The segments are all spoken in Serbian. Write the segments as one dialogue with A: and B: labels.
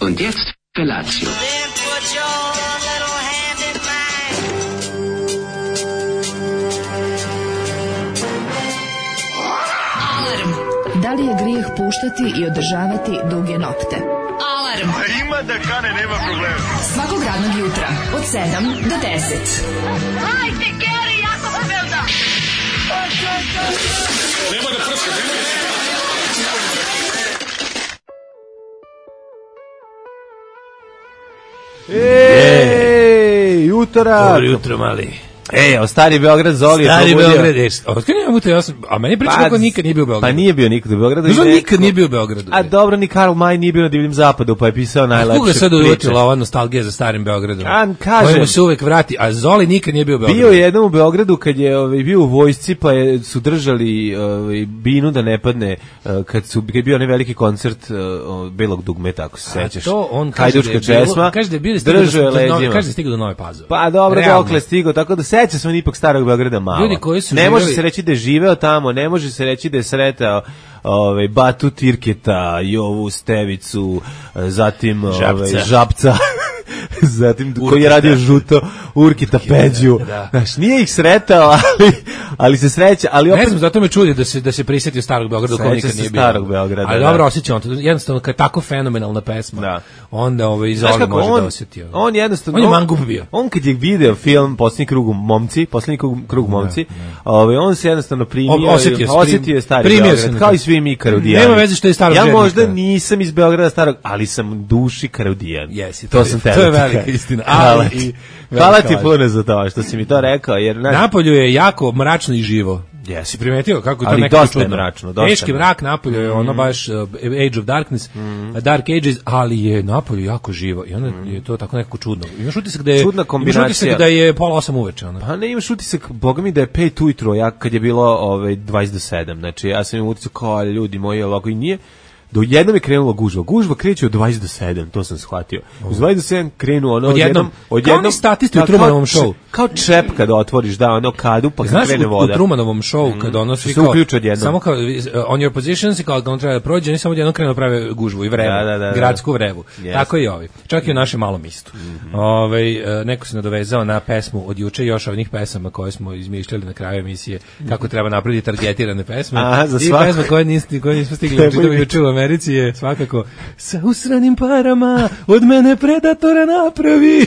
A: Und jetzt Felatio.
B: Da li je grijeh puštati i održavati duge nokte? Alarm!
C: A ima da kane, nema problema.
B: Svakog radnog jutra, od 7 do 10.
D: Hajde, Geri, jako se velda!
C: Nema da prska, nema da prska.
E: Ej, utorak!
F: Dobro jutro, mali.
E: Ej, Stari Beograd, Zoli je
F: Stari
E: probudio.
F: Beograd, otkada nema puta, a meni priča kako nikad nije bio u Beogradu.
E: Pa nije bio nikad u Beogradu.
F: Znaš, nikad nije bio u Beogradu.
E: A dobro, ni Karl May nije bio na Divljem zapadu, pa je pisao najlepše
F: Kuga sad
E: priče.
F: uvjetila ova nostalgija za Starim Beogradom.
E: Kažem,
F: kojemu se uvek vrati, a Zoli nikad nije bio u Beogradu.
E: bio je jednom u Beogradu kad je bio u vojsci, pa su držali binu da ne padne kad je bio onaj veliki koncert Belog dugmeta, ako se sećaš.
F: To on
E: Hajdučka česma.
F: Kaže da je bio stigao do Nove Pazove.
E: Pa dobro,
F: Realno.
E: dokle stigao, tako da seća se on ipak Starog Beograda malo.
F: Ljudi koji su
E: ne može
F: živeli-
E: se reći da je živeo tamo, ne može se reći da je sretao Batu Tirketa, Jovu Stevicu, zatim Žabca. Zatim koji je radio žuto Urkita Peđu.
F: Da.
E: Znaš, nije ih sretao, ali se sreća, ali opet
F: Ne znam, zato me čudi da se prisetio Starog Beograda kao
E: Seća
F: nikad
E: se
F: nije bio.
E: Starog Beograda,
F: Ali
E: da.
F: dobro osjećam to. Jednostavno kad je tako fenomenalna pesma.
E: Da.
F: Onda i
E: Znaš
F: Zoli
E: kako,
F: može da osjeti.
E: on jednostavno
F: On je mangup bio.
E: On kad je video film Posljednji krug momci, on se jednostavno primio,
F: Osjetio
E: je Stari
F: primio
E: Beograd,
F: se
E: kao i svi mi Karudijani.
F: Nema veze što je Starog
E: Ja
F: Žednika.
E: možda nisam iz Beograda starog, ali sam u duši Karudijan.
F: Jesi,
E: to sam
F: to je velika istina.
E: Hvala ti puno za to što si mi to rekao, jer
F: Napolju je jako mračno i živo. Si primetio kako je to
E: Ali
F: nekako
E: dosta je
F: čudno?
E: mračno, dosta
F: Teški
E: je
F: mrak Napolju je ono baš Age of Darkness, Dark Ages, ali je Napolju jako živo i onda je to tako nekako čudno. Imaš utisak da je
E: Čudna kombinacija.
F: Imaš utisak da je 7:30 uveče. Ono.
E: Pa ne imaš utisak, boga mi da je 5 ujutro, kad je bilo 20 do 7, znači ja sam imao utisak kao ljudi moji ovako i nije. Do jednom je krenula gužva. Gužva kreće od 20 do 7, to sam shvatio. Uz 20 do 7 krenu ono odjednom.
F: Kao oni statisti u Trumanovom show.
E: Kao čep kada otvoriš, kadu, pa
F: Znaš,
E: krene voda.
F: u Trumanovom show, kad ono svi
E: se uključe odjednom.
F: samo kao on your positions, kao on treba da prođe, oni samo odjednom krenu da prave gužvu i vrevu, gradsku vrevu.
E: Yes.
F: Tako i ovi. Čak i u našem malom mistu. Neko se nadovezao na pesmu od juče, još ovih pesama koje smo izmišljali na kraju emisije, kako treba napraviti targetirane pesme. I pesma koje nismo stigli čitati juče u Americi je svakako sa usranim parama od mene predatora napravi.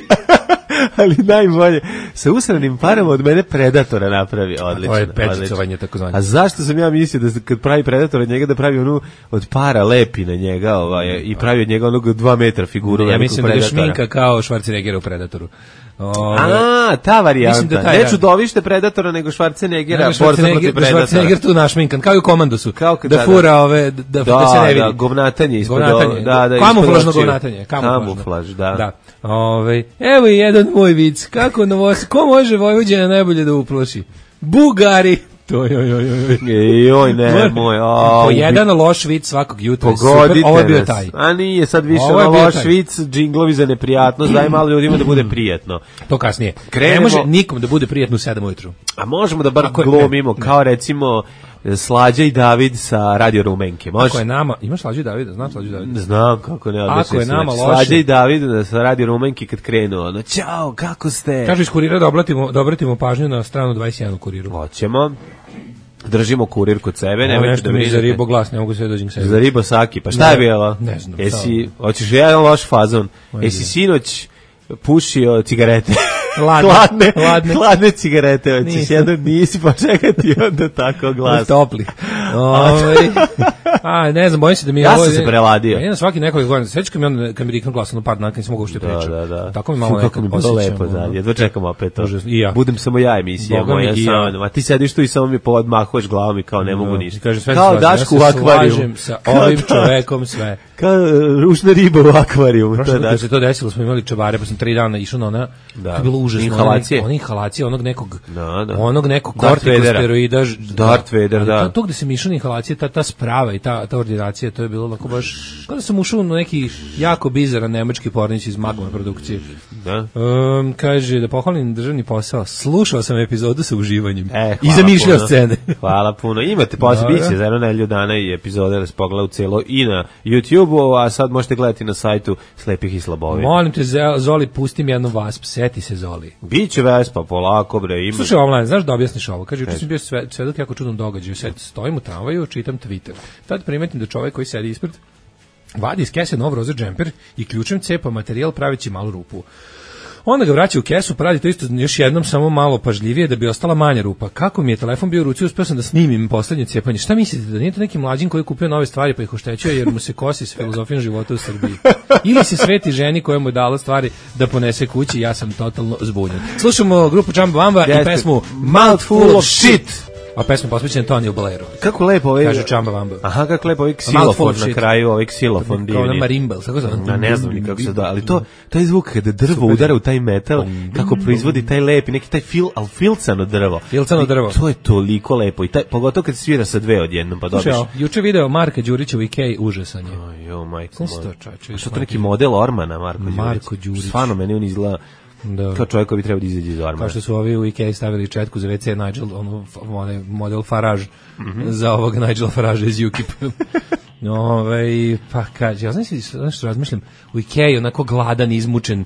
E: Ali najbolje, sa usranim parama od mene predatora napravi. Odlično.
F: To je pečicovanje takozvano.
E: A zašto sam ja mislio da kad pravi predator od njega da pravi onu od para lepi na njega i pravi od njega onog 2 metra figuru.
F: Ja mislim da je šminka kao Schwarzenegger u Predatoru.
E: Ta varijanta.
F: Mislim da taj,
E: ne čudovište Predatora, nego Schwarzeneggera, borca protiv Predatora.
F: Schwarzenegger tu našminkan, kao i u Komandosu. Da fura ove, da se ne vidi.
E: Da, govnatanje ispod.
F: Kamuflažno govnatanje.
E: Kamuflaž, da.
F: Evo i jedan moj vic. Kako ko može Vojvođana najbolje da uploši? Bugari.
E: Joj, ne, moj.
F: Po jedan loš vic svakog jutra.
E: Pogodite
F: ovo je bio taj.
E: A nije sad više loš vic, džinglovi za neprijatnost, daj malo ljudima da bude prijatno.
F: To kasnije. Ne može nikom da bude prijatno u 7 ujutru.
E: A možemo da bar glumimo, kao recimo Slađa i David sa Radio Rumenke.
F: Ako je nama, imaš Slađa i Davida? Znam Slađa i Davida?
E: Znam, kako ne.
F: Ako je nama loše.
E: Slađa i David sa Radio Rumenke kad krenu, ono, ćao, kako ste?
F: Kažu iz Kurira da obratimo pažnju na stranu 21 u Kuriru.
E: Hoćemo. Držimo Kurir kod sebe,
F: nemojte da brinete. Za ribo glas, ne mogu sve dođem sebi.
E: Za ribo saki, pa šta je bilo?
F: Ne znam.
E: Hoćeš jedan loš fazon. Jesi sinoć pušio cigarete? Hladne cigarete, hoćeš jedan, nisi pa čekati onda tako glas.
F: Topli. Ne znam, bojim se da mi je
E: ja
F: ovo...
E: Ja sam se preladio.
F: Ja svaki nekoliko godina, sveći kad mi riknu glas, par dana, kad nisam mogu ušte pričati.
E: Da.
F: Tako mi malo
E: nekako osjećam. Lepo, jedva čekam opet to.
F: I ja.
E: Budem samo ja emisija moja sama. A ti sediš tu i samo mi podmahuješ glavom i kao ne mogu ništa.
F: Kao Daško u akvariju. Slažem sa ovim čovekom sve.
E: Kao ružna riba u akvariju.
F: Prošle kad se to desilo, smo imali čevare, pa sam 3 dana išao na ona, to je bilo užasno. Inhalacije onog nekog kortikosteroida.
E: Darth Vader, da.
F: To gde se mi mišane inhalacije, ta sprava i ta ordinacija, to je bilo onako baš, kada sam ušao na neki jako bizaran nemački pornić iz Magma produkcije.
E: Da.
F: Kaže, da pohvalim državni posao, slušao sam epizodu sa uživanjem i zamišljao scene.
E: Hvala puno. Imate biće za jedno nedelju dana i epizode da se pogleda u celo i na YouTube-u, a sad možete gledati na sajtu Slepih i Slabovi.
F: Molim te, Zoli, pustim jednu Vasp, seti se, Zoli.
E: Biće Vespa, polako, bre. Ima...
F: Slušaj, online, znaš da objasniš ovo? Kaže, juče sam bio svedok jako čudnom događaju. Stojim u tramvaju, čitam Twitter. Tad primetim da čovjek koji sedi ispred vadi iz kese nov roze džemper i ključem cepa materijal praveći malu rupu. Onda ga vraća u kesu, pravi to isto još jednom, samo malo pažljivije da bi ostala manja rupa. Kako mi je telefon bio u ruci, uspeo sam da snimim poslednje cepanje. Šta mislite, da nije to neki mlađin koji je kupio nove stvari pa ih oštećuje jer mu se kosi s filozofijom života u Srbiji? Ili se sveti ženi koja mu je dala stvari da ponese kući, ja sam totalno zbunjen. Slušamo grupu Jamba Wamba i pesmu Mouthful of Shit. A pesma posvećena Toniju Blairu.
E: Kako lepo ovaj...
F: Kaže Jamba Wamba.
E: Aha, kako lepo ovaj ksilofon na kraju, ovaj ksilofon divni.
F: Kao na marimbel, kako zove?
E: Ne znam ni kako se da, ali taj zvuk kada drvo udara u taj metal, kako proizvodi taj lepi, neki taj filcano drvo.
F: Filcano drvo.
E: To je toliko lepo, i pogotovo kad svira sa dve odjednom, pa dobiš.
F: Juče video Marka Đurića u Ikei, užasan je.
E: Jo, majko moj.
F: Što
E: to neki model Ormana, Marko Đurić. Stvarno, meni on izgleda kao čovjek koji bi trebao da izađe iz Ormana.
F: Kao što su ovi u Ikei stavili četku za WC Nigel, onaj model Farage, za ovog Nigela Farage iz UKIP. Pa kaže, ja znam što razmišljam, u Ikei onako gladan, izmučen,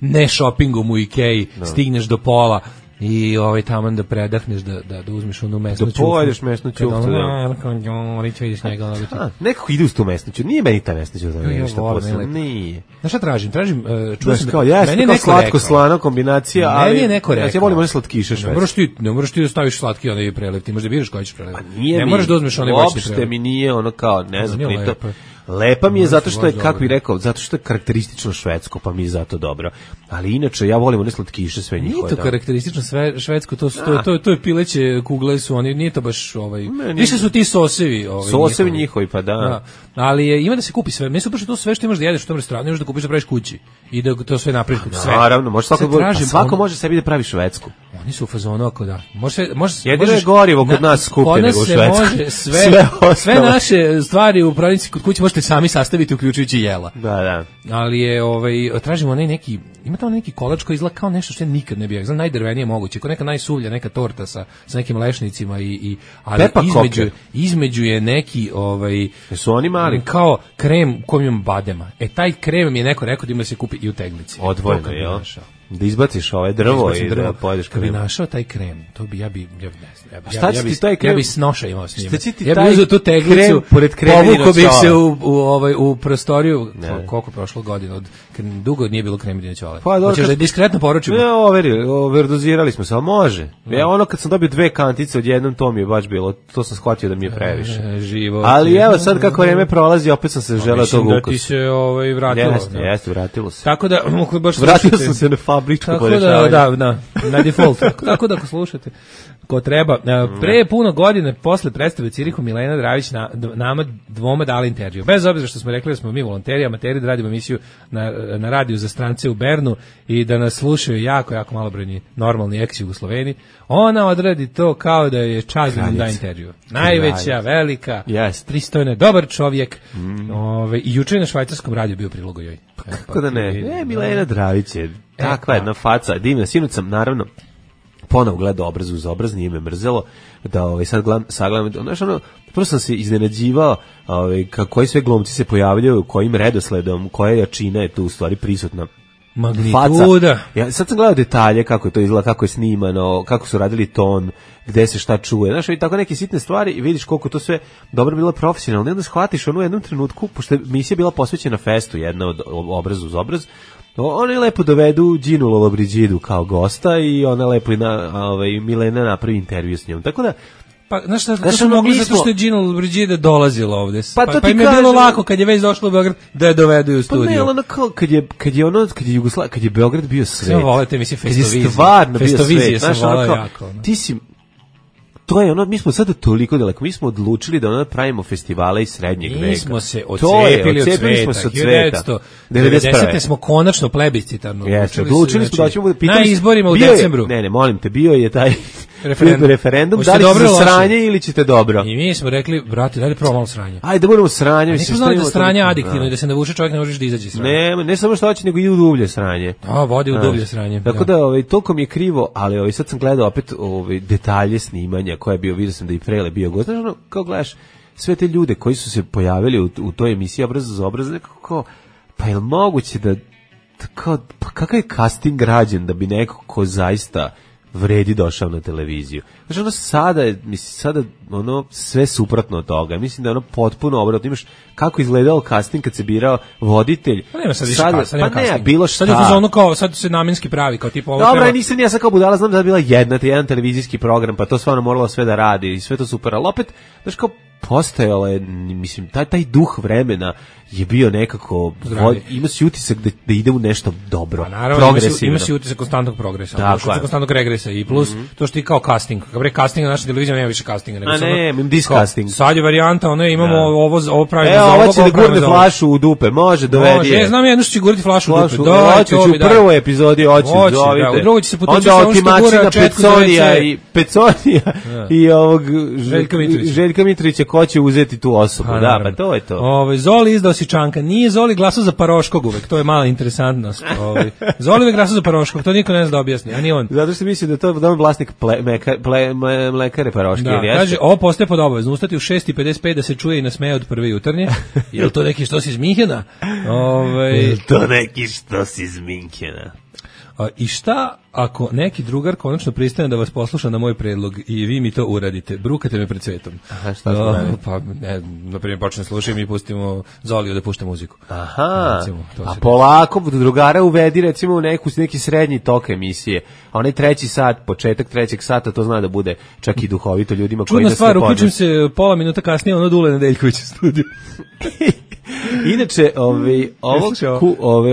F: ne shoppingom u Ikei, stigneš do pola i taman da predahneš, da uzmeš onu mesnu ćufu.
E: Da pojedeš mesnu ćufu, nekako ide uz tu mesnu ćufu, nije meni ta mesna ćufu nešto posebno, nije.
F: Znaš šta tražim?
E: Meni je neko slatko-slana kombinacija, ali
F: meni je neko rekao.
E: Ja volim one slatkiše švedske.
F: Ne moraš ti da staviš slatki onaj prelev, ti možeš da biraš koji ćeš prelev.
E: Ne
F: moraš da uzmeš onaj voćni prelev.
E: Uopšte mi nije ono kao, ne znam, lepa mi je zato što je, kako bih rekao, zato što je karakteristično švedsko, pa mi je zato dobro. Ali inače, ja volim one slatkiše sve njihove.
F: Nije to karakteristično švedsko, to je pileće kugle su oni, nije to baš više su ti sosevi.
E: Sosevi njihovi, pa da.
F: Ali ima da se kupi sve. Meni su baš to sve što imaš da jedeš u tom restoranu, imaš da kupiš da praviš kući i da to sve napraviš sve.
E: Naravno, može svako može sebi da pravi švedsku.
F: Oni su u fazonu ako da.
E: Jedino je gorivo kod nas skuplje nego u Švedskoj.
F: Sve naše stvari u prodavnici kod kuće možete sami sastaviti uključujući jela.
E: Da.
F: Ali je tražimo onaj neki, ima tamo neki kolač koji izgleda kao nešto što ja nikad ne bih, znam, najdrvenije moguće, kao neka najsuvlja, neka torta sa nekim lešnicima ali između je neki
E: su oni mali
F: kao krem kojim ima badema. Taj krem mi je neko rekao da ima da se kupi i u teglici.
E: Odvojno, jel? Da izbaciš drvo i da pojedeš krem.
F: Kad bi našao taj krem, to bi ja bi
E: šta će ti taj krem?
F: Ja bi snoša imao s njim.
E: Ja bi uzeo
F: tu teglicu, povukao bih se u prostoriju, koliko prošlo godina, dugo nije bilo krem dinoćole. Hoćeš da diskretno poručimo?
E: Ne, overdozirali smo se, ali može. Ja ono kad sam dobio 2 kantice odjednom, to mi je baš bilo, to sam shvatio da mi je previše. Ali evo sad kako vreme prolazi, opet sam se želeo tog ukusa.
F: Da ti se vratilo.
E: Jeste, vratilo se.
F: Tako da,
E: vratio sam se na fabričko podešavanje.
F: Da, na default. Tako da ako slušate ko treba. Pre puno godine, posle predstave Cirihu, Milena Dravić nama dvoma dala intervju. Bez obzira što smo rekli da smo mi volonteri, amateri, da radimo emisiju na radiju za strance u Bernu i da nas slušaju jako, jako malobrojni normalni ex-Jugosloveni, ona odradi to kao da je čast da da intervju. Najveća, velika, pristojna, dobar čovjek. I juče na švajcarskom radiju bio prilog joj.
E: Kako da ne? Milena Dravić je takva jedna faca, divna. Sinoć sam naravno ponovo gledao obraz uz obraz, nije me mrzelo da sad sagledam, prvo sam se iznenađivao koji sve glumci se pojavljaju, kojim redosledom, koja jačina je tu u stvari prisutna.
F: Magnituda.
E: Ja sad sam gledao detalje, kako je to izgleda, kako je snimano, kako su radili ton, gde se šta čuje. Znaš, i tako neke sitne stvari i vidiš koliko to sve dobro bilo profesionalno. I onda shvatiš u jednom trenutku, pošto je emisija bila posvećena festu, jedna od obraz uz obraz, oni lepo dovedu Ginu Lollobrigidu kao gosta i ona lepo Milena napravi intervju s njom. Tako da
F: pa znaš šta su mogli zato što je Gina Lollobrigida dolazila ovde. Pa im je bilo lako kad je već došla u Beograd da je dovedu u studiju.
E: Pa ne, ono kao kad je Beograd bio svet.
F: Sve volite mislim festovizije.
E: Festovizije
F: sam volao jako.
E: Ti si to je mi smo sada toliko daleko, mi smo odlučili da pravimo festivale iz srednjeg veka.
F: Mi smo se odcepili od sveta. 1990. smo konačno plebiscitarno.
E: Odlučili smo da ćemo pitati.
F: Na izborima u decembru.
E: Ne, molim te, bio je taj referendum, da li ćete sranje ili ćete dobro.
F: I mi smo rekli, brate, dajde prvo malo sranje.
E: Ajde da budemo sranje.
F: Nismo znali da sranje adiktivno i da se navuče čovjek ne možeš da izađe sranje.
E: Ne samo što hoće, nego i u dublje sranje.
F: Vodi u dublje sranje.
E: Tako da toliko mi je krivo, ali sad sam gledao opet detalje snimanja koje je bio, vidio sam da i Frele bio gost. Znaš, kao gledaš sve te ljude koji su se pojavili u toj emisiji Obraz za obraz, nekako, pa je li moguće da pa kakav je casting rađen da bi neko ko zaista vredi došao na televiziju. Znači ono sada ono sve suprotno od toga. Mislim da je ono potpuno obratno. Imaš kako izgledao casting kad se birao voditelj.
F: Pa nema sad više casting.
E: Pa ne, bilo šta.
F: Sad je to ono kao, sad se namenski pravi, kao tipa ovo.
E: Dobro, nisam ja sad kao budala, znam da je bila jedan televizijski program, pa to stvarno moralo sve da radi i sve to super, ali opet, znaš kao, postojalo je, mislim, taj duh vremena je bio nekako, ima si utisak da ide u nešto dobro, progresivno.
F: Ima si utisak konstantnog progresa, konstantnog regresa i plus to što ti kao casting, kao bre casting na našoj televiziji nema više castinga, nego
E: discasting.
F: Sad je varijanta, ono imamo ovo pravi
E: za ovo. Evo, će da gurne flašu u dupe, može, dovedi je.
F: Znam jedno što će guriti flašu u dupe,
E: hoće u prvoj epizodi, hoće, zovite.
F: U drugoj će se potući
E: sa ono što gura Peconija i ovog Željka Mitrovića, ko će uzeti tu osobu, da, pa to je to.
F: Zoli izdao si Čanka, nije Zoli glasao za Paroškog uvek, to je mala interesantnost. Zoli uvek glasao za Paroškog, to niko ne zna da objasni, a ni on.
E: Zato što mislim da je to vlasnik mlekare Paroške.
F: Da, kaže, ovo postaje pod obavezno, ustati u 6:55 da se čuje i nasmeje od prve jutarnje. Je li to neki što si iz Minhena?
E: Je to neki što si iz Minhena?
F: I šta ako neki drugar konačno pristane da vas posluša na moj predlog i vi mi to uradite? Brukate me pred svetom.
E: Aha, šta smo radili?
F: Pa, na primjer, počne slušati i mi pustimo Zoliju da pušta muziku.
E: Aha, recimo, a polako drugara uvedi recimo u neki srednji tok emisije. A onaj treći sat, početak trećeg sata, to zna da bude čak i duhovito ljudima koji
F: nas ne podne. Čudna stvar, uključim se pola minuta kasnije, ono Dule Nedeljković u studiju.
E: Inače,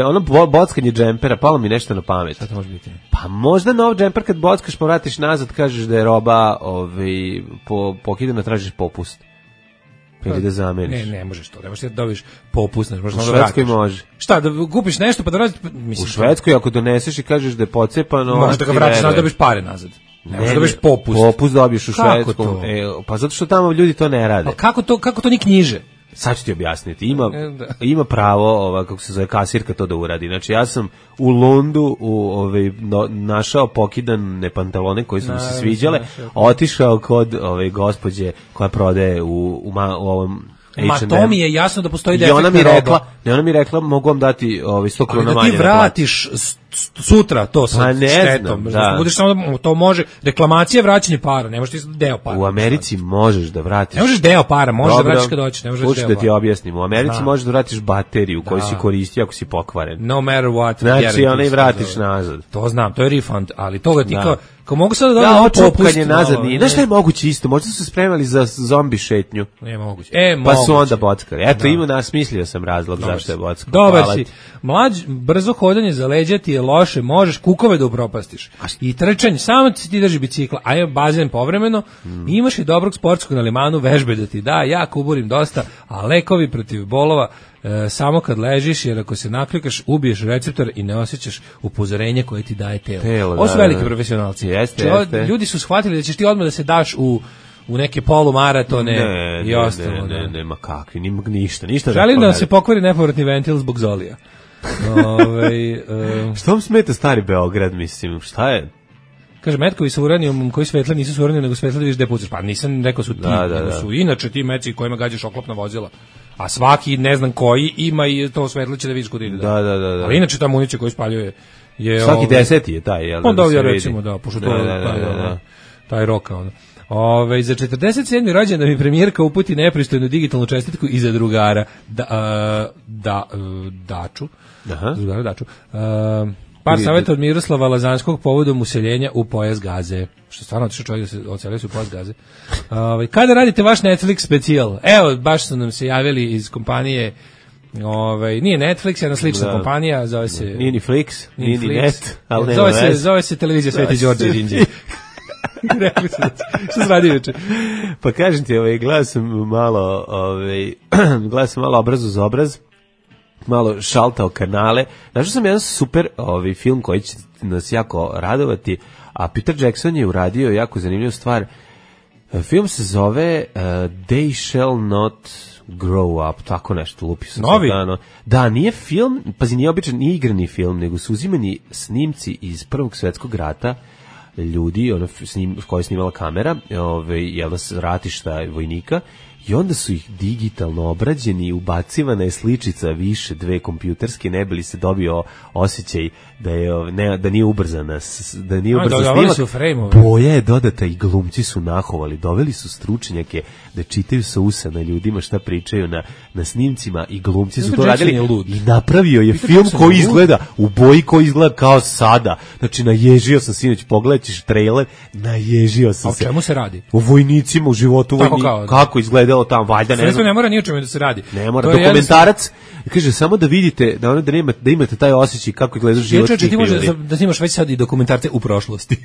E: ono bockanje džempera, palo mi nešto na pamet.
F: Šta to može biti?
E: Pa možda nov džemper kad bockaš, pa vratiš nazad, kažeš da je roba pokidana, tražiš popust. Ili da zameniš.
F: Ne možeš to, ne možeš da dobiš popust.
E: U Švedskoj može.
F: Šta, da kupiš nešto pa da vratiš?
E: U Švedskoj ako doneseš i kažeš da je pocepano...
F: Možeš da ga vratiš nazad, dobiš pare nazad. Ne možeš da dobiš popust.
E: Popust dobiješ u Švedskom. Pa zato što tamo ljudi to ne rade.
F: Pa kako to ni knjiže?
E: Sad ću ti objasniti. Ima pravo, kako se zove, kasirka to da uradi. Znači, ja sam u Lundu našao pokidane pantalone koji su mi se sviđale, otišao kod gospođe koja prodaje u ovom H&M.
F: Ma to mi je jasno da postoji defektna roba.
E: Ona mi rekla, mogu vam dati 100 krona manje.
F: Da ti vratiš sutra to sa štetom. Budeš samo, to može, reklamacija, vraćanje para, ne možeš ti deo para.
E: U Americi možeš da vratiš.
F: Ne možeš deo para, možeš da vratiš kad hoćeš, ne možeš deo para.
E: Hoću da ti objasnim, u Americi možeš da vratiš bateriju koju si koristio ako si pokvaren.
F: No matter what.
E: Znači, ona i vratiš nazad.
F: To znam, to je refund, ali toga ti kao mogu sad da
E: dam ovo čupkanje nazad nije. Znaš šta je moguće isto? Možda su se spremali za zombi šetnju.
F: Nije moguće.
E: Pa su onda bockali. Eto, smislio sam razlog zašto je bockao.
F: Dobar si. Brzo hodanje za leđa ti je loše, možeš kukove da upropastiš. I trčanje, samo ti drži bicikla, a je bazen povremeno, imaš i dobrog sportskog na limanu, vežbe da ti da, ja kuburim dosta, a lekovi protiv bolova samo kad ležiš, jer ako se naklikaš, ubiješ receptor i ne osjećaš upozorenje koje ti daje telo. Ovo su veliki profesionalci. Ljudi su shvatili da ćeš ti odmah da se daš u neke polumaratone i ostalo.
E: Nema kakvi, ništa.
F: Želim da se pokvari nepovratni ventil zbog Zolija.
E: Što vam smeta stari Beograd, mislim, šta je?
F: Kaže, metkovi sa uranijom koji svetle nisu su uranijom, nego svetle da viš gde pucaš. Pa nisam rekao su ti, nego su inače ti meci kojima gađaš oklopna vozila. A svaki, ne znam koji, ima i to svetlo će da vidiš kod ide.
E: Da.
F: Ali inače ta municija koju spaljuje je...
E: Svaki 10 je taj, jel?
F: Onda ovdje recimo, pošto to je taj roka, ono. Za 47. rođendan mi premijerka uputi nepristojnu digitalnu čestitku iza drugara Daču. Drugara Daču. Par savjeta od Miroslava Lazanskog povodom useljenja u pojas Gaze. Što stvarno otišao čovjek da se odselio u pojas Gaze. Kada radite vaš Netflix specijal? Evo, baš su nam se javili iz kompanije, nije Netflix, jedna slična kompanija, zove se...
E: Nije ni Flix, nije ni Net, ali
F: zove se televizija Sveti Đorđe iz Indije. Rekli su, što se radi večer?
E: Pa kažem ti, gledao sam malo Obraz uz obraz. malo šaltao kanale. Našao sam jedan super film koji će nas jako radovati, a Peter Jackson je uradio jako zanimljivu stvar. Film se zove They Shall Not Grow Up, tako nešto, lupi sam.
F: Novi?
E: Da, nije film, pazi, nije običan, nije igrani film, nego su uzimani snimci iz Prvog svetskog rata, ljudi, koja je snimala kamera, ratišta vojnika, i onda su ih digitalno obrađeni, ubacivana je sličica više, 2 kompjuterske, ne bi li se dobio osjećaj da nije ubrzana, da nije ubrzan snimak. Boja je dodata i glumci su nahovali, doveli su stručnjake da čitaju sa usana ljudima šta pričaju na snimcima i glumci su to radili i napravio je film koji izgleda u boji, koji izgleda kao sada. Znači, naježio sam sinoć, pogledat ćeš trailer, naježio sam se.
F: O čemu se radi?
E: O vojnicima, u životu vojnika, kako izgledalo tamo, valjda ne znam.
F: Ne mora ni o čemu da se radi.
E: Ne mora, dokumentarac, kaže samo da vidite, da imate taj osjećaj kako izgleda život.
F: Ti možeš da snimaš već sad i dokumentarce u prošlosti.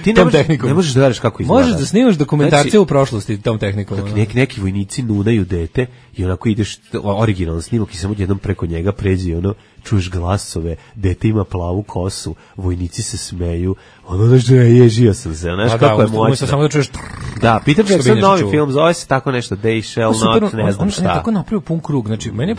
E: Ti ne možeš da gledaš kako izgleda.
F: Možeš da snimaš dokumentarce u prošlosti tom tehnikom.
E: Neki vojnici nunaju dete i onako ideš originalno snimak i samo jednom preko njega pređi, čuješ glasove, dete ima plavu kosu, vojnici se smeju, ježio sam se, znaš kako je moćno.
F: Samo da čuješ.
E: Da, Peter Jackson novi film, zove se tako nešto, They Shall Not, ne znam šta.
F: On je tako napravio pun krug, znači, meni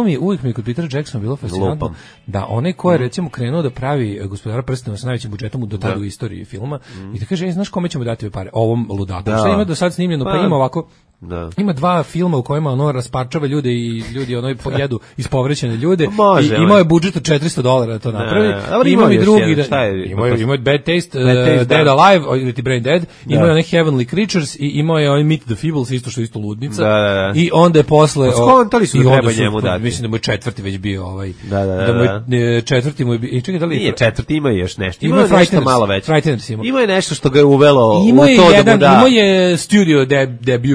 F: je uvijek mi kod Petera Jacksona bilo fascinantno da onaj ko je recimo krenuo da pravi Gospodara prstenova sa najvećim budžetom do tada u istoriji filma i da kaže, znaš kome ćemo dati ove pare? Ovom ludaku. Šta ima do sad snimljeno? Pa ima ovako. Da. Ima 2 filma u kojima rasparčava ljude i ljudi pojedu ispovrećene ljude. I imao je budžet od $400 da to napravi. Ima i drugi imao je Bad Taste, Dead Alive ili ti Brain Dead, imao je onih Heavenly Creatures i imao je Meet the Feebles, isto što je isto ludnica. I onda je posle
E: skontali su treba njemu dati.
F: Mislim da mu je 4. već bio
E: da mu
F: je 4. mu je bio. Čekaj, da li
E: nije 4. ima još nešto. Ima nešto malo veće. Ima je nešto što ga je uvelo
F: u to da mu da. Imao je studio debut,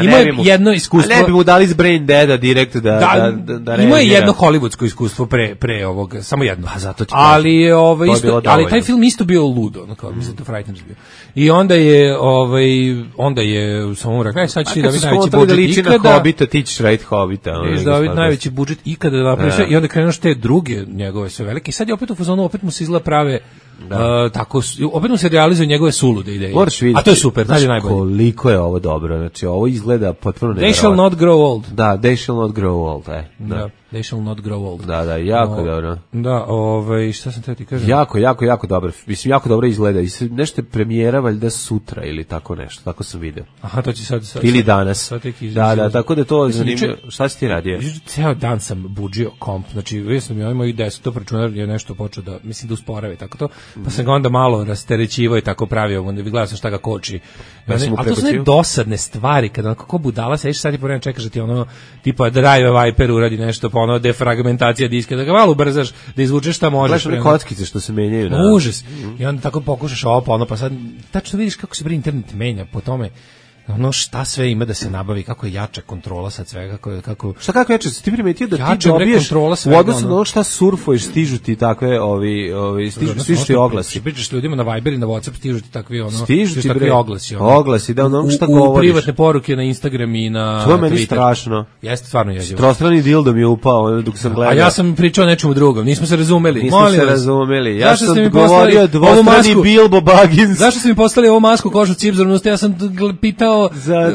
E: ima
F: jedno iskustvo.
E: A ne bi mu dali iz Brain Deada direkt da
F: ima je jedno hollywoodsko iskustvo pre ovog, samo jedno.
E: Pa zato ti
F: ali ali taj film isto bio ludo, mislim da Frighteners bio. I onda je samo rekao, sad ćeš ti da vidi najveći budžet ikada.
E: Hobita, ti ćeš raditi Hobita.
F: Da vidi najveći budžet ikada da napraviš i onda krenuš te druge njegove sve velike. I sad je opet u fazonu, opet mu se izgleda prave tako, opet mu se realizuju njegove sulude ideje. A to je super, znači najbolje.
E: Koliko je ovo dobro, znači ovo izgleda potpuno nevjerovatno.
F: They shall not grow old.
E: Da, they shall not grow old,
F: They shall not grow old.
E: Da, jako dobro.
F: Da, šta sam teo ti kažem?
E: Jako dobro. Mislim, jako dobro izgleda. I nešto je premijera valjda sutra ili tako nešto. Tako sam video.
F: Aha, to će sad
E: ili danas. Da, tako da to zanimljivo. Šta si ti radio?
F: Ceo dan sam buđio komp. Znači, vidio sam i moj desktop računar je nešto počeo da, mislim, da usporava i tako to. Pa sam ga onda malo rasterećivao i tako pravio. Onda gledao sam šta ga koči. A to su ne dosadne stvari. Kada kako budala sediš sad i po vremenu čekaš da ti tipa Drive Viper uradi nešto, pa defragmentacija diska, da ga malo ubrzaš, da izvučeš šta možeš.
E: Gledaš kockice što se menjaju.
F: Užas. I onda tako pokušaš pa sad tačno vidiš kako se internet menja po tome. Šta sve ima da se nabavi, kako je jača kontrola sad svega, kako
E: šta kako jače, ti primetio da ti dobiješ u odnosu na šta surfuješ, stižu ti takve stižu ti oglasi.
F: Pričaš ljudima na Viber i na WhatsApp, stižu ti takvi oglasi.
E: Oglasi, da šta govoriš.
F: U privatne poruke na Instagram i na Twitter.
E: To je meni strašno.
F: Jeste stvarno jezivo.
E: Trostrani dildo mi je upao dok sam gledao.
F: A ja sam pričao nečemu drugom, nismo se razumeli.
E: Ja sam govorio dvostrani Bilbo Baggins.
F: Zašto ste mi poslali ovu masku kožu cipzor? Ja sam pitao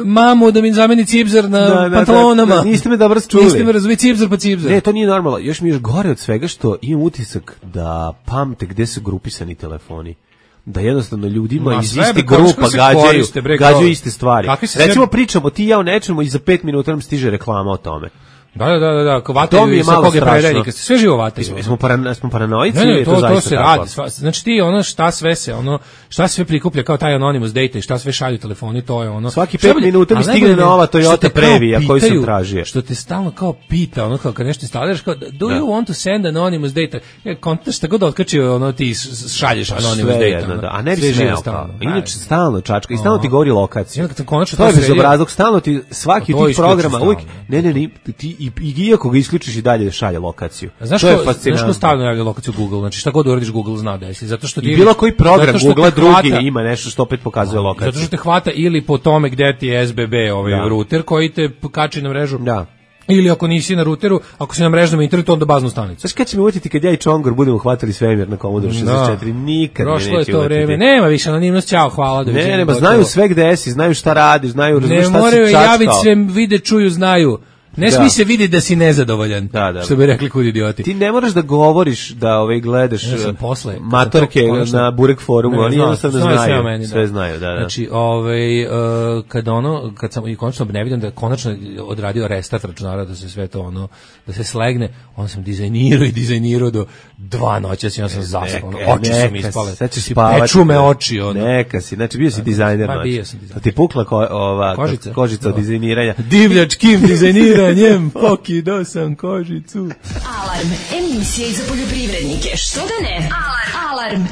F: mamu da mi zameni cipzor na pantalonama.
E: Niste me dobro čuli.
F: Niste me razumeli, cipzor pa cipzor.
E: Ne, to nije normalno. Još mi je gore od svega što imam utisak da pamte gde su grupisani telefoni. Da jednostavno ljudima iz iste grupa gađaju iste stvari. Recimo pričamo ti i ja o nečemu i za 5 minuta nam stiže reklama o tome.
F: Da, vataju sa koga prerednika, sve živo vataju.
E: Smo paranoici
F: ili to se radi. Znači ti šta sve prikuplja kao taj anonymous data i šta sve šalju telefoni, to je
E: svaki 5 minuta mi stigne nova Toyota Previa koju sam tražio.
F: Što te stalno kao pita, kao kad nešto instaliraš, kao do you want to send anonymous data? Kontaš šta god otkači, ti šalješ anonymous data.
E: A ne bi smeo. Inače stalno čačka i stalno ti govori lokaciju.
F: To
E: je bezobrazluk, stalno ti svaki od tih programa uvijek, ne, ti iako ga isključiš i dalje šalje lokaciju.
F: Znaš ko stavno javlja lokaciju Google? Znači šta god uradiš Google zna da jesi. Zato što ti
E: bilo koji program Google drugi ima nešto što opet pokazuje lokaciju.
F: Zato što te hvata ili po tome gde ti je SBB router koji te kači na mrežu.
E: Da.
F: Ili ako nisi na ruteru, ako si na mrežnom internetu, onda baznu stanicu.
E: Znaš kad će mi uvjetiti kad ja i Čongor budemo hvatali svemir na Commodore 64? Nikad me neće
F: prošlo je to vreme. Nema više anonimnost, ćao, hvala.
E: Ne, znaju sve gde si, znaju šta radiš, znaju šta si čačkao.
F: Ne moraju javiti sve, vide, čuju, znaju. Ne smije se vidi da si nezadovoljan, što bi rekli kud idioti.
E: Ti ne moraš da govoriš da gledaš matorke na Burek forumu, oni jednostavno znaju, sve znaju.
F: Znači, kad sam i konačno ne vidim da konačno odradio restart računara, da se sve to da se slegne, onda sam dizajnirao do 2 noći, ja sam zaspao, oči su mi ispale, peču me oči.
E: Neka si, znači bio si dizajner noći. Da ti pukla kožica od dizajniranja.
F: Divljač Kim dizajnira njem, pokido sam kožicu.
B: Alarm, emisija za poljoprivrednike, što da ne? Alarm.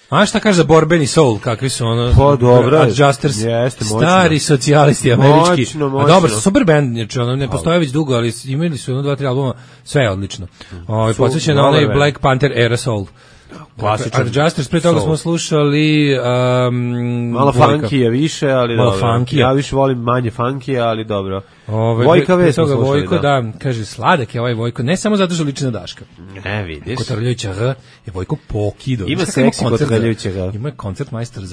F: A šta kaže za borbeni soul, kakvi su
E: Pa dobro,
F: Adjusters, stari socijalisti američki.
E: Moćno.
F: A dobro, super band, ne postoje već dugo, ali imali su 2-3 albuma, sve je odlično. Podsjeća na onaj Black Panther era soul.
E: Klasičan.
F: Adjusters, pre toga smo slušali
E: malo funkija više, ali
F: malo
E: dobro.
F: Funkija.
E: Ja više volim manje funkija, ali dobro.
F: Vojka Ve smo slušali, Vojko, da. Kaže, sladak je ovaj Vojko, ne samo zato što liči na Daška.
E: Ne, vidiš.
F: Kotrljajuća H je Vojko pokido.
E: Ima seksi Kotrljajuća H.
F: Ima koncert majstor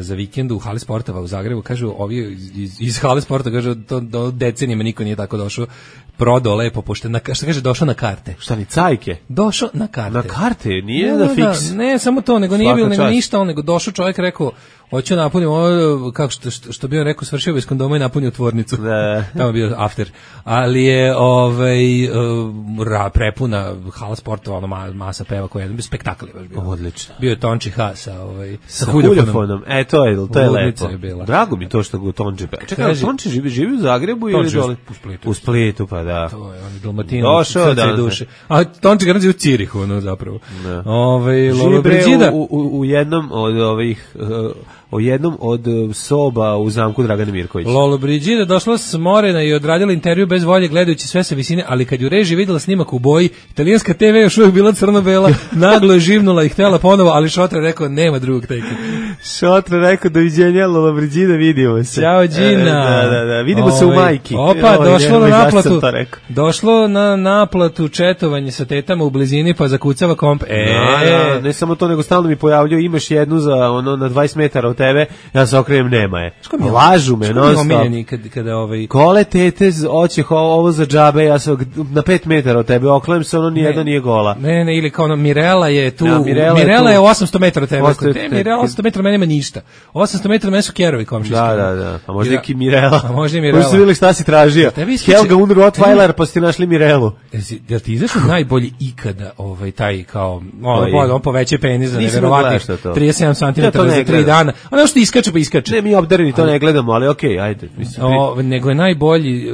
F: za vikend u Hali Sportova u Zagrebu, kažu ovi iz Hali Sporta, kažu do decenijama niko nije tako došao, prodao lepo, pošto šta kaže, došao na karte.
E: Šta ni cajke?
F: Došao na karte.
E: Na karte, nije na fiks.
F: Ne, samo to, nego nije bilo, nego ništa, nego došao čovjek, rekao, hoću napunim ovo, kako što bi on rekao, svršio bez kondoma i napunio tvornicu. Tamo je bio after. Ali je prepuna Hala Sportova, masa peva koja je spektakl je baš bio.
E: Odlično.
F: Bio je Tonči H sa
E: huljofonom. To je lepo.
F: Je
E: drago mi to što go Tonči peva. Čekaj, Tonči živi u Zagrebu ili dole?
F: U
E: Splitu, pa da.
F: To je on Dalmatinac, srce i duše. A Tonči garanzi u Cirihu, zapravo.
E: Živi u jednom od soba u zamku Dragana Mirkovića.
F: Lolo Brigida došla smorena i odradila intervju bez volje gledajući sve sa visine, ali kad ju reži videla snimak u boji, italijanska TV još uvijek bila crno-bela, naglo je živnula i htjela ponovo, ali Šotra rekao nema drugog teka.
E: Šotra rekao doviđenja Lolo Brigida, vidimo se.
F: Ćao Đina.
E: Da, vidimo se u majki.
F: Opa, došlo na naplatu četovanje sa tetama u blizini pa zakucava komp.
E: Ne samo to, nego stalno mi pojavljaju, imaš jednu za na 20 metara od tebe, ja se okrenem, nema je. Lažu me, non stop. Kole tete, oće ovo za džabe, ja se na 5 metara od tebe, oklenem se, nijedno nije gola.
F: Ne, ili kao Mirela je tu, Mirela je 800 metara od tebe. Mirela 800 metara, mene nema ništa. 800 metara mene su kerovi komšiški.
E: Da, a možda i Mirela.
F: Možda i Mirela.
E: Možda su vidjeli šta si tražio. Helga und Rottweiler, pa ste našli Mirelu.
F: Jel ti izašao najbolji ikada taj kao, on poveće penis za neverovatnih 37 cm za 3 dana. Ono što iskače pa iskače.
E: Ne, mi obdareni to ne gledamo, ali okej, ajde.
F: Nego je najbolji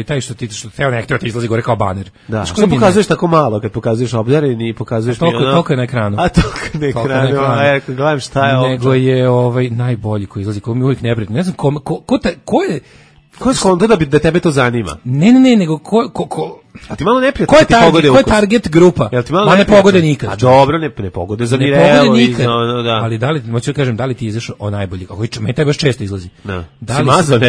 F: taj što teo nekto ti izlazi gore kao baner.
E: Da, što pokazuješ tako malo, kad pokazuješ obdareni i pokazuješ mi ono.
F: Toliko je na ekranu.
E: A toliko na ekranu, gledam šta je ovo.
F: Nego je najbolji koji izlazi, koji mi uvijek neprijatno. Ne znam ko je...
E: Ko je skonto da tebe to zanima?
F: Ne, nego ko...
E: A ti malo neprijatno
F: ti pogode ukus. Ko je target grupa?
E: Ma
F: ne pogode nikad.
E: A dobro, ne pogode za Mirelu.
F: Ne pogode nikad. Ali moću da kažem, da li ti izašao o najbolji? Meni taj baš često izlazi.
E: Si mazao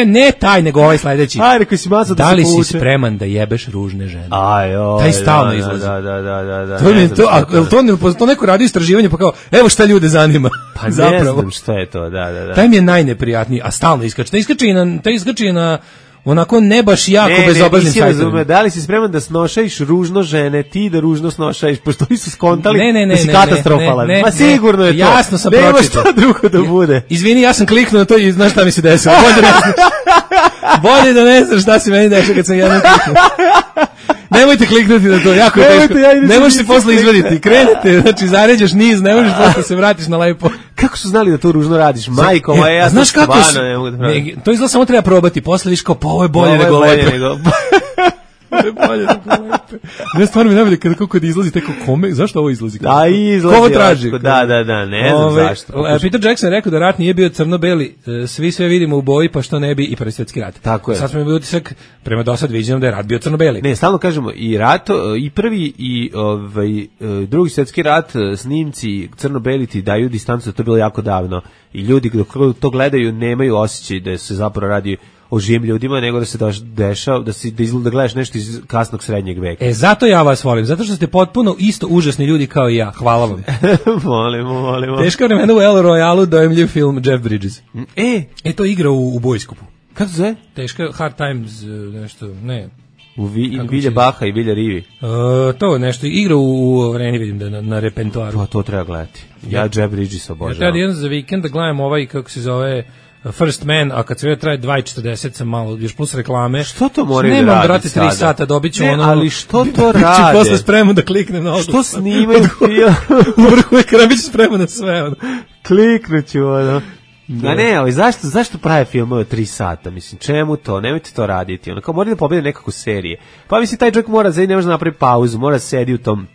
F: Ne taj, nego ovaj sledeći.
E: Ajde, koji si mazao da se
F: povuče. Da li si spreman da jebeš ružne žene? Taj stalno izlazi.
E: Da.
F: To neko radi istraživanje, pa kao, evo šta ljude zanima.
E: Pa ne znam šta je to, da.
F: Taj mi je najneprijatniji, a stalno iskače. Taj iskače na onako ne baš jako bezobraznim sajtovima.
E: Da li si spreman da snošajiš ružno žene, ti da ružno snošajiš, pošto oni su skontali da si katastrofalan. Ma sigurno je to.
F: Jasno sam pročitao.
E: Nema šta drugo da bude.
F: Izvini, ja sam kliknuo na to i znaš šta mi se desilo. Bolje da ne znaš šta se meni dešava kad sam jednom kliknuo. Nemojte kliknuti na to, jako je teško. Ne možeš se posle izvaditi. Krenete, znači zaređaš niz, ne možeš posle se vratiš na lepo.
E: Kako su znali da to ružno radiš? Majko, ja
F: znaš kako to izgleda, samo treba probati. Posle viš kao, ovo je bolje nego lepe. Ne, stvarno mi najbolje kako izlazi tako kome, zašto ovo izlazi?
E: Da, izlazi.
F: Ko ovo traži?
E: Da, ne znam zašto.
F: Peter Jackson rekao da rat nije bio crno-beli, svi sve vidimo u boji, pa što ne bi i Prvi svjetski rat.
E: Tako je.
F: Sad smo imali utisak, prema dosad viđenom da je rat bio crno-beli.
E: Ne, stalno kažemo, i rat, i prvi i Drugi svjetski rat, snimci crno-beli ti daju distancu, to je bilo jako davno. I ljudi dok to gledaju nemaju osjećaj da se zapravo radi o živim ljudima, nego da se dešava, da gledaš nešto iz kasnog srednjeg veka.
F: Zato ja vas volim, zato što ste potpuno isto užasni ljudi kao i ja. Hvala vam.
E: Molimo.
F: Teška vremena u El Royalu, dojemljiv film Jeff Bridges. To igra u Bojskopu.
E: Kako se zove?
F: Teška, Hard Times, nešto, ne.
E: U Vilja Baha i Vilja Rivi.
F: To nešto, igra u vreni, vidim da na repertoaru.
E: Pa to treba gledati. Ja Jeff Bridges obožavam.
F: Ja treba jedan za vikend da gledam ovaj, kako se zove, First Man, a kad sve traje 2:40 sam malo, još plus reklame.
E: Što to moraju da radi
F: nemam, brate, 3 sata, dobit ću ono...
E: ali što to rade?
F: Posle spremno da kliknem na ovo.
E: Što snimaju film?
F: U vrhu ekrana bit ću spremno na sve, ono.
E: Kliknuću, ono. A ne, ali zašto prave filmove 3 sata? Mislim, čemu to? Nemojte to raditi. Ono, kao moraju da pobede nekako serije. Pa mislim, taj čovjek ne može napraviti pauzu, mora sedi u tom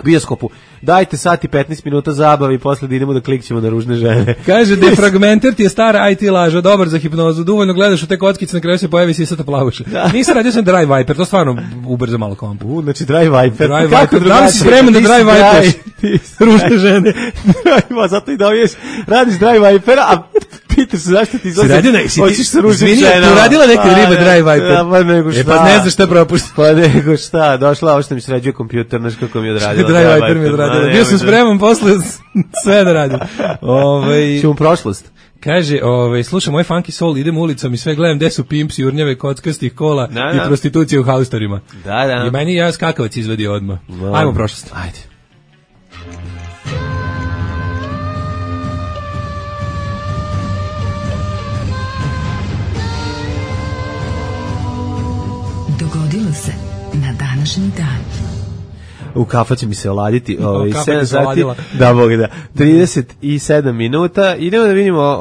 E: bioskopu. Dajte sat i 15 minuta zabave i posle da idemo da klikćemo na ružne žene.
F: Kaže, Defragmenter ti je stara IT laža, dobar za hipnozu, dovoljno gledaš u te kockice, na kraju se pojavi sisata plavuša. Nisam radio sam Dry Viper, to stvarno ubrza malo kompu.
E: Znači Dry Viper.
F: Da li si spreman da Dry Viper? Ružne žene.
E: Zato i dobiješ, radiš Dry Viper, a pitaš se zašto ti hoćeš sa ružnim ženama.
F: Ti uradila neke ribe Dry Viper?
E: Pa nego šta.
F: Pa ne znaš šta propušti.
E: Pa nego šta, došla ovo što mi sređuje kompjuter, znaš kako mi je odradila.
F: Dry Viper mi je odradila. Bio sam spreman posle sve da radim.
E: Ćemo prošlost.
F: Kaže, slušam moj funky soul, idem ulicom i sve gledam gde su pimps, jurnjave, kockastih kola i prostitucije u haustorima.
E: Da.
F: I meni ja skakavac izvadio odmah. Ajmo prošlost.
E: Ajde.
B: Dogodilo se na današnji dan.
E: U kafa će mi se oladiti 7 sati, da Bog da, 37 minuta. Idemo da vidimo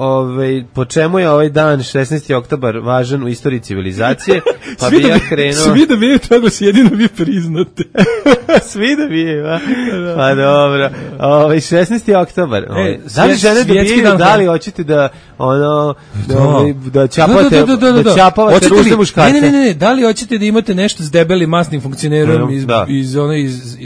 E: po čemu je ovaj dan 16. oktobar važan u istoriji civilizacije. Pa bi ja krenuo...
F: Svi da bije toga se jedino vi priznate.
E: Svi da bije, va? Pa dobro. 16. oktobar. Da li žene dobijaju, da li hoćete da da čapavate ružne muškarce?
F: Ne, da li hoćete da imate nešto s debelim masnim funkcionerom iz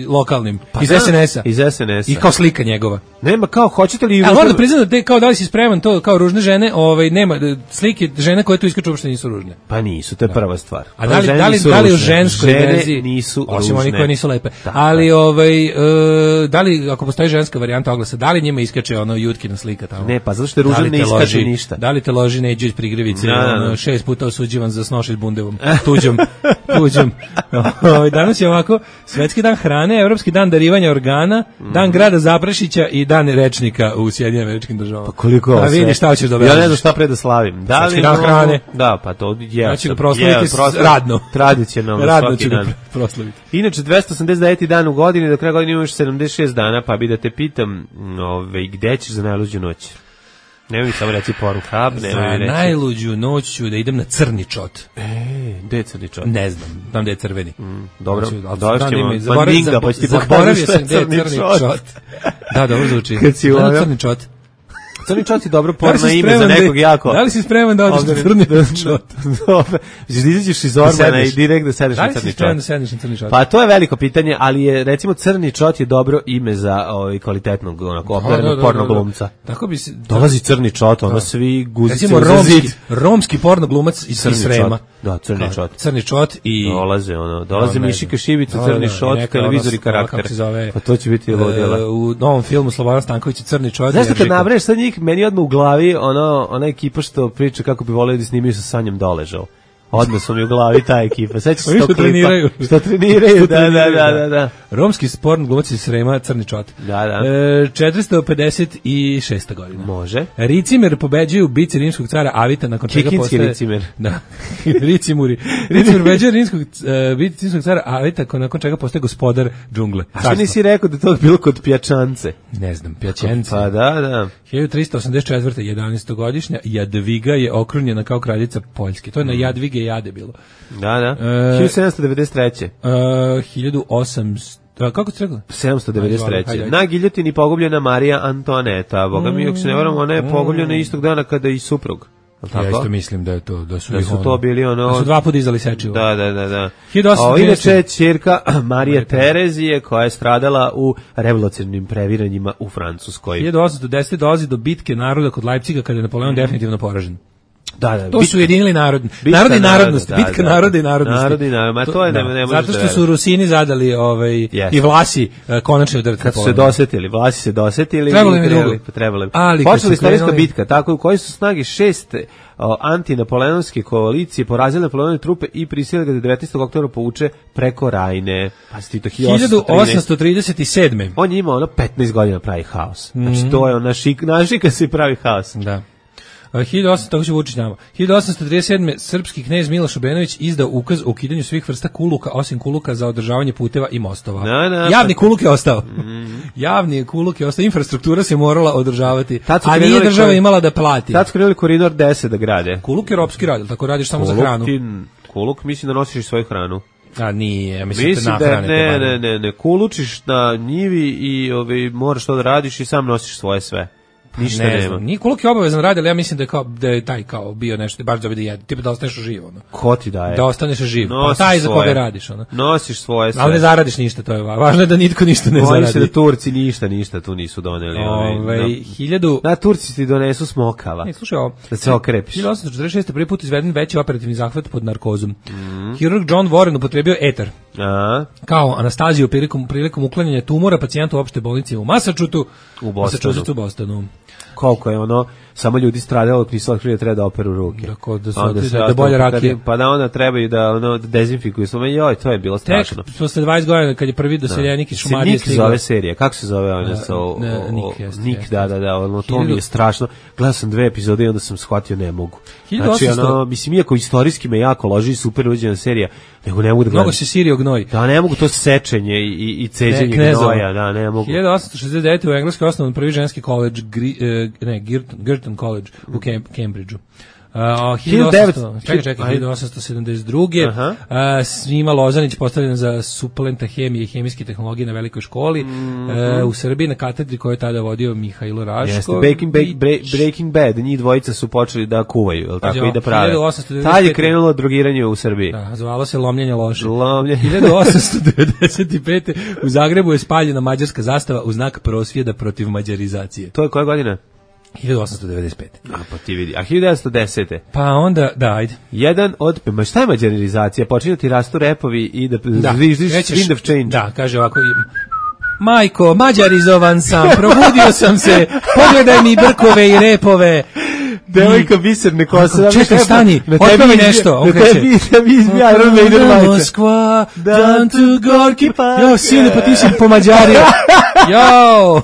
F: lokalnim, iz SNS-a.
E: Iz SNS-a.
F: I kao slika njegova.
E: Nema, kao, hoćete li...
F: Ali moram da priznam da kao da li si spreman to, kao ružne žene, nema, slike žene koje tu iskaču uopšte nisu ružne.
E: Pa nisu, to je prva stvar.
F: A da li u ženskoj verziji
E: nisu ružne.
F: Osim oni koje nisu lepe. Ali, da li, ako postoji ženska varijanta oglasa, da li njima iskače ono Jutkina slika tamo?
E: Ne, pa zato što je ružan ne iskače ništa.
F: Da li te loži Neđe iz Prigrevice, 6 puta osuđivan za snošit bundevom, tuđom. Danas je ovako, Svetski dan hrane, Evropski dan darivanja organa, dan grada Zaprašića i dan rečnika u Sjedinjenim Američkim Državama.
E: Pa koliko ovo sve?
F: Vidi šta hoćeš da objaviš.
E: Ja ne znam šta pre da slavim.
F: Svetski dan hrane.
E: Da, pa to je.
F: Ja ću ga proslaviti radno.
E: Tradicionalno
F: radno ću ga proslaviti.
E: Inače, 289. dan u godini, do kraja godine imaš 76 dana, pa bi da te pitam, gde ćeš za najluđu noć? Nemoj mi samo reći Pornhub, nemoj mi reći.
F: Za najluđu noć ću da idem na Crni čot.
E: Gde je Crni čot?
F: Ne znam, tam gde je crveni.
E: Dobro, došćemo. Mandinga, pa ću ti
F: zaboravio sam gde je Crni čot. Da, dobro zvuči.
E: Kad si
F: na Crni čot.
E: Crni čot je dobro porno ime za nekog jako.
F: Da li si spreman da odeš na Crni čot?
E: Dobro. Izađeš iz Ormana i direkt da sedeš na Crni čot.
F: Da li si spreman da sedeš na Crni čot?
E: Pa to je veliko pitanje, ali je, recimo, Crni čot je dobro ime za kvalitetnog, operenog porno glumca.
F: Tako bi se...
E: Dolazi Crni čot, ono svi guzice
F: u zid. Romski porno glumac iz Srema.
E: Da, Crni čot.
F: Crni čot i...
E: Dolaze Mišika Šibica, Crni čot, televizor i karakter. Pa to će biti ludila.
F: U novom filmu Slobodan Stanković Crni čot.
E: Znaš kad nabraješ sad njih, meni odmah u glavi ona ekipa što priča kako bi voleli da snimaju sa Sanjom Doležao. Odmah su mi u glavi ta ekipa. Sećaš se tog klipa? Što treniraju, da.
F: Romski sporn glumac iz Srema, Crni čot.
E: Da.
F: 456. godina.
E: Može.
F: Ricimer pobeđuje u bici rimskog cara Avita, nakon čega postaje...
E: Kikinski Ricimer.
F: Da, Ricimuri. Ricimer pobeđuje bici rimskog cara Avita, nakon čega postaje gospodar džungle.
E: A što nisi rekao da to bilo kod Pjačance?
F: Ne znam, Pjačence.
E: Pa da.
F: 1384. 11-godišnja Jadviga je okrunjena kao kraljica Poljske. To je na Jadvige Jade bilo.
E: Da. 1793.
F: 1800... Kako ste rekli?
E: 793. Na giljotini pogubljena Marija Antoaneta. Boga mi, ako se ne varam, ona je pogubljena istog dana kada i suprug.
F: Ja isto mislim da je to, da su
E: to bili ono...
F: Da su dva puta izdali sečivo.
E: Da.
F: 1813.
E: Inače, ćerka Marije Terezije, koja je stradala u revolucionarnim previranjima u Francuskoj.
F: 1810. dolazi do bitke naroda kod Leipciga, kada je Napoleon definitivno poražen.
E: Da,
F: to su ujedinili narodi i narodnosti, bitka naroda i narodnosti.
E: Narodi i narodnosti, to je ne može.
F: Zato što su Rusini zadali i Vlasi konačno udar.
E: Kad su se dosetili, Vlasi se dosetili, trebali. Počela istorijska bitka, tako u kojoj su snage 6 antinapoleonske koalicije porazile Napoleonove trupe i prisilile ga da 19. oktobra povuče preko Rajne. Pazite, to
F: 1837.
E: On je imao 15 godina pravi haos. Znači to je našika se pravi haos.
F: Da. 1837. srpski knez Miloš Obrenović izdao ukaz o ukidanju svih vrsta kuluka, osim kuluka za održavanje puteva i mostova. Javni kuluk je ostao. Javni kuluk je ostao, infrastruktura se morala održavati, a nije država imala da plati.
E: Tad su krenuli koridor 10 da grade.
F: Kuluk je ropski rad, tako radiš samo za hranu.
E: Kuluk mislim da nosiš svoju hranu.
F: A nije, mislim da
E: ne, kulučiš na njivi i moraš to da radiš i sam nosiš svoje sve. Ništa ne nema. Nije
F: kuluk je obavezan radi, ali ja mislim da je taj kao bio nešto, baš da jede, tipa da ostaneš živ.
E: Ko ti daje?
F: Da ostaneš živ, pa taj za koga radiš.
E: Nosiš svoje sve.
F: Ali ne zaradiš ništa, to je važno je da nitko ništa ne zaradi.
E: Oni se da Turci ništa tu nisu doneli. Da, Turci ti donesu smokava.
F: Slušaj ovo.
E: Da se okrepiš.
F: 1846. prvi put izveden veći operativni zahvat pod narkozom. Hirurg John Warren upotrebio etar. Kao anastaziju prilikom uklanjanja tumora pacijentu u opšte bolnici u Massachusettsu, u Bostonu.
E: Koliko je samo ljudi stradalo dok nisu otkrili da treba da operu ruke.
F: Da bolje rakije.
E: Pa da onda trebaju da dezinfikuju. To je bilo strašno.
F: Tek posle 20 godina kad je prvi doseljenik iz Šumadije
E: stigao. Nik zove serija. Kako se zove ona? Nik, da. To mi je strašno. Gledao sam 2 epizode i onda sam shvatio ne mogu. Znači, mislim, iako istorijski me jako loži, super uđena serija, nego ne mogu da gledam.
F: Mnogo se sirio gnoj.
E: Da, ne mogu to sečenje i ceđenje gnoja. Da, ne mogu.
F: 1869. u Engleskoj osnovan prvi ženski koleđ, Girton College u Cambridgeu. 1872. Svima Lozanić postavljen za suplenta hemije i hemijske tehnologije na velikoj školi u Srbiji na katedri koju je tada vodio Mihajlo Raško.
E: Breaking Bad, njih dvojica su počeli da kuvaju, tako i da prave. Tad je krenulo drogiranje u Srbiji.
F: Da, zvalo se lomljenje loše. 1895. u Zagrebu je spaljena mađarska zastava u znak prosvjeda protiv mađarizacije.
E: To je koja godina?
F: 1895.
E: Pa ti vidi. A 1910.
F: Pa onda, ajde.
E: Šta je mađarizacija? Počinju ti rastu repovi i da zviždiš wind of change.
F: Da, kaže ovako, majko, mađarizovan sam, probudio sam se, pogledaj mi brkove i repove.
E: Devojka biserne kose.
F: Čekaj, stani, otpevaj nešto.
E: Na tebi izbija Iron Maiden majice.
F: Moskva, down to Gorki Park. Jo, sine, pa ti si pomađario. Jo!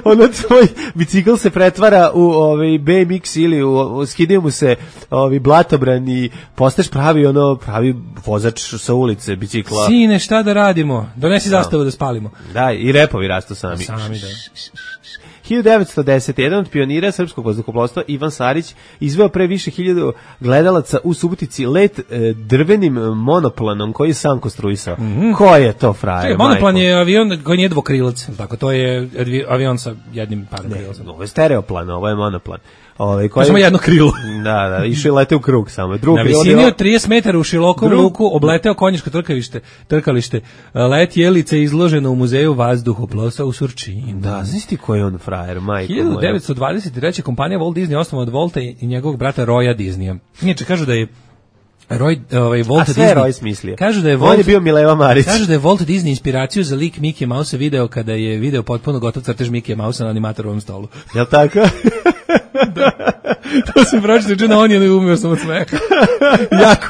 E: Ono tvoj bicikl se pretvara u BMX ili skidaju mu se blatobran i postaješ pravi vozač sa ulice bicikla.
F: Sine, šta da radimo? Donesi zastavu da spalimo.
E: Da, i repovi rastu sami.
F: Sami, da.
E: 1910. jedan od pionira srpskog vazduhoplovstva Ivan Sarić izveo pre više 1000 gledalaca u Subotici let drvenim monoplanom koji je sam konstruisao. Ko je to frajer?
F: Monoplan je avion koji nije dvokrilac, tako to je avion sa jednim parom krilacom.
E: Ovo je stereoplan, ovo je monoplan.
F: Samo jedno krilo.
E: Da, išao je lete u krug samo.
F: Na visini od 30 metara u širokom luku obleteo konjičko trkalište. Let Jelice izloženo u muzeju vazduhoplovstva u Surčinu.
E: Da, znaš ti ko je on frajer, majko moja?
F: 1923. kompanija Walt Disney osnovana od Volta i njegovog brata Roya Disneya. Inače, kažu da je Walt Disney.
E: Roy smislio.
F: Kažu da je
E: on je bio Mileva Marić.
F: Kažu da je Walt Disney inspiraciju za lik Mickey Mouse video kada je video potpuno gotov crtež Mickey Mouse na animatorovom stolu.
E: Jel' tako?
F: Da. To sam pročitao na Onionu i umio sam od smeha. jako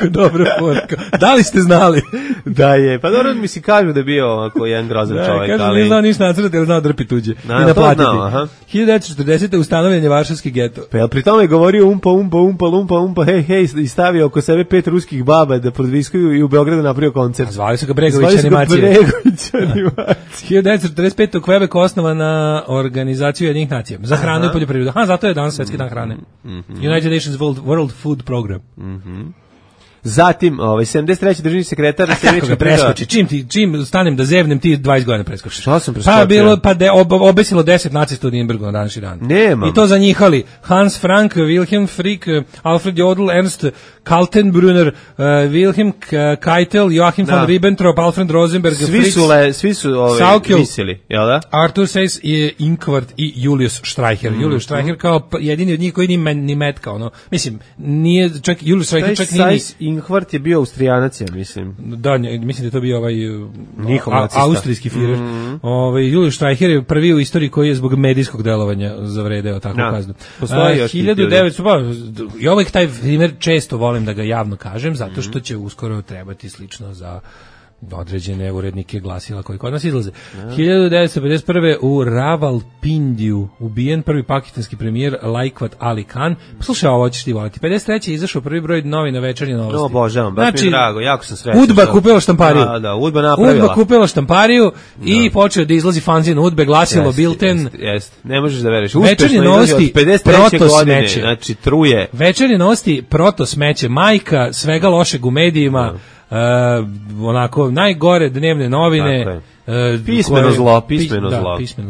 F: dobra poruka. Da li ste znali?
E: Da je. Pa dobro, mi si kažu da je bio ovako jedan grozan čovjek.
F: Kažu, nije znao ništa nacrtati, ali znao drpi tuđe. I naplatiti. 1940. ustanovljen Varšavski geto.
E: Pa jel pri tome je govorio umpa, hej, i stavio oko sebe 5 ruskih baba da podviskuju i u Beogradu napravio koncert.
F: Zvali su ga Bregović animacije. 1945. u Quebecu osnovana organizacija Ujedinjenih nacija za hranu i poljoprivredu. Zato je danas Svetski dan hrane. United Nations World Food Program.
E: Zatim, 73. državni sekretar
F: Sjemenička preskoči. Čim stanem da zevnem, ti 20 godina preskočiš.
E: Šta sam preskočio?
F: Obesilo 10 nacista u Nürnbergu na današnji dan.
E: Nemam.
F: I to za njihali. Hans Frank, Wilhelm Frick, Alfred Jodl, Ernst Kaltenbrunner, Wilhelm Keitel, Joachim von Ribbentrop, Alfred Rosenberg,
E: Svi su visili, jel da?
F: Arthur Seyss, Ingvard i Julius Streicher. Julius Streicher kao jedini od njih koji ni metka, ono. Mislim, nije, čak Julius Streicher čak nije...
E: Ingvard je bio Austrijanac, ja mislim.
F: Da, mislim da je to bio austrijski Führer. Julius Streicher je prvi u istoriji koji je zbog medijskog delovanja zavredeo takvu kaznu.
E: Postoji još
F: 1900, i ovaj taj primjer često volim da ga javno kažem, zato što će uskoro trebati slično za određene urednike glasila koji kod nas izlaze. 1951. u Ravalpindiju ubijen prvi pakistanski premijer Laikwat Ali Khan. Slušaj, ovo ćeš ti voliti. 53. je izašao prvi broj novina Večernje novosti.
E: No, obožavam, baš mi je drago, jako sam srećan.
F: Udba kupila štampariju.
E: Da, Udba napravila.
F: Udba kupila štampariju i počeo da izlazi fanzin Udbe, glasilo Bilten.
E: Jeste, ne možeš da veruješ.
F: Večernje novosti, proto smeće.
E: Znači, truje.
F: Večernje novosti, proto smeće, majka svega lošeg u medijima. Onako najgore dnevne novine,
E: pismeno zlo.
F: Pismeno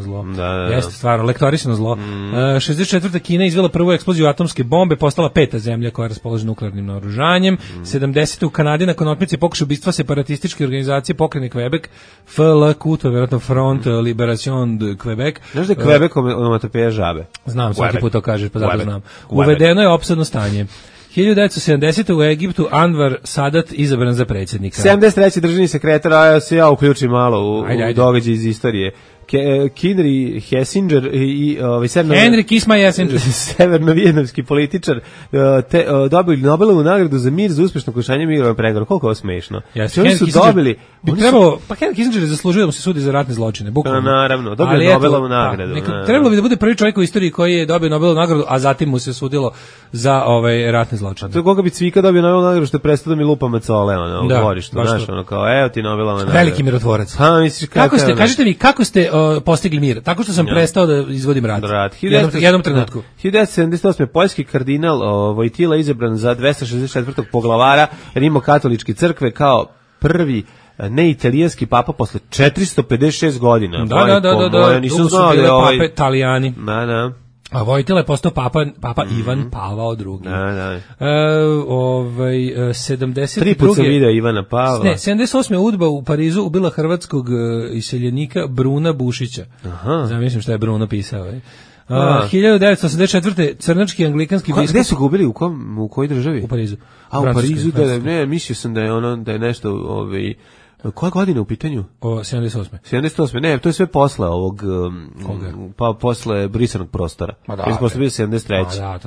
F: zlo. Jeste stvarno, lektorisano zlo. 64. Kina izvela prvu eksploziju atomske bombe, postala 5. zemlja koja raspolaže nuklearnim naoružanjem. 70. u Kanadi nakon otmice pokušaja ubistva separatističke organizacije Pokrene Quebec, FLQ, to je vjerojatno Front Liberation de Quebec.
E: Znaš da je Quebec onomatopeja žabe?
F: Znam, svaki put to kažeš, pa zato znam. Uvedeno je opsadno stanje. 1970. u Egiptu Anwar Sadat izabran za predsjednika.
E: 73. državni sekretar, a se ja uključim malo u događaj iz istorije. Henry Kissinger i
F: Henry Kiss my Kissinger,
E: severno-vijetnamski političar, dobili Nobelovu nagradu za mir za uspešno končanje mirovnog pregovora. Koliko je ovo smešno?
F: Oni su dobili... Henry Kissinger je zaslužio da mu se sudi za ratne zločine, bukvalno.
E: Naravno, dobio Nobelovu nagradu.
F: Trebalo bi da bude prvi čovjek u istoriji koji je dobio Nobelovu nagradu, a zatim mu se sudilo za ratne zločine.
E: A to je koga bi Cvika dobio Nobelovu nagradu što je prestao da mi lupa macole, u dvorištu, znaš, kao, evo ti Nobelova nagrada.
F: Veliki mirotvorac. Kažete mi, kako ste postigli mir? Tako što sam prestao da izvodim rat. Jednom trenutku.
E: 1978. poljski kardinal Vojtila izabran za 264. poglavara Rimokatoličke crkve kao prvi neitalijanski papa posle 456 godina.
F: Da. Nisam znao da je pape Italijani.
E: Da.
F: A Vojtila je postao papa Ivan Pavao II. 72.
E: Tri put sam vidio Ivana Pavla.
F: 78. Udba u Parizu ubila hrvatskog iseljenika Bruna Bušića. Zamislim šta je Bruno pisao. 1984. crnački anglikanski biskup.
E: Gde su ga ubili? U kojoj državi?
F: U Parizu.
E: U Parizu, ne, mislio sam da je nešto... Koja godina u pitanju?
F: 78.
E: 78. Ne, to je sve posle ovog, pa posle brisanog prostora. Posle bio 73.
F: Da.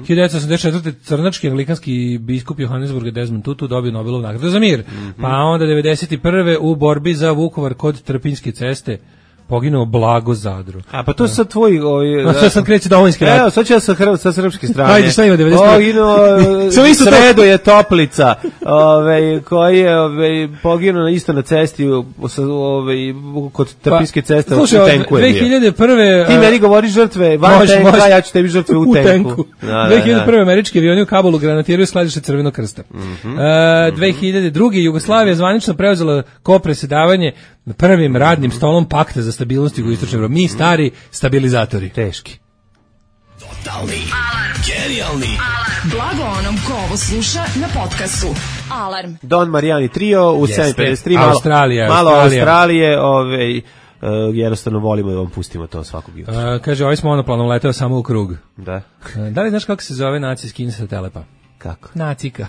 F: 1984. crnački anglikanski biskup Johannesburga Desmond Tutu dobio Nobelovu nagradu za mir. Pa onda 91. u borbi za Vukovar kod Trpinjske ceste poginuo Blago Zadru.
E: A pa to su sad tvoji...
F: Sad sam kreće domovinski rat.
E: Evo, sad ću ja sa srpske strane.
F: Ajde, šta ima 91?
E: Poginuo Sredo je Toplica, koji je poginuo isto na cesti kod Trpinjske ceste u tenku je bio.
F: 2001.
E: Ti meni govoriš žrtve van tenka, ja ću tebi žrtve u tenku.
F: 2001. američki avioni u Kabulu granatiraju skladište Crvenog krsta. 2002. Jugoslavija zvanično preuzela kopresedavanje prvim radnim stolom pakta za stabilnost jugoistočne Evrope. Mi stari stabilizatori.
E: Teški.
A: Totalni alarm. Genijalni alarm.
B: Blago onom ko ovo sluša na podcastu. Alarm.
E: Don Marijani trio u 7.53.
F: Malo
E: Australije, jednostavno volimo da vam pustimo to svakog jutra.
F: Kaže, ovaj smo monoplanom leteo samo u krug.
E: Da.
F: Da li znaš kako se zove naci skin sa Telepa?
E: Kako?
F: Nacika.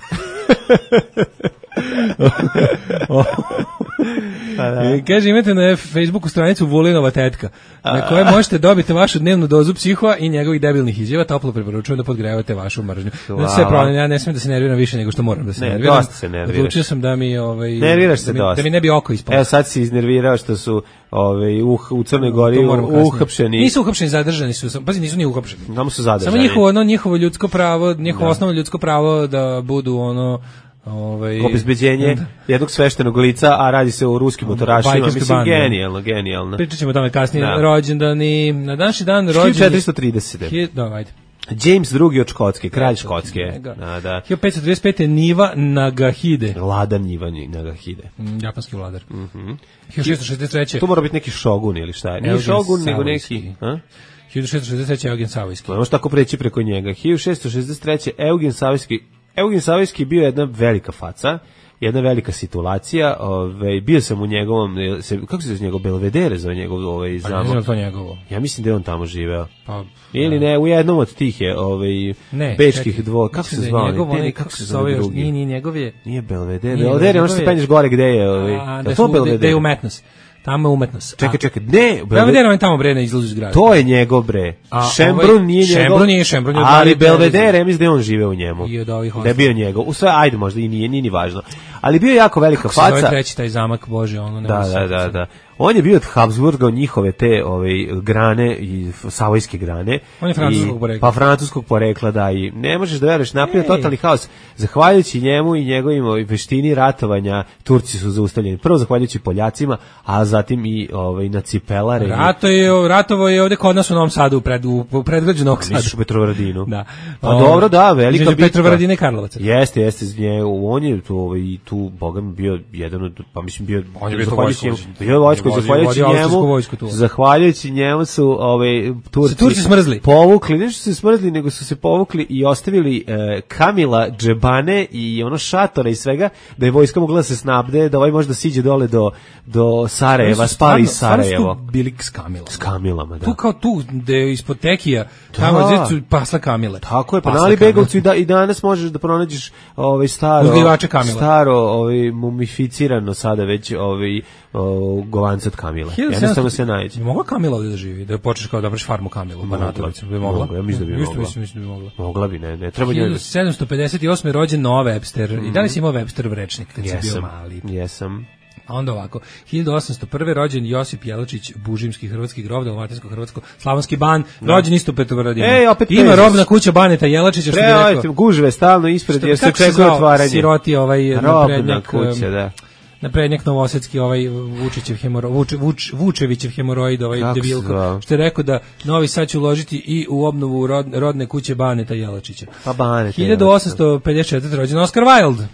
F: Kaže, imate na Facebooku stranicu Vulinova tetka, na kojoj možete dobiti vašu dnevnu dozu psihoa i njegovih debilnih izjava. Toplo preporučujem da podgrevate vašu mržnju. Sve problem, ja ne smijem da se nerviram više nego što moram da se nerviram.
E: Dosta se nerviraš.
F: Odlučio sam da mi
E: nerviraš se dosta.
F: Da mi ne bi oko ispalo.
E: Evo sad si iznervirao što su u Crnoj Gori uhapšeni.
F: Nisu uhapšeni, zadržani su. Pazi, nisu ni uhapšeni.
E: Samo su zadržani.
F: Samo njihovo ljudsko pravo, njihovo osnovno ljudsko pravo da budu
E: obezbeđenje jednog sveštenog lica, a radi se o ruskim motorašima. Mislim, genijalno.
F: Pričat ćemo o tome kasnije. Rođendani, na današnji dan rođeni...
E: 1430.
F: Da, ajde.
E: James II od Škotske, kralj Škotske. Da.
F: 1535. Niva Nagahide.
E: Vladar Niva Nagahide.
F: Japanski vladar. 1663.
E: To mora biti neki šogun ili šta je? Nije šogun, nego neki...
F: 1663. Eugen Savojski.
E: Možeš tako preći preko njega. 1663. Eugen Savojski bio jedna velika faca, jedna velika situacija, bio sam u njegovom, kako se zove njegov, Belvedere zove njegov zamak.
F: Pa ne znam to njegovo.
E: Ja mislim da je on tamo živeo.
F: Pa,
E: ili ne, u jednom od tih je bečkih dvora. Kako se zvao?
F: Kako se zove drugi? Nije njegov je.
E: Nije Belvedere. Belvedere, ono što se penješ gore gde je.
F: Da je umetnost. Tamo je umetnost.
E: Čekaj, ne.
F: Belvedere on tamo bre ne izlazi iz grada.
E: To je njegov bre. Šembrun nije njegov.
F: Šembrun je.
E: Ali Belvedere, mislim da je on živeo u njemu.
F: Da
E: je bio njegov. U sve, ajde možda i nije ni važno. Ali bio je jako velika faca.
F: Kako se zove treći taj zamak, Bože, ono ne.
E: Da. On je bio od Habsburga, od njihove te grane i savojske grane.
F: On je francuskog porekla.
E: Pa francuskog porekla, da, i ne možeš da veruješ, napravio totalni haos. Zahvaljujući njemu i njegovim veštini ratovanja, Turci su zaustavljeni. Prvo zahvaljujući Poljacima, a zatim i na Cipelare.
F: Ratovo je ovde kod nas u Novom Sadu, u predgrađu Novog Sada.
E: Misliš u Petrovaradinu?
F: Da.
E: Pa dobro, da, velika bitka.
F: Petrovaradine i Karlovaca.
E: Jeste, on je tu, Boga mi bio jedan od, pa mislim bio...
F: On je bio
E: vojsko, zahvaljujući njemu su Turci
F: smrzli.
E: Povukli, nešto su se smrzli, nego su se povukli i ostavili Kamila, džebane i ono šatora i svega, da je vojska mogla da se snabde, da može da siđe dole do Sarajeva, spali iz Sarajevo.
F: Bili s Kamilama.
E: S Kamilama, da.
F: Tu kao tu, gde je ispod Tekija, tamo je pasla Kamile.
E: Tako je, pa na Alibegovcu i danas možeš da pronađeš staro mumificirano sada već govanca od Kamile. Jednostavno se nađe.
F: Bi mogla Kamila ovdje da živi? Da počneš kao da praviš farmu Kamilu? Bi mogla?
E: Ja mislim da bi mogla.
F: Mislim da bi mogla.
E: Mogla bi, ne treba njoj.
F: 1758. rođen Noah Webster. I da li si imao Websterov rečnik kad si bio mali?
E: Jesam.
F: A onda ovako, 1801. rođen Josip Jelačić, bužimski hrvatski grob, dalmatinsko-hrvatsko, slavonski ban, rođen isto u Petrovaradinu. Ima robna kuća Baneta Jelačića, što bi rekao.
E: Gužve stalno ispred, jer se čekuje otvaranje.
F: Siroti
E: robna kuća, da.
F: Naprednjak novosadski, Vučevićev hemoroid, debilko, što je rekao da Novi Sad će uložiti i u obnovu rodne kuće Baneta Jelačića.
E: Pa Banet.
F: 1854. rođen Oscar Wilde,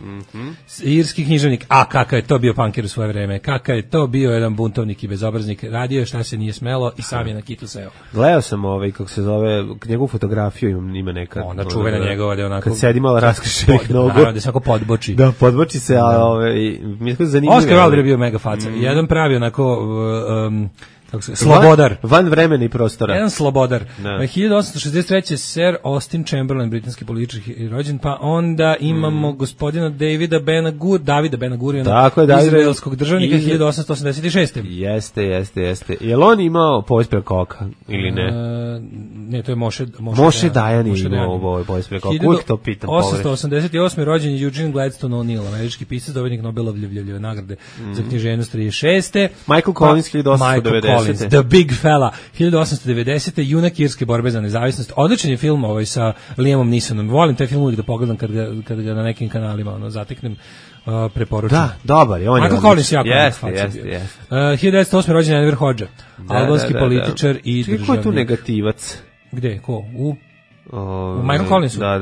F: irski književnik. A kakav je to bio punker u svoje vreme, kakav je to bio jedan buntovnik i bezobraznik, radio je šta se nije smelo i sam je na kitu seo.
E: Gledao sam kako se zove, njegovu fotografiju ima neka.
F: Ona čuvena njegova, da je onako...
E: Kad sedi malo raskrišenih nogu.
F: Da se onako podboči.
E: Da, podboči se, a mi je zanimljivo.
F: Oscar Wilde je bio mega faca. Jedan pravi onako slobodar.
E: Van vremena i prostora.
F: Jedan slobodar. 1863. Sir Austin Chamberlain, britanski političar rođen, pa onda imamo gospodina Davida Bena Guriona, izraelskog državnika 1886.
E: Jeste. Je li on imao povijest preko oka ili ne?
F: Ne, to je
E: Moše Dajan je imao povijest preko oka. Uvijek to pitam.
F: 1888. rođen je Eugene Gladstone O'Neill, američki pisac, dobitnik Nobelovljeve nagrade za književnost 36.
E: Michael Collins 1890.
F: The Big Fella, 1890. Junak irske borbe za nezavisnost. Odličan je film sa Liamom Neesonom. Volim taj film uvijek da pogledam kad ga na nekim kanalima zateknem. Preporučujem.
E: Da, dobar je.
F: Michael Collins jako jeste. 1908. rođen Enver Hodža, albanski političar i državnik.
E: Ko je tu negativac?
F: Gde? Ko? Michael Collinsu.
E: Da.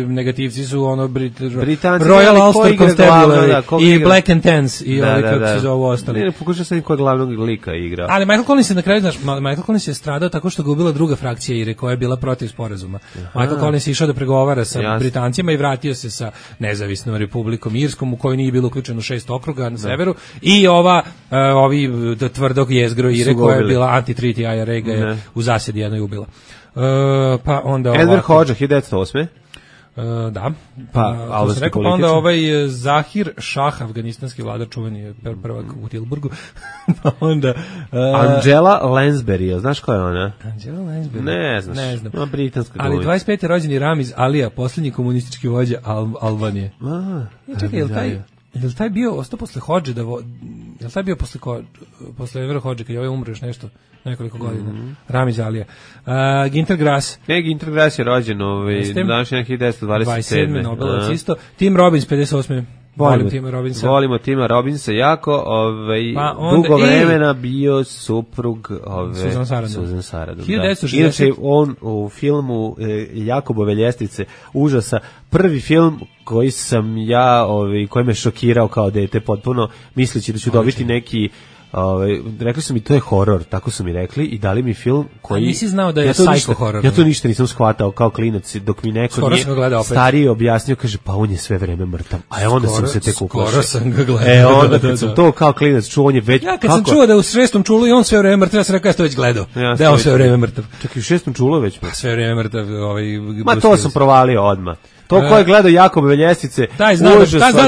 F: Negativci su
E: Britanci,
F: Royal Ulster Constabulary i Black and Tans i kako se zovu ostali.
E: Ne, pokušao sam koja glavnog lika igra.
F: Ali Michael Collins je na kraju, Michael Collins je stradao tako što ga ubila druga frakcija IRE koja je bila protiv sporazuma. Michael Collins je išao da pregovara sa Britancima i vratio se sa nezavisnom Republikom Irskom u kojoj nije bilo uključeno 6 okruga na severu i ovi tvrdog jezgro IRE koja je bila anti-treaty IRA ga je u zasjedi jednoj ubila. Pa onda
E: Enver Hodža 1908.
F: Da.
E: Pa albanski političar.
F: Onda Zahir Šah, afganistanski vladar, čuveni prvak u Tilburgu. Pa onda
E: Angela Lansbury, znaš ko je ona?
F: Angela Lansbury.
E: Ne znam. Britanska glumica.
F: Ali 25. rođeni Ramiz Alija, posljednji komunistički vođa Albanije. Čekaj, je li taj bio ostao posle Hodže je li taj bio posle Envera Hodže kad je ovaj umro još nekoliko godina? Ramiz Alija. Ginter Grass.
E: Ginter Grass je rođen današnji 1927.
F: 27. Nobelovac isto. Tim Robbins 58. Volimo
E: Tima Robinsa jako, dugo vremena bio suprug Susan Sarandon. Inače, on u filmu Jakobove ljestvice užasa, prvi film koji sam ja, koji me šokirao kao dete potpuno, misleći da ću dobiti neki, rekli su mi to je horor, tako su mi rekli i dali mi film koji...
F: A nisi znao da je psycho horor?
E: Ja to ništa nisam shvatao kao klinac, dok mi neko nije stariji objasnio, kaže pa on je sve vreme mrtav, a onda sam se tek uplašio.
F: Skoro sam ga gledao.
E: Onda kad sam to kao klinac čuo, on je već...
F: Ja kad sam čuo da je u 6. čulu i on sve vreme mrtav, ja sam rekao ja sam to već gledao, da je on sve vreme mrtav.
E: Čak i u 6. čulu već mrtav.
F: Sve vreme mrtav.
E: Ma to sam provalio odmah. To ko je gledao Jakobove ljestvice,
F: taj zna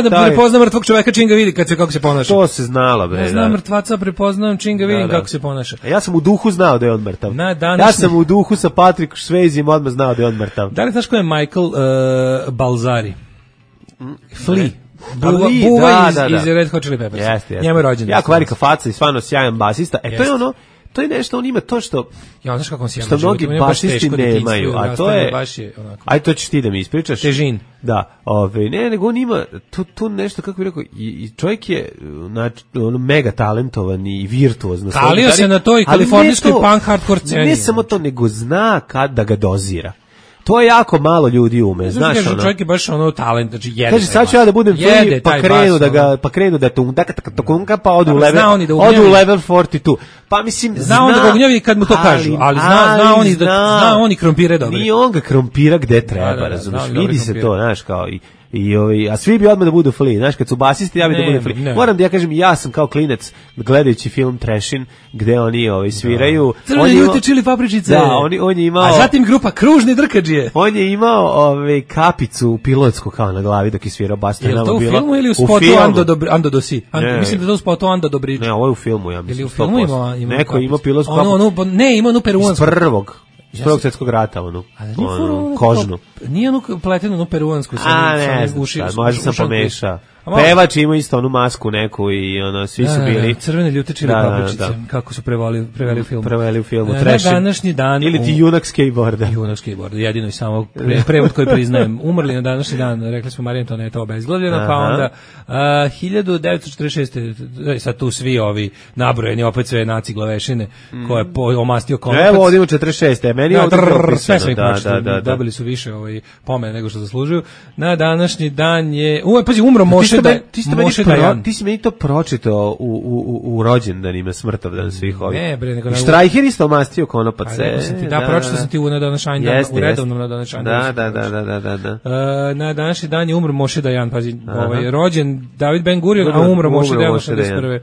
F: da prepozna mrtvog čoveka čim ga vidi kako se ponaša.
E: To se znalo, bre.
F: Ja znam mrtvaca, prepoznam čim ga vidim kako se ponaša.
E: Ja sam u duhu znao da je on mrtav. Ja sam u duhu sa Patrick Swayzem odmah znao da je on mrtav.
F: Da li znaš ko je Michael Balzari? Flea.
E: Buva
F: iz Red Hot Chili Peppers. Njemu je rođendan.
E: Jako velika faca i stvarno sjajan basista. To je ono, to je nešto, on ima to što
F: znaš kako on
E: što mnogi basisti nemaju, a to je, aj to ćeš ti da mi ispričaš.
F: Težin.
E: Da, nego on ima tu nešto, kako bih rekao, i čovjek je mega talentovan i virtuozno.
F: Kalio se na toj kalifornijskoj punk hardcore sceni.
E: Ne samo to, nego zna kad da ga dozira. To je jako malo ljudi ume, znaš ono.
F: Čovjek je baš talent, znači jede.
E: Kaže sad ću ja da budem free, pa krenu da tunka pa odu u level 42. Pa mislim
F: zna on da ga gnjavi kad mu to kažu, ali zna oni krompire dobro.
E: Ni on ga krompira gde treba, razumiješ? Vidi se to, znaš, kao a svi bi odmah da budu Flea, znaš, kad su basisti, ja bi da budem Flea. Moram da ja kažem, ja sam kao klinac gledajući film Trashin, gde oni sviraju.
F: Crvene ljute čili papričice.
E: Da, on je imao...
F: A zatim grupa Kružni drkađije.
E: On je imao kapicu pilotsku kao na glavi dok je svirao bas.
F: Je li to u filmu ili u spotu Ando Dosi? Mislim da je to u spotu Ando Dobrić.
E: Ne, ovo je u filmu, ja mislim.
F: Ili u filmu ima
E: neko ima pilotsku kapicu.
F: Ne, ima onu peruansku.
E: Iz Prvog svjetskog rata, kožnu.
F: Nije onu pletenu, onu peruansku.
E: Ne znam, možda sam pomešao. Pevač ima isto onu masku neku i svi su bili...
F: Crvene ljute čili papričice, kako su preveli u filmu.
E: Na
F: današnji dan...
E: Ili ti junak skateboarda.
F: Junak skateboarda, jedino i samo prevod koji priznajem. Umrli na današnji dan, rekli smo Marija Antoaneta obezglavljena, pa onda 1946. Sad tu svi ovi nabrojeni, opet sve naci glavešine, koje je omastio konopac.
E: Evo, ovdje 46. Meni je ovdje propisano.
F: Sve dobili su više pomene nego što zaslužuju. Na današnji dan je... Pazi, umro Moše
E: ti si meni to pročitao u rođendanima, smrtovdan svih ovih.
F: Ne, bre, nego...
E: Štrajher isto omastio konopac.
F: Pročitao sam ti u današnji dan, u redovnom na današnji dan.
E: Da.
F: Na današnji dan je umro Moše Dajan, pazi, rođen David Ben Gurion, a umro Moše Dajan 81.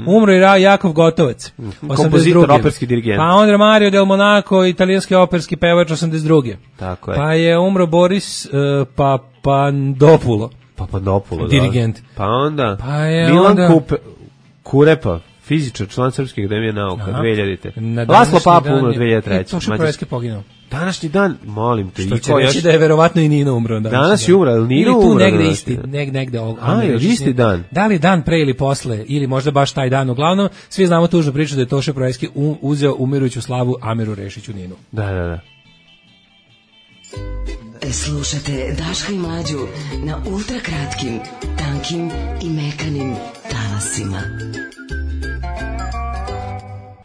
F: Umro i Jakov Gotovac, 82.
E: Kompozitor, operski dirigent.
F: Pa onda Mario Del Monaco, italijanski operski pevač, 82.
E: Tako je.
F: Pa je umro Boris Papandopulo. Dirigent.
E: Pa onda Milan Kurepa, fizičar, član Srpske akademije nauka, 2000. Laslo Papa umro 2003.
F: Toša Projeski poginuo.
E: Današnji dan, molim te.
F: Što će reći da je verovatno i Nino umro.
E: Danas je umro, ali Nino umro.
F: Ili tu negde isti, negde
E: isti dan.
F: Da li dan pre ili posle, ili možda baš taj dan. Uglavnom, svi znamo tužnu priču da je Toša Projeski uzeo umirujuću slavu Amiru Rešiću Ninu.
E: Da.
B: Slušate Daška i Mlađu na ultrakratkim, tankim i mekanim talasima.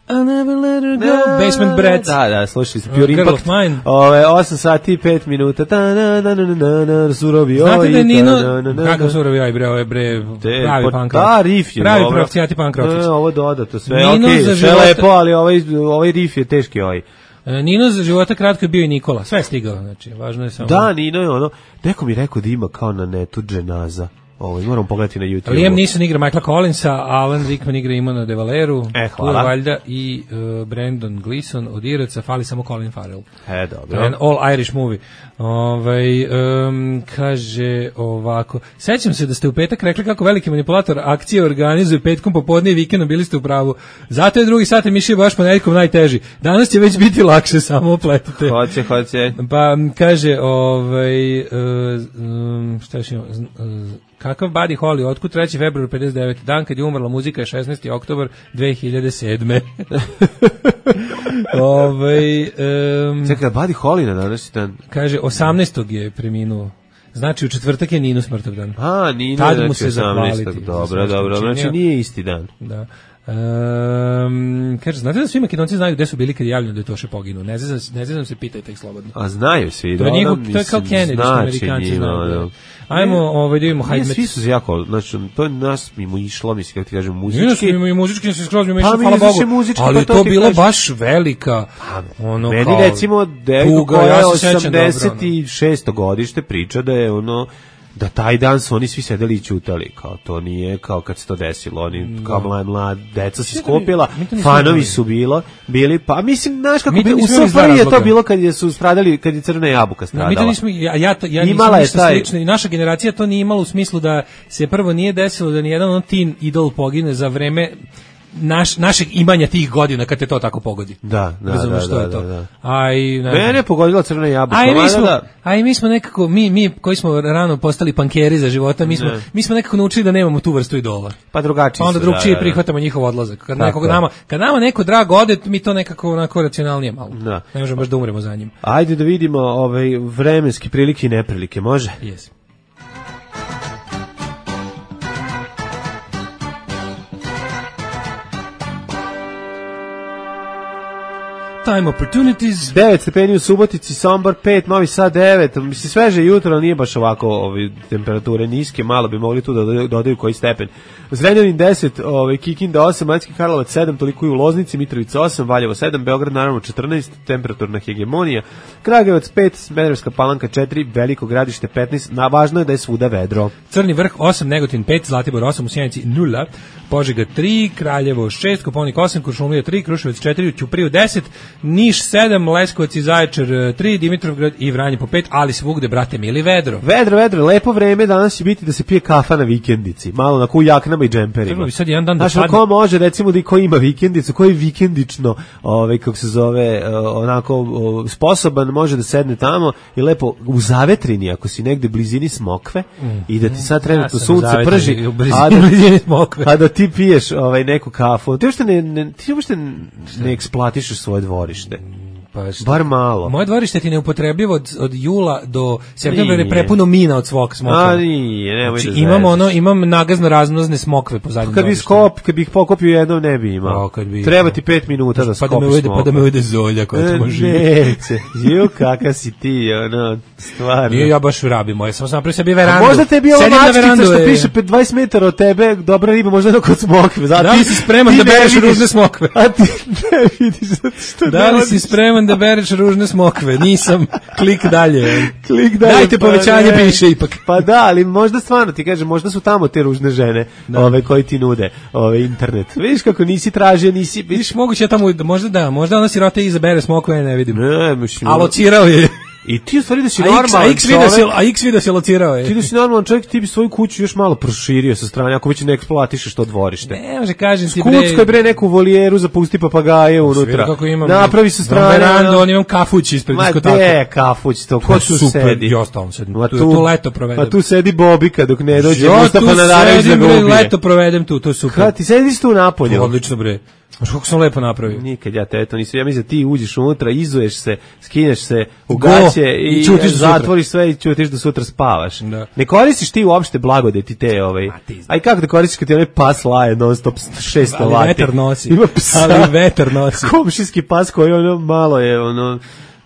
F: I never let her go. Basement Brats.
E: Da, slušali ste Pure Impact. 8 sati i 5 minuta. Surovi oj.
F: Znate da je Nino, kakav surovi oj, pravi punk rock.
E: Da, riff je.
F: Pravi profcijati punk rock.
E: Ovo dodato sve. Ok, sve lepo, ali ovaj riff je teški oj.
F: Nino za života kratko je bio i Nikola, sve je stigao, znači, važno je samo...
E: Da, Nino je neko mi rekao da ima kao na netu dženaza, moramo pogledati na YouTube.
F: Liam Neeson igra Michaela Collinsa, Alan Rickman igra Imona De Valeru,
E: hvala.
F: Valjda i Brandon Gleeson od Iraca, fali samo Colin Farrell.
E: Dobro.
F: An all Irish movie. Kaže ovako, sećam se da ste u petak rekli kako veliki manipulator akcije organizuje petkom popodne i vikendom, bili ste u pravu. Zato je drugi sat emisije baš ponedjeljkom najteži. Danas će već biti lakše, samo opletite.
E: Hoće.
F: Pa kaže, šta još imamo? Kakav Buddy Holly, otkud 3. februar 59. Dan kad je umrla muzika je 16. oktobar 2007.
E: Čekaj, Buddy Holly na današnji dan?
F: Kaže, 18. je preminuo. Znači u četvrtak je Ninu smrtog dan.
E: A, Ninu
F: tad
E: je
F: mu se zahvaliti.
E: Dobro, znači nije isti dan.
F: Da. Kaže, znate da svi Makedonci znaju gde su bili kad je javljeno da je Toše poginuo? Ne znam se, pitajte ih slobodno.
E: A znaju svi.
F: To je kao Kennedy, što Amerikanci znaju. Ajmo, da vidimo Hajdmet.
E: Svi su jako, znači, to je nas mimo išlo, mislim, kako ti kažem, muzički.
F: Muzički se skroz mimo išlo, hvala Bogu. Ali je to bilo baš velika, ono kao...
E: Meni recimo, devojka koja je 86. godište priča da je ono... da taj dan su oni svi sedeli i ćutali, kao to nije kao kad se to desilo, oni kao mlad deca se skopila, fanovi su bili, pa mislim, znaš kako, u SFRJ je to bilo kad su stradali, kad je Crvena jabuka stradala. Mi to nismo, ja imala je taj... slično, i naša generacija to nije imala u smislu da se prvo nije desilo da nijedan teen idol pogine za vreme našeg imanja tih godina kad te to tako pogodi. Da. Mene je pogodila Crvena jabuka.
F: A i mi smo nekako, mi koji smo rano postali pankeri za života, mi smo nekako naučili da nemamo tu vrstu idola.
E: Pa drugačiji su.
F: Onda drugčije prihvatamo njihov odlazak. Kad nama neko drag ode, mi to nekako onako racionalnije malo. Ne možemo baš da umremo za njim.
E: Ajde da vidimo vremenske prilike i neprilike, može?
F: Yes. Time opportunities.
E: 9 stepeni u Subotici, Sombor 5, Novi Sad 9. Mislim, sveže jutro, ali nije baš ovako temperature niske, malo bi mogli tu da dodaju koji stepen. Zrenjanin 10, Kikinda 8, Banjski Karlovac 7, toliko i u Loznici, Mitrovica 8, Valjevo 7, Beograd naravno 14, temperaturna hegemonija, Kragujevac 5, Smederevska Palanka 4, Veliko Gradište 15, važno je da je svuda vedro.
F: Crni vrh 8, Negotin 5, Zlatibor 8, u Sjenici 0, Požega 3, Kraljevo 6, Koponik 8, Kuršumlija 3, Kruševac 4, Ćupriju 10, Niš 7, Leskovac i Zaječar 3, Dimitrovgrad i Vranje po 5, ali svugde, brate mili, vedro.
E: Vedro, lepo vreme, danas će biti da se pije kafa na vikendici, malo na jaknama i džemperima.
F: Sad jedan dan da
E: padne. Ko može, recimo, da ko ima vikendicu, ko je vikendično, kako se zove, onako sposoban, može da sedne tamo i lepo u zavetrini, ako si negde blizini Smokve i da ti sad trenutno sunce prži, a da ti piješ neku kafu. Ti uopšte ne eksploatišeš svoje dvorište. Bar malo.
F: Moje dvorište ti neupotrebljivo od jula do septembra je prepuno mina od svog smokve.
E: A nije, nemoj
F: znači,
E: da
F: imam nagazno razmnozne smokve po zadnjem
E: kad bih pokopio jednom ne bi imao. Treba ti 5 minuta da skopiš smokve.
F: Pa da me ujede zolja koja tamo živi.
E: Neće. Kakav si ti, stvarno.
F: Nije, ja baš rabim moje, samo sam napravio sebi verandu.
E: Možda tebi ova mačkica što piše 20 metara od tebe, dobra riba, možda jedno kod smokve.
F: Da li si spreman da bereš ružne smokve?
E: A ti ne vidiš što
F: da li si spreman da bereš ružne smokve? Nisam. Klik dalje. Dajte povećanje, piše ipak.
E: Pa da, ali možda stvarno ti kažem, možda su tamo te ružne žene, koji ti nude internet. Vidiš kako nisi tražio,
F: vidiš moguće tamo, možda ona sirota izabere smokve, ne vidim.
E: Ne, mislim.
F: Alocirao je.
E: I ti u stvari da si normalan čovjek.
F: A X video se locirao je.
E: Ti da si normalan čovjek, ti bi svoju kuću još malo proširio sa strane, ako već ne eksploatišeš to dvorište.
F: Ne, može kažem ti bre.
E: Skuckoj neku volijeru, zapusti papagaje unutra. Napravi sa strane.
F: Verandu, on imam kafuć ispred diskoteke.
E: Ma gde kafuć to? Ko tu sedi?
F: Ja stalno sedim. Tu leto provedem.
E: A tu sedi Bobika dok ne dođe Mustafa Nadarević da ga ubije.
F: Leto provedem tu, to je super.
E: Kad ti sediš tu napolju?
F: Odlično bre. Znaš kako sam lepo napravio?
E: Nikad ja te to nisam. Ja mislim da ti uđeš unutra, izuješ se, skineš se u gaće i zatvoriš sve i ćutiš da sutra spavaš. Da. Ne koristiš ti uopšte blagodeti te Aj kako da koristiš kad ti onaj pas laje non stop 600 vati?
F: Ali vetar nosi.
E: Komšijski pas koji malo je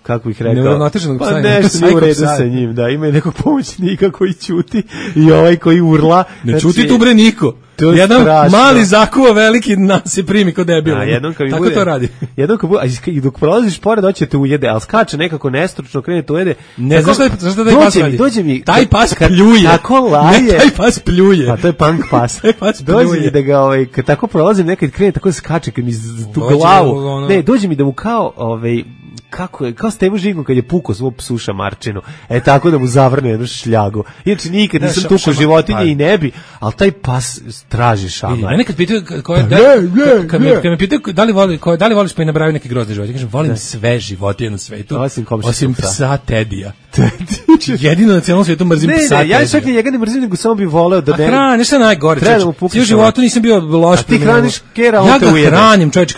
E: kako bih rekao,
F: pa
E: nešto nije u redu sa njim, da, ima i nekog pomoćnika koji ćuti i koji urla.
F: Ne ćuti tu bre niko. Jedan mali zakuva veliki nas se primi kod debila. Tako to radi.
E: Jednom kad bude, i dok prolaziš pored hoće te ujede, ali skače nekako nestručno, krene te ujede.
F: Ne znaš šta taj pas radi.
E: Dođe mi,
F: taj pas pljuje.
E: Tako laje.
F: Ne, taj pas pljuje.
E: Pa to je punk pas. Dođe mi da ga, kad tako prolazim, nekad krene tako skače, kad mi tu glavu. Ne, dođe mi da mu kao, kako je, kao Stevo Žigom kad je pukao svog psuša Marčinu, tako da mu zavrne jednu šljagu. Inače nikad nisam tukao životinje i ne bi, ali taj pas traži šamar.
F: Mene kad pitaju kad me pitaju da li voliš pa i nabraju neke grozne životinje, kažem volim sve životinje na svetu, osim psa Tedija. Jedino na cijelom svijetu mrzim psa.
E: Ja čak i njega ne mrzim, nego samo bih voleo da...
F: A hrani, šta je najgore, čovječe? U životu nisam bio loš.
E: A ti hraniš kera,
F: on te ujede. Ja ga hranim, čovječe,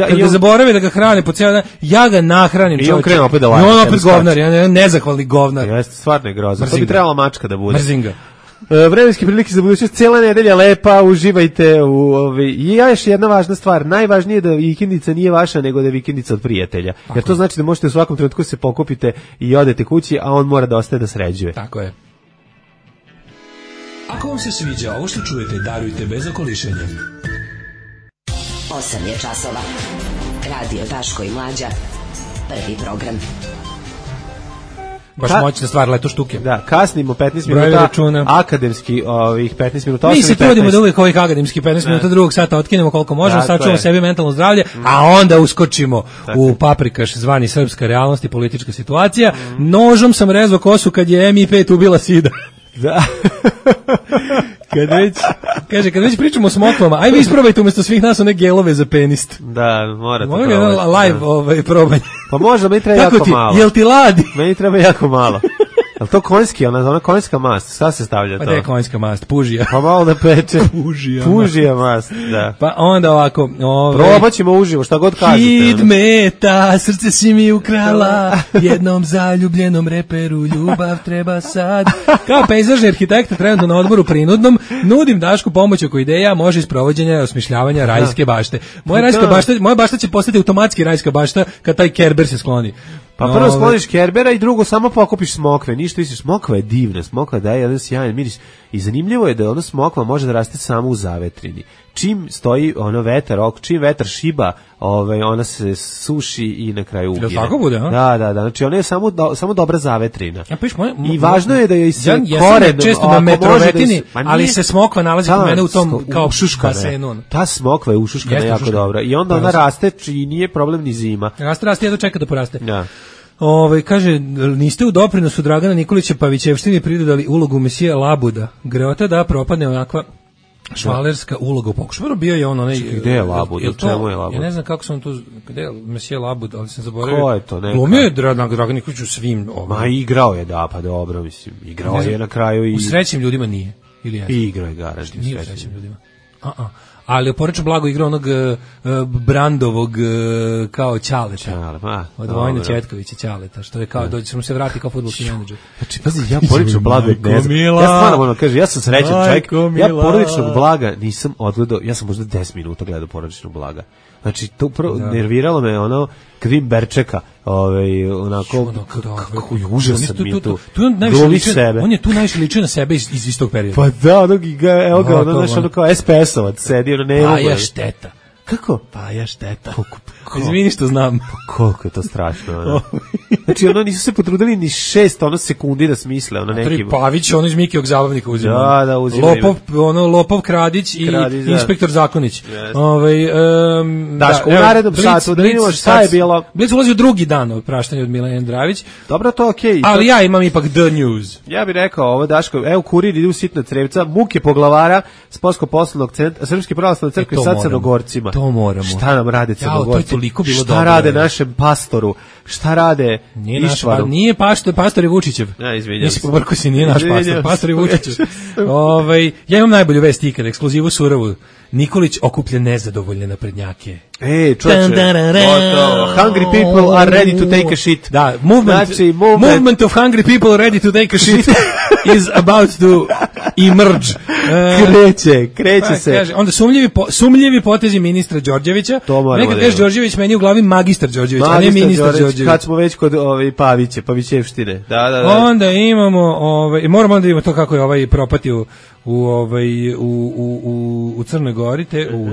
F: kad ga zaboravi da ga hrani po cijel dan, ja ga nahranim, čovječe. I on krenu opet da laje. I on opet govnar, nezahvalni govnar.
E: Jeste, stvarno je grozno. To bi trebala mačka da bude.
F: Mrzim ga.
E: Vremenske prilike za budućnost, cijela nedelja lepa, uživajte u i još jedna važna stvar, najvažnije je da vikendica nije vaša, nego da je vikendica od prijatelja. Tako jer to znači da možete u svakom trenutku se pokupite i odete kući, a on mora da ostaje da sređuje.
F: Tako je. Ako vam se sviđa ovo što čujete, darujte bez okolišenja.
B: 8 je časova. Radio Daško i Mlađa. Prvi program.
F: Baš moćna stvar, leto štuke.
E: Da, kasnimo 15 minuta, akademski ovih 15 minuta.
F: Mi se trudimo da uvijek ovih akademski 15 minuta drugog sata otkinemo koliko možemo, sačuvamo sebi mentalno zdravlje, a onda uskočimo u paprikaš zvani srpska realnost i politička situacija. Nožom sam rezao kosu kad je MI5 ubila Sida.
E: Da.
F: Kad već pričamo o smokvama, aj vi isprobajte umjesto svih nas one gelove za penist.
E: Da, morate
F: probati. Live probanje.
E: Pa možda, meni treba jako malo.
F: Jel ti ladi?
E: Meni treba jako malo. Je to konjski, ona konjska mast? Šta se stavlja to?
F: Pa je konjska mast, pužija.
E: Pa malo da peče. Pužija mast, da.
F: Pa onda ovako...
E: Probat ćemo uživo, šta god kažete.
F: Hit meta, srce si mi ukrala, jednom zaljubljenom reperu ljubav treba sad. Kao pejzažni arhitekta trenutno na odmoru prinudnom, nudim Dašku pomoć oko ideja, može iz provođenja i osmišljavanja rajske bašte. Moja bašta će postati automatski rajska bašta kad taj Kerber se skloni.
E: Pa prvo skloniš Kerbera i drugo samo pokupiš smokve. Ništa više, smokva je divna, smokva daje jedan sjajan miris. I zanimljivo je da ona smokva može da raste samo u zavetrini. Čim stoji vetar, čim vetar šiba, ona se suši i na kraju ugine.
F: Tako bude, a?
E: Da, znači ona je samo dobra zavetrina. I važno je da joj se koren...
F: Ja često na metrovetini, ali se smokva nalazi kod mene u tom kao basenu.
E: Ta smokva je ušuškana jako dobra. I onda ona raste i nije problem ni zima.
F: Raste, jedno čeka da poraste. Da. Kaže, niste u doprinosu Dragana Nikolića Pavićevštini pridodali ulogu mesija Labuda. Greota da propadne onakva švalerska uloga u pokušaju. Bio je on onaj...
E: Gde je Labud? Čemu je Labud?
F: Ja ne znam kako sam tu... Gde je mesija Labud, ali sam zaboravio.
E: Ko je to?
F: Glumio je Dragan Nikolić u svim...
E: Ma igrao je, da, pa dobro, mislim. Igrao je na kraju i...
F: U Srećnim ljudima nije. Ili je?
E: Igrao je garažnim
F: Nije u Srećnim ljudima. Ali oporečno blago igra onog Brandovog kao Ćaleta. Od Vojna Četkovića Ćaleta, što je kao, dođe se mu se vrati kao fudbalski menadžer.
E: Znači, pazi, ja porodičnog blaga ne znam. Ja stvarno moram kažem, ja sam srećan čovjek. Ja porodičnog blaga nisam odgledao, ja sam možda 10 minuta gledao porodičnog blaga. Znači, to upravo nerviralo me ono kad vidim Berčeka, onako kako je užasan mi je tu.
F: On je tu najviše ličio na sebe iz istog perioda.
E: Pa da, evo ga, ono kao SPS-ovac sedi, ono ne mogu.
F: Pa ja šteta.
E: Kako?
F: Pa ja šteta. Izvini što znam.
E: Koliko je to strašno. Znači, nisu se potrudili ni 6 sekundi da smisle.
F: Neki Pavić, iz Mikijog zabavnika uzima.
E: Da, uzima.
F: Lopov Kradić i inspektor Zakonić.
E: Daško, u narednom satu, da vidimo šta je bilo.
F: Blic ulazi u drugi dan od praštanja od Milena Andravić.
E: Dobro, to okej.
F: Ali ja imam ipak The News.
E: Ja bih rekao ovo, Daško, evo kurir ide u sitna crevca, muke poglavara Sportsko-poslovnog centra, Srpske pravoslavne crkve sa Crnogorcima.
F: To moramo.
E: Šta nam rade Crnogorci? Šta rade našem pastoru? Šta rade Išvaru?
F: Nije pastor je Vučićev.
E: Ja, izvinjam.
F: Nisi pobrko si, nije naš pastor je Vučićev. Ja imam najbolju vest ikad, ekskluzivu surovu. Nikolić okuplja nezadovoljne naprednjake.
E: Čoče, hungry people are ready to take a shit.
F: Da, movement of hungry people ready to take a shit is about to emerge.
E: Kreće se.
F: Kaže, onda sumljivi potezi ministra Đorđevića. Nekad kažeš Đorđević, meni u glavi magistar Đorđević, a ne ministar Đorđević.
E: Kad smo već kod Pavićevštine. Da.
F: Onda imamo, moramo da imamo to kako je propatio u Crnoj Gori,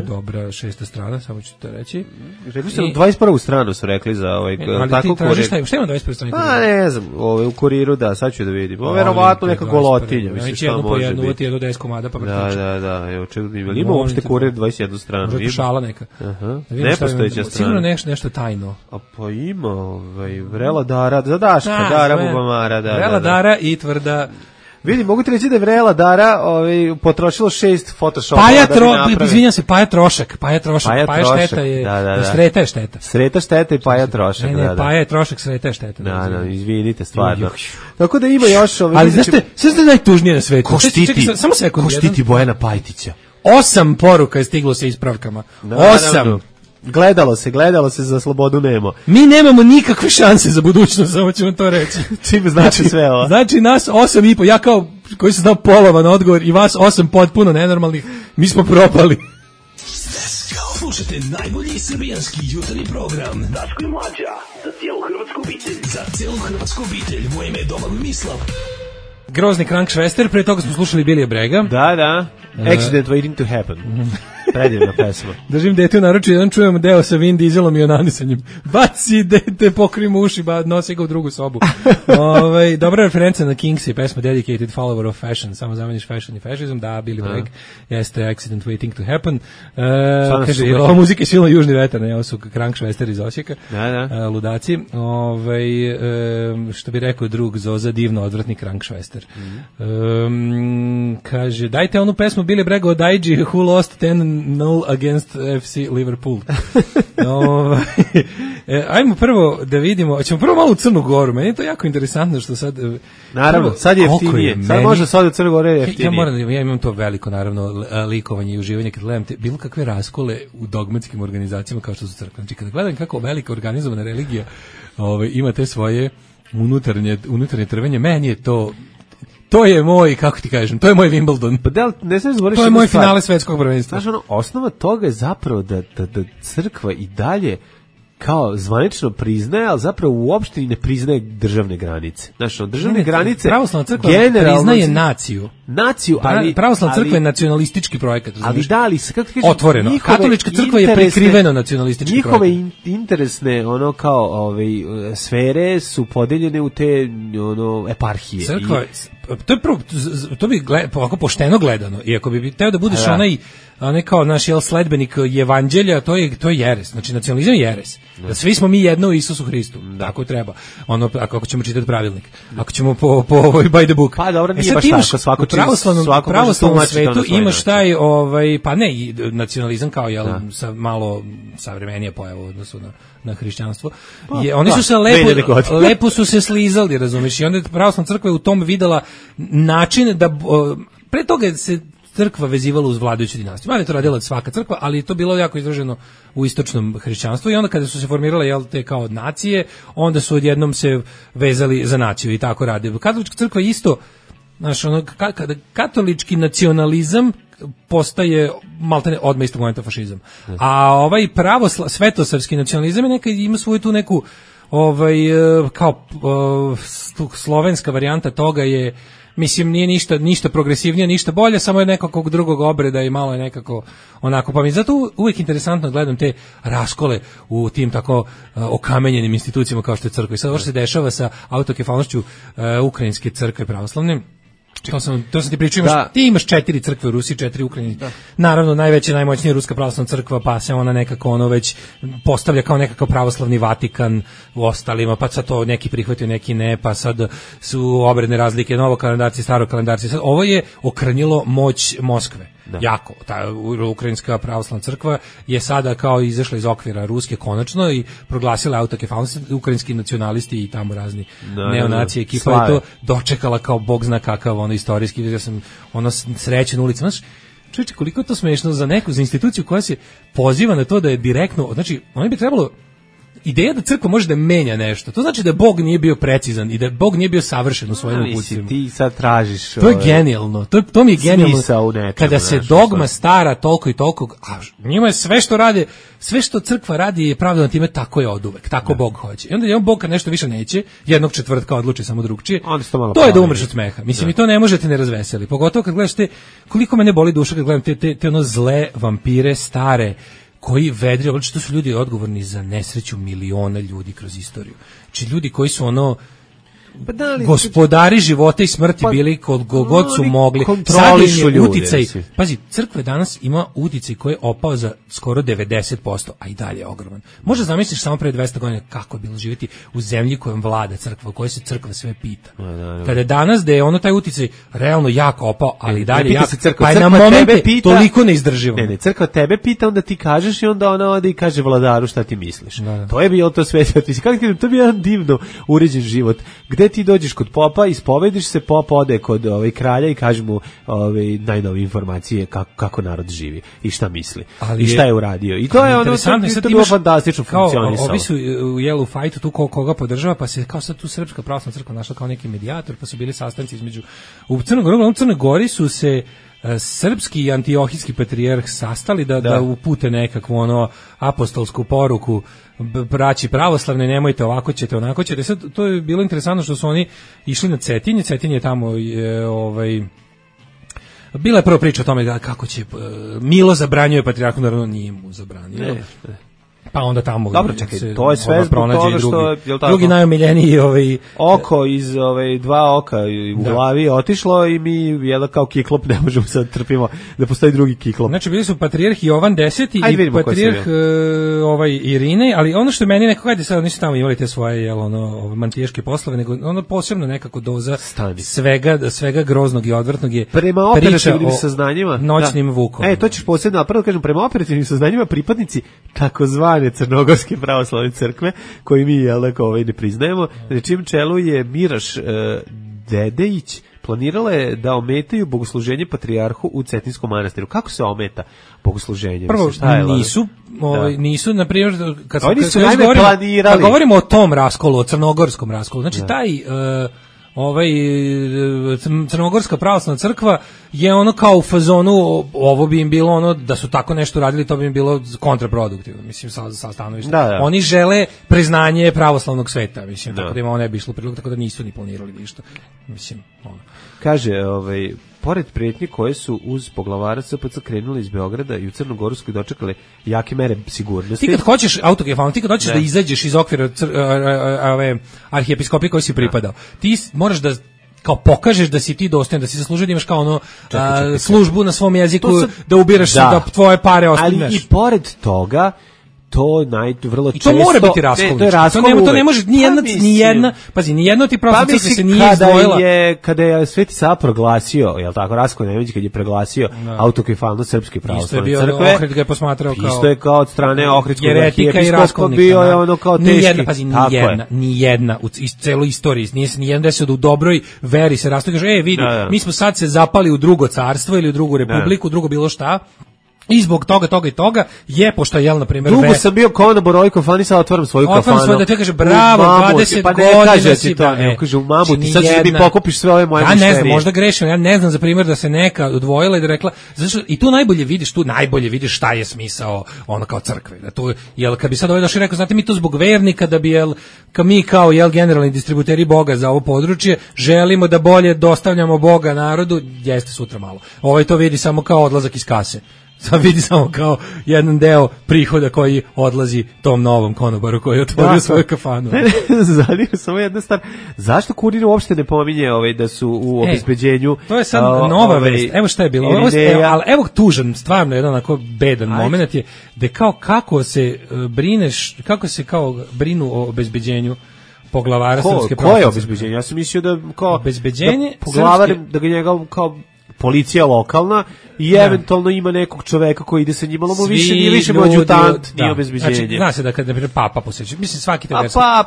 F: dobra 6. strana, samo ću to reći.
E: Rekli ste 21. stranu su rekli za
F: tako kurir. Šta ima 21. strani?
E: Ne znam, u kuriru, da, sad ću da vidim. Verovatno neka golotinja, mislim šta može biti.
F: Uvati jednu 10 komada, pa vrtiću.
E: Da, evo očekujem. Ima uopšte kurir 21. stranu?
F: Možda šala neka.
E: Nepostojeća strana.
F: Sigurno nešto tajno.
E: A pa ima, Vrela Dara, za Daška, Dara Bubamara.
F: Vrela Dara i tvrda
E: Vidi, mogu ti reći da je Vrela Dara potrošilo 6 Photoshopa.
F: Izvinjam se, Paja trošak. Paja šteta je, Sreta je šteta.
E: Sreta šteta i Paja trošak.
F: Ne, Paja je trošak, Sreta je šteta.
E: Da, izvinite, stvarno. Tako da ima još
F: ali znaš što je najtužnije na svetu?
E: Samo sekund. Ko štiti Bojana Pajtića?
F: 8 poruka je stiglo sa ispravkama. 8.
E: Gledalo se, za slobodu nemo.
F: Mi nemamo nikakve šanse za budućnost, samo ćemo to reći.
E: Čime znači sve ovo?
F: Znači nas 8,5, ja kao koji sam znao polovan odgovor i vas 8 potpuno nenormalnih, mi smo propali.
A: Slušajte najbolji srbijanski jutarnji program Daško i Mlađa za cijelu hrvatsku obitelj. Za cijelu hrvatsku obitelj, moje ime je Domagoj Mislav.
F: Grozni Krankšvester, pre toga smo slušali Bilija Brega.
E: Da. Accident waiting to happen. Predivna pesma.
F: Držim dete u naručju, jedan čujemo deo sa Vin Dieselom i onanisanjem. Baci dete, pokri mu uši, nosi ga u drugu sobu. Dobra referenca na Kings i pesma Dedicated Follower of Fashion, samo zameniš fashion i fascism, da, Billy Bragg, jeste Accident waiting to happen. Kaže, ova muzika je silno južni vetar, ne, ovo su Krankšvester iz Osijeka, ludaci. Što bi rekao drug Zoza, divno odvratni Krankšvester. Kaže, dajte onu pesmu Billy Bragg od IG Who Lost 10-0 against FC Liverpool. Ajmo prvo da vidimo, ćemo prvo malo u Crnu Goru, meni je to jako interesantno što sad...
E: Naravno, sad je jeftinije, sad može sad u Crnu Goru je jeftinije.
F: Ja imam to veliko, naravno, likovanje i uživanje kad gledam bilo kakve raskole u dogmatskim organizacijama kao što su crkve. Znači, kada gledam kako velika organizovana religija ima te svoje unutarnje trvenje, meni je to je moj, kako ti kažem, to je moj Wimbledon.
E: Pa ne smiješ zaboraviti.
F: To je moj finale svetskog prvenstva.
E: Znaš, osnova toga je zapravo da crkva i dalje kao zvanično priznaje, ali zapravo uopšte i ne priznaje državne granice. Znaš, državne granice...
F: Pravoslavna crkva priznaje naciju.
E: Ali...
F: Pravoslavna crkva je nacionalistički projekat.
E: Ali kako ti kažem...
F: Otvoreno. Katolička crkva je prikriveno nacionalistički projekat.
E: Njihove interesne, sfere su podeljene u te, eparhije.
F: Crkva... To bi ovako pošteno gledano, i ako bi teo da budeš onaj kao naš sledbenik evanđelja, to je jeres. Znači, nacionalizam je jeres. Da svi smo mi jedno u Isusu Hristu. Tako treba. Ako ćemo čitati pravilnik. Ako ćemo po by the book.
E: Pa dobro, nije baš tako. Svako
F: pravoslavnom svetu imaš taj, pa ne, nacionalizam kao sa malo savremenije pojava u odnosu na hrišćanstvo. Oni su se lepo su se slizali, razumiješ, i onda pravoslavna crkva je u tom videla način da pre toga se crkva vezivala uz vladajuću dinastiju. Mada je to radila svaka crkva, ali je to bilo jako izraženo u istočnom hrišćanstvu i onda kada su se formirale te kao nacije, onda su odjednom se vezali za naciju i tako rade. Katolička crkva je isto, znaš, kada katolički nacionalizam postaje maltene odmah istog momenta fašizam. A ovaj svetosrpski nacionalizam je ima svoju tu neku kao slovenska varijanta toga je, mislim, nije ništa progresivnije, ništa bolje, samo je nekakvog drugog obreda i malo je nekako onako, pa mi zato uvijek interesantno gledam te raskole u tim tako okamenjenim institucijama kao što je crkva. I sad ovo što se dešava sa autokefalnošću ukrajinske crkve pravoslavne, to sam ti pričao, ti imaš 4 crkve u Rusiji, 4 Ukrajini. Naravno, najveća, najmoćnija ruska pravoslavna crkva, pa se ona nekako već postavlja kao nekakav pravoslavni Vatikan u ostalima, pa sad to neki prihvatio, neki ne, pa sad su obredne razlike, novo kalendarci, staro kalendarci. Sad, ovo je okranjilo moć Moskve. Jako. Ta ukrajinska pravoslavna crkva je sada kao izašla iz okvira ruske konačno i proglasila autokefalnost. Ukrajinski nacionalisti i tamo razni neonacije ekipa je to dočekala kao bog zna kakav istorijski. Ja sam srećen ulici. Znaš, čovječe, koliko je to smešno za instituciju koja se poziva na to da je direktno, znači, oni bi trebalo ideja da crkva može da menja nešto. To znači da Bog nije bio precizan i da Bog nije bio savršen u svojim uputstvima.
E: Ti sad tražiš...
F: To je genijalno. To mi je genijalno. Kada se dogma stara toliko i toliko, a njima je sve što rade, sve što crkva radi je pravilno time, tako je oduvek. Tako Bog hoće. I onda je Bog kad nešto više neće, jednog četvrtka odluči samo drugčije. To je da umreš od smeha. Mislim, i to ne možete ne razveseli. Pogotovo kad gledaš koliko mene boli duša kad gledam te zle vampire stare koji vedri, znači to su ljudi odgovorni za nesreću miliona ljudi kroz istoriju. Znači ljudi koji su gospodari života i smrti bili kod god su mogli.
E: Kontrolišu ljudi.
F: Uticaj, pazi, crkva danas ima uticaj koji je opao za skoro 90%, a i dalje je ogroman. Možda zamisliš samo pre 200 godina kako je bilo živjeti u zemlji kojom vlada crkva, u kojoj se crkva sve pita. Kada je danas da je ono taj uticaj realno jako opao, ali dalje jako, pa je na momente toliko neizdrživo.
E: Ne, crkva tebe pita, onda ti kažeš i onda ona ode i kaže vladaru šta ti misliš. To je bilo to sve. To bi jedan divno uređen život. Gde ti dođeš kod popa, ispovediš se, pop ode kod kralja i kaže mu najnovije informacije kako narod živi i šta misli i šta je uradio. I to je ono to bilo fantastično funkcionisalo.
F: Ovi su u jelu fajtu tu koga podržava, pa se kao sad tu Srpska pravoslavna crkva našla kao neki medijator, pa su bili sastanci između u Crnoj Gori su se srpski i antiohijski patrijarh sastali da upute nekakvu apostolsku poruku braći pravoslavne, nemojte ovako ćete, onako ćete. Sad, to je bilo interesantno što su oni išli na Cetinje. Cetinje je tamo bila je prva priča o tome kako će Milo zabranjuje patrijarhu, naravno nije mu zabranio. Pa onda tamo
E: dobro, čekaj, to je sve
F: pronađe drugi najomiljeniji
E: oko iz dva oka u glavi otišlo i mi kao kiklop ne možemo sad trpimo da postoji drugi kiklop.
F: Znači bili su patrijarh Jovan X i patrijarh Irinej, ali ono što meni nekako ajde sad nisu tamo imali te svoje mantijaške poslove, nego ono posebno nekako doza svega groznog i odvrtnog je
E: prema operativnim saznanjima
F: noćnim vukom.
E: To ćeš posebno napravo kažem, prema operativnim saznanjima pripadnici takozvane Crnogorske pravoslavne crkve, koji mi ne priznajemo, na čijem čelu je Miraš Dedejić, planirala je da ometaju bogosluženje patrijarhu u Cetinskom manastiru. Kako se ometa bogosluženje?
F: Prvo, nisu, na primjer, kad govorimo o tom raskolu, o crnogorskom raskolu, znači taj Crnogorska pravoslavna crkva je ono kao u fazonu, ovo bi im bilo ono da su tako nešto radili, to bi im bilo kontraproduktivno, mislim, sa stanovišta. Oni žele priznanje pravoslavnog sveta, mislim, tako da im ovo ne bi išlo prilog, tako da nisu ni planirali ništa, mislim, ono.
E: Kaže, pored prijetnje koje su uz poglavara SPC krenuli iz Beograda i u Crnogorskoj dočekale jake mere sigurnosti.
F: Ti kad hoćeš autokefalno, ti kad hoćeš da izađeš iz okvira arhijepiskopije koji si pripadao, ti moraš da kao pokažeš da si ti dostojan, da si zaslužio da imaš kao ono službu na svom jeziku, da ubiraš da tvoje pare ostane.
E: Ali i pored toga to vrlo često.
F: I to mora biti raskol. To ne može ni jedna ti pravoslavna crkva se nije izdvojila.
E: Kada je Sveti Sava proglasio, je l' tako, Rasko Nemanjić kad je proglasio autokefalnost Srpske pravoslavne crkve.
F: Isto je bio Ohrid ga je posmatrao kao...
E: Isto je kao od strane Ohridskog
F: arhijepiskopa
E: bio je ono kao teški.
F: Nijedna u celoj istoriji, nije se nijedan desio da u dobroj veri se rastoji, kaže, vidi, mi smo sad se zapali u drugo carstvo ili u drugu republiku, drugo bilo šta. I zbog toga je, pošto je, na primjer...
E: Dugo sam bio konobor Rojko Fani, sad otvaram svoju kafanu.
F: Da ti kaže, bravo, 20 godina si...
E: Kaže, u Mamuti, sad ćeš mi pokupiš sve ove moje mišterije.
F: Ja ne znam, možda grešim, ja ne znam, za primjer, da se neka odvojila i da rekla... I tu najbolje vidiš šta je smisao ono kao crkve. Jel, kad bi sad ovaj došli rekao, znate, mi to zbog vernika, da bi, mi kao, generalni distributeri Boga za ovo područje, želimo da bolje dostavljamo Boga narodu, jeste sutra malo. To vidi samo kao odlazak iz kase. Sad vidi samo kao jedan deo prihoda koji odlazi tom novom konobaru koji je otvorio svoju kafanu.
E: Zanima samo jedna stvar. Zašto Kurir uopšte ne pominje da su u obezbeđenju?
F: To je sad nova vest. Evo šta je bilo. Ali evo tužan, stvarno jedan onako bedan moment je da kao kako se brinu o obezbeđenju poglavara Srpske pravoslavne.
E: Koje obezbeđenje? Ja sam mislio da kao
F: obezbeđenje
E: poglavar, da ga njega kao policija lokalna i eventualno ima nekog čoveka koji ide sa njim, ali nije više adjutant, nije obezbeđenje.
F: Znači, zna se da kad, na primjer, papa posjeća, mislim, svaki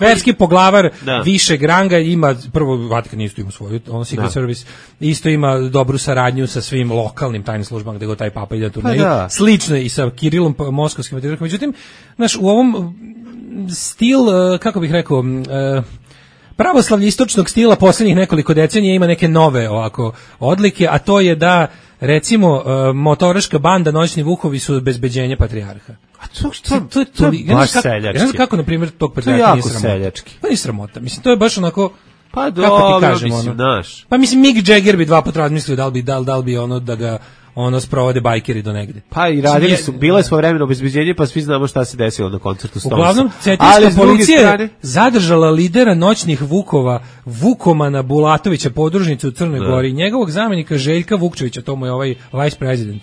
F: verski poglavar višeg ranga ima, prvo, Vatikan isto ima svoju, Secret Service, isto ima dobru saradnju sa svim lokalnim tajnim službama gde go taj papa ide turneju, slično i sa Kirilom moskovskim patrijarhom. Međutim, znaš, u ovom stil, kako bih rekao, pravoslavlje istočnog stila posljednjih nekoliko decenija ima neke nove ovako odlike, a to je da, recimo, motoraška banda Noćni vukovi su obezbeđenje patrijarha.
E: A to je baš seljački.
F: Ja znam kako, na primjer, tog patrijarha nije sramota.
E: Seljački.
F: Pa nije sramota, mislim, to je baš onako...
E: Pa dobro, mislim, naš.
F: Pa mislim, Mick Jagger bi dva puta razmislio da li bi ono da ga sprovode bajkeri do negde.
E: Pa i radili su, bilo je svojevremeno obezbeđenje, pa svi znamo šta se desilo na koncertu Stonesa.
F: Uglavnom, cetinska policija je zadržala lidera noćnih Vukova, Vukomana Bulatovića, podružnicu u Crnoj Gori, njegovog zamenika Željka Vukčevića, to mu je ovaj vice president.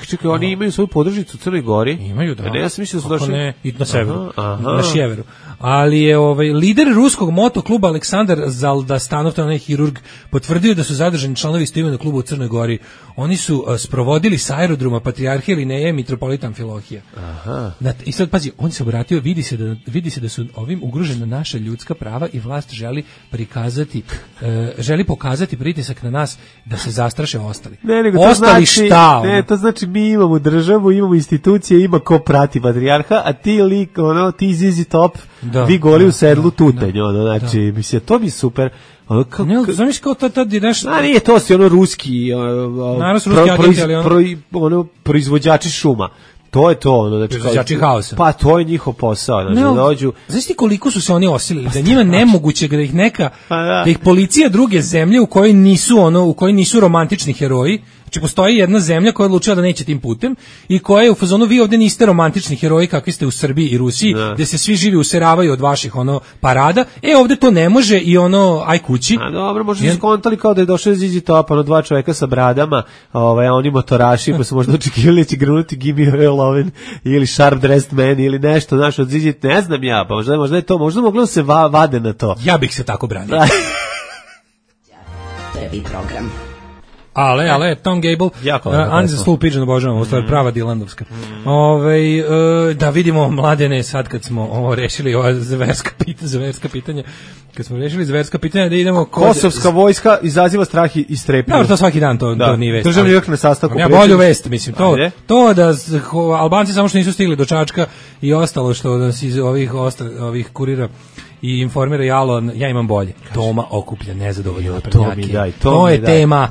E: Čekaj, oni imaju svoju podružnicu u Crnoj Gori?
F: Imaju, da.
E: Ne, ja sam mislio da su došli...
F: Ne, i na severu, na sjeveru. Ali je lider ruskog motokluba Aleksandar Zaldastanov, to je onaj hirurg, potvrdio da su zadržani članovi istoimenog kluba u Crnoj Gori. Oni su sprovodili sa aerodroma Patrijarhije Lineje Mitropolita Amfilohija. I sad, pazi, on se obratio, vidi se da su ovim ugrožena naša ljudska prava i vlast želi pokazati pritisak na nas da se zastraše ostali.
E: Ostali šta? Ne, to znači mi imamo državu, imamo institucije, ima ko prati patrijarha, a ti ti ZZ Top, vi goli u sedlu tutanj, znači, mislim, to mi je super.
F: Zamisli kao tad ideš...
E: nije to si ruski proizvođači šuma. To je to,
F: proizvođači haosa.
E: Pa to je njihov posao, dođu.
F: Znaš ti koliko su se oni osilili, da njima nemoguće da ih da ih policija druge zemlje u kojoj nisu romantični heroji. Znači postoji jedna zemlja koja je odlučila da neće tim putem i koja je u fazonu, vi ovde niste romantični heroji kakvi ste u Srbiji i Rusiji, gde se svi živi useravaju od vaših parada. Ovde to ne može i aj kući.
E: A dobro, možda su skontali kao da je došao ZZ Top, dva čoveka sa bradama, a oni motoraši, pa su možda očekivali da će grnuti Give Me Your Lovin' ili Sharp Dressed Man ili nešto, znaš, od ZZ, ne znam ja, pa možda je to, možda moglo da se vade na to.
F: Ja bih se tako branio.
B: Prvi program.
F: Ale, Tom Gable, Anza Slow Pigeon, obožavam, ovo je prava Dilandovska. Da vidimo, Mladene, sad kad smo rešili ova zverska pitanja, kad smo rešili zverska pitanja, da idemo...
E: Kosovska vojska izaziva strah i strepnju.
F: Dobro, to svaki dan, to nije vest.
E: Državni vrh na sastavku.
F: Ja bolju vest, mislim, to da Albanci samo što nisu stigli do Čačka i ostalo što nas iz ovih kurira i informira Jalo, ja imam bolje. Toma okuplja nezadovoljne naprednjake. To je tema.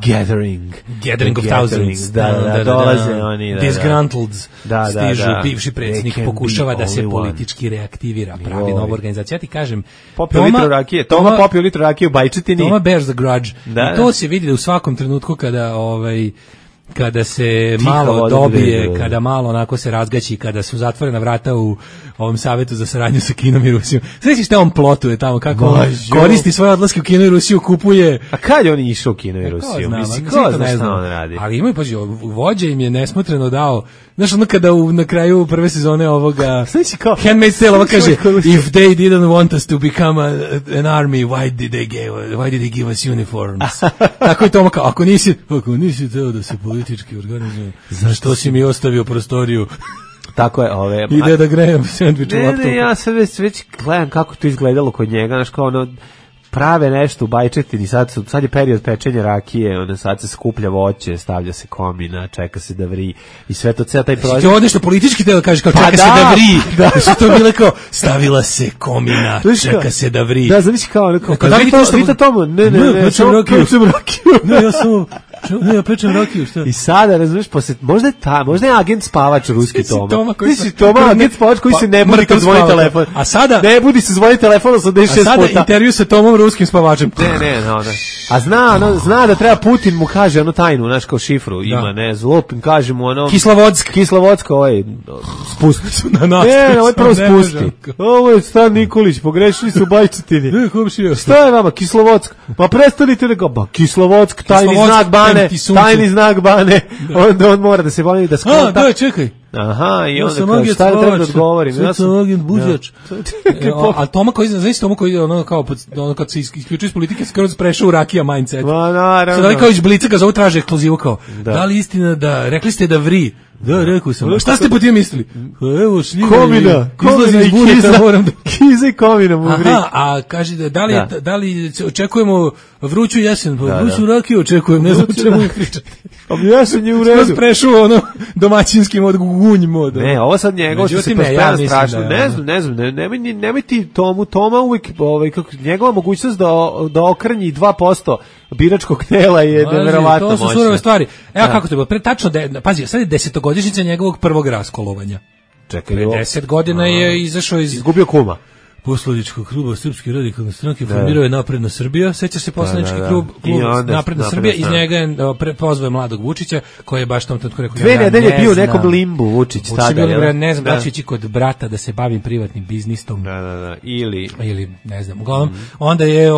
F: Gathering of thousands.
E: Da, dolaze oni.
F: Disgruntleds stižu, bivši predsjednik pokušava da se politički reaktivira, pravi novu organizaciju. Ja ti kažem,
E: Toma popio litru rakije u Bajčetini.
F: Toma bears the grudge. I to se vidi da u svakom trenutku kada se malo dobije, kada malo onako se razgaći, kada su zatvorena vrata u ovom savetu za saradnju sa Kinom i Rusijom. Sveći šta on plotuje tamo, kako on koristi svoje odlaske u Kinu i Rusiju, kupuje...
E: A kad je on išao u Kinu i Rusiju? Ko zna šta on radi?
F: Ali imaju, paži, vođa im je nesmotreno dao, znaš ono kada na kraju prve sezone ovoga Handmaid's Tale ovo kaže, if they didn't want us to become an army, why did they give us uniforms? Tako je to, ako nisi teo da se politički organizuje, zašto si mi ostavio prostoriju?
E: Tako je,
F: ide da grejem sendvič u laptopu.
E: Ne, ja sad već gledam kako to izgledalo kod njega, znaš kao prave nešto u Bajčetini, sad je period pečenja rakije, sad se skuplja voće, stavlja se komina, čeka se da vri i sve to, taj proizvod.
F: Ti odeš na politički deo, kažeš kao čeka se da vri, da su to bile kao stavila se komina, čeka se da vri.
E: Da, zamisli kao, vidite tomu, ne,
F: pečem rakiju. Ne, ja sam... Ja pečem rakiju, šta?
E: I sada, razumiješ, možda je agent spavač ruski Toma. Toma, agent spavač koji se ne budi kad zvoni telefon.
F: A sada...
E: Ne budi se zvoni telefon 86 puta.
F: A sada intervju sa Tomom ruskim spavačem.
E: Ne. A zna da treba Putin mu kaže tajnu, znaš, kao šifru ima, zlopim, kaže mu Kislovodsko, spusti. Ne, prvo spusti. Ovo je Stan Nikolić, pogrešili su u Bajčetini. Šta je vama, Kislovodsko? Pa prestanite nego, Kislovodsko, tajni znak bane, onda on mora da se bavi da skonta.
F: Da, čekaj.
E: Aha, i onda kao šta je treba da odgovorim.
F: Ja sam agent buđač. A Toma koji, znaš Toma koji ono kad se isključuje iz politike, skoro prešao u rakija mindset. Sad kao iz Blica ga zovu traže ekskluzivu kao, da li istina da, rekli ste da vri. Da, rekao sam. Šta ste po tim mislili? Evo, šljiva
E: komina i kiza i komina mu vri.
F: Aha, a kaže da li očekujemo vruću jesen, vruću rakiju očekujem, ne znam čemu mi pričate.
E: A jesen je u redu.
F: Skoro prešao ono domaćinski mod, gunj mod.
E: Ne, ovo sad njegov što se prospera strašno. Ne znam, nemoj ti Toma uvijek, njegova mogućnost da okrnji 2% biračkog tela je neverovatno moćna.
F: To su surove stvari. Evo kako to je bilo, tačno, pazi, sad je 10-godišnjica njegovog prvog raskolovanja.
E: Čekaj,
F: 10 godina je izašao iz...
E: Izgubio kuma.
F: poslaničkog kluba Srpske radikalne stranke formirao je Napredna Srbija. Seća se poslanički klub Napredna Srbija, iz njega je pozvao mladog Vučića, koji je baš tom trenutku rekao:
E: 2 nedelje bio u nekom limbu Vučić tada.
F: Ne znam da će ići kod brata da se bavim privatnim biznisom.
E: Da. Ili
F: ne znam. Uglavnom, onda je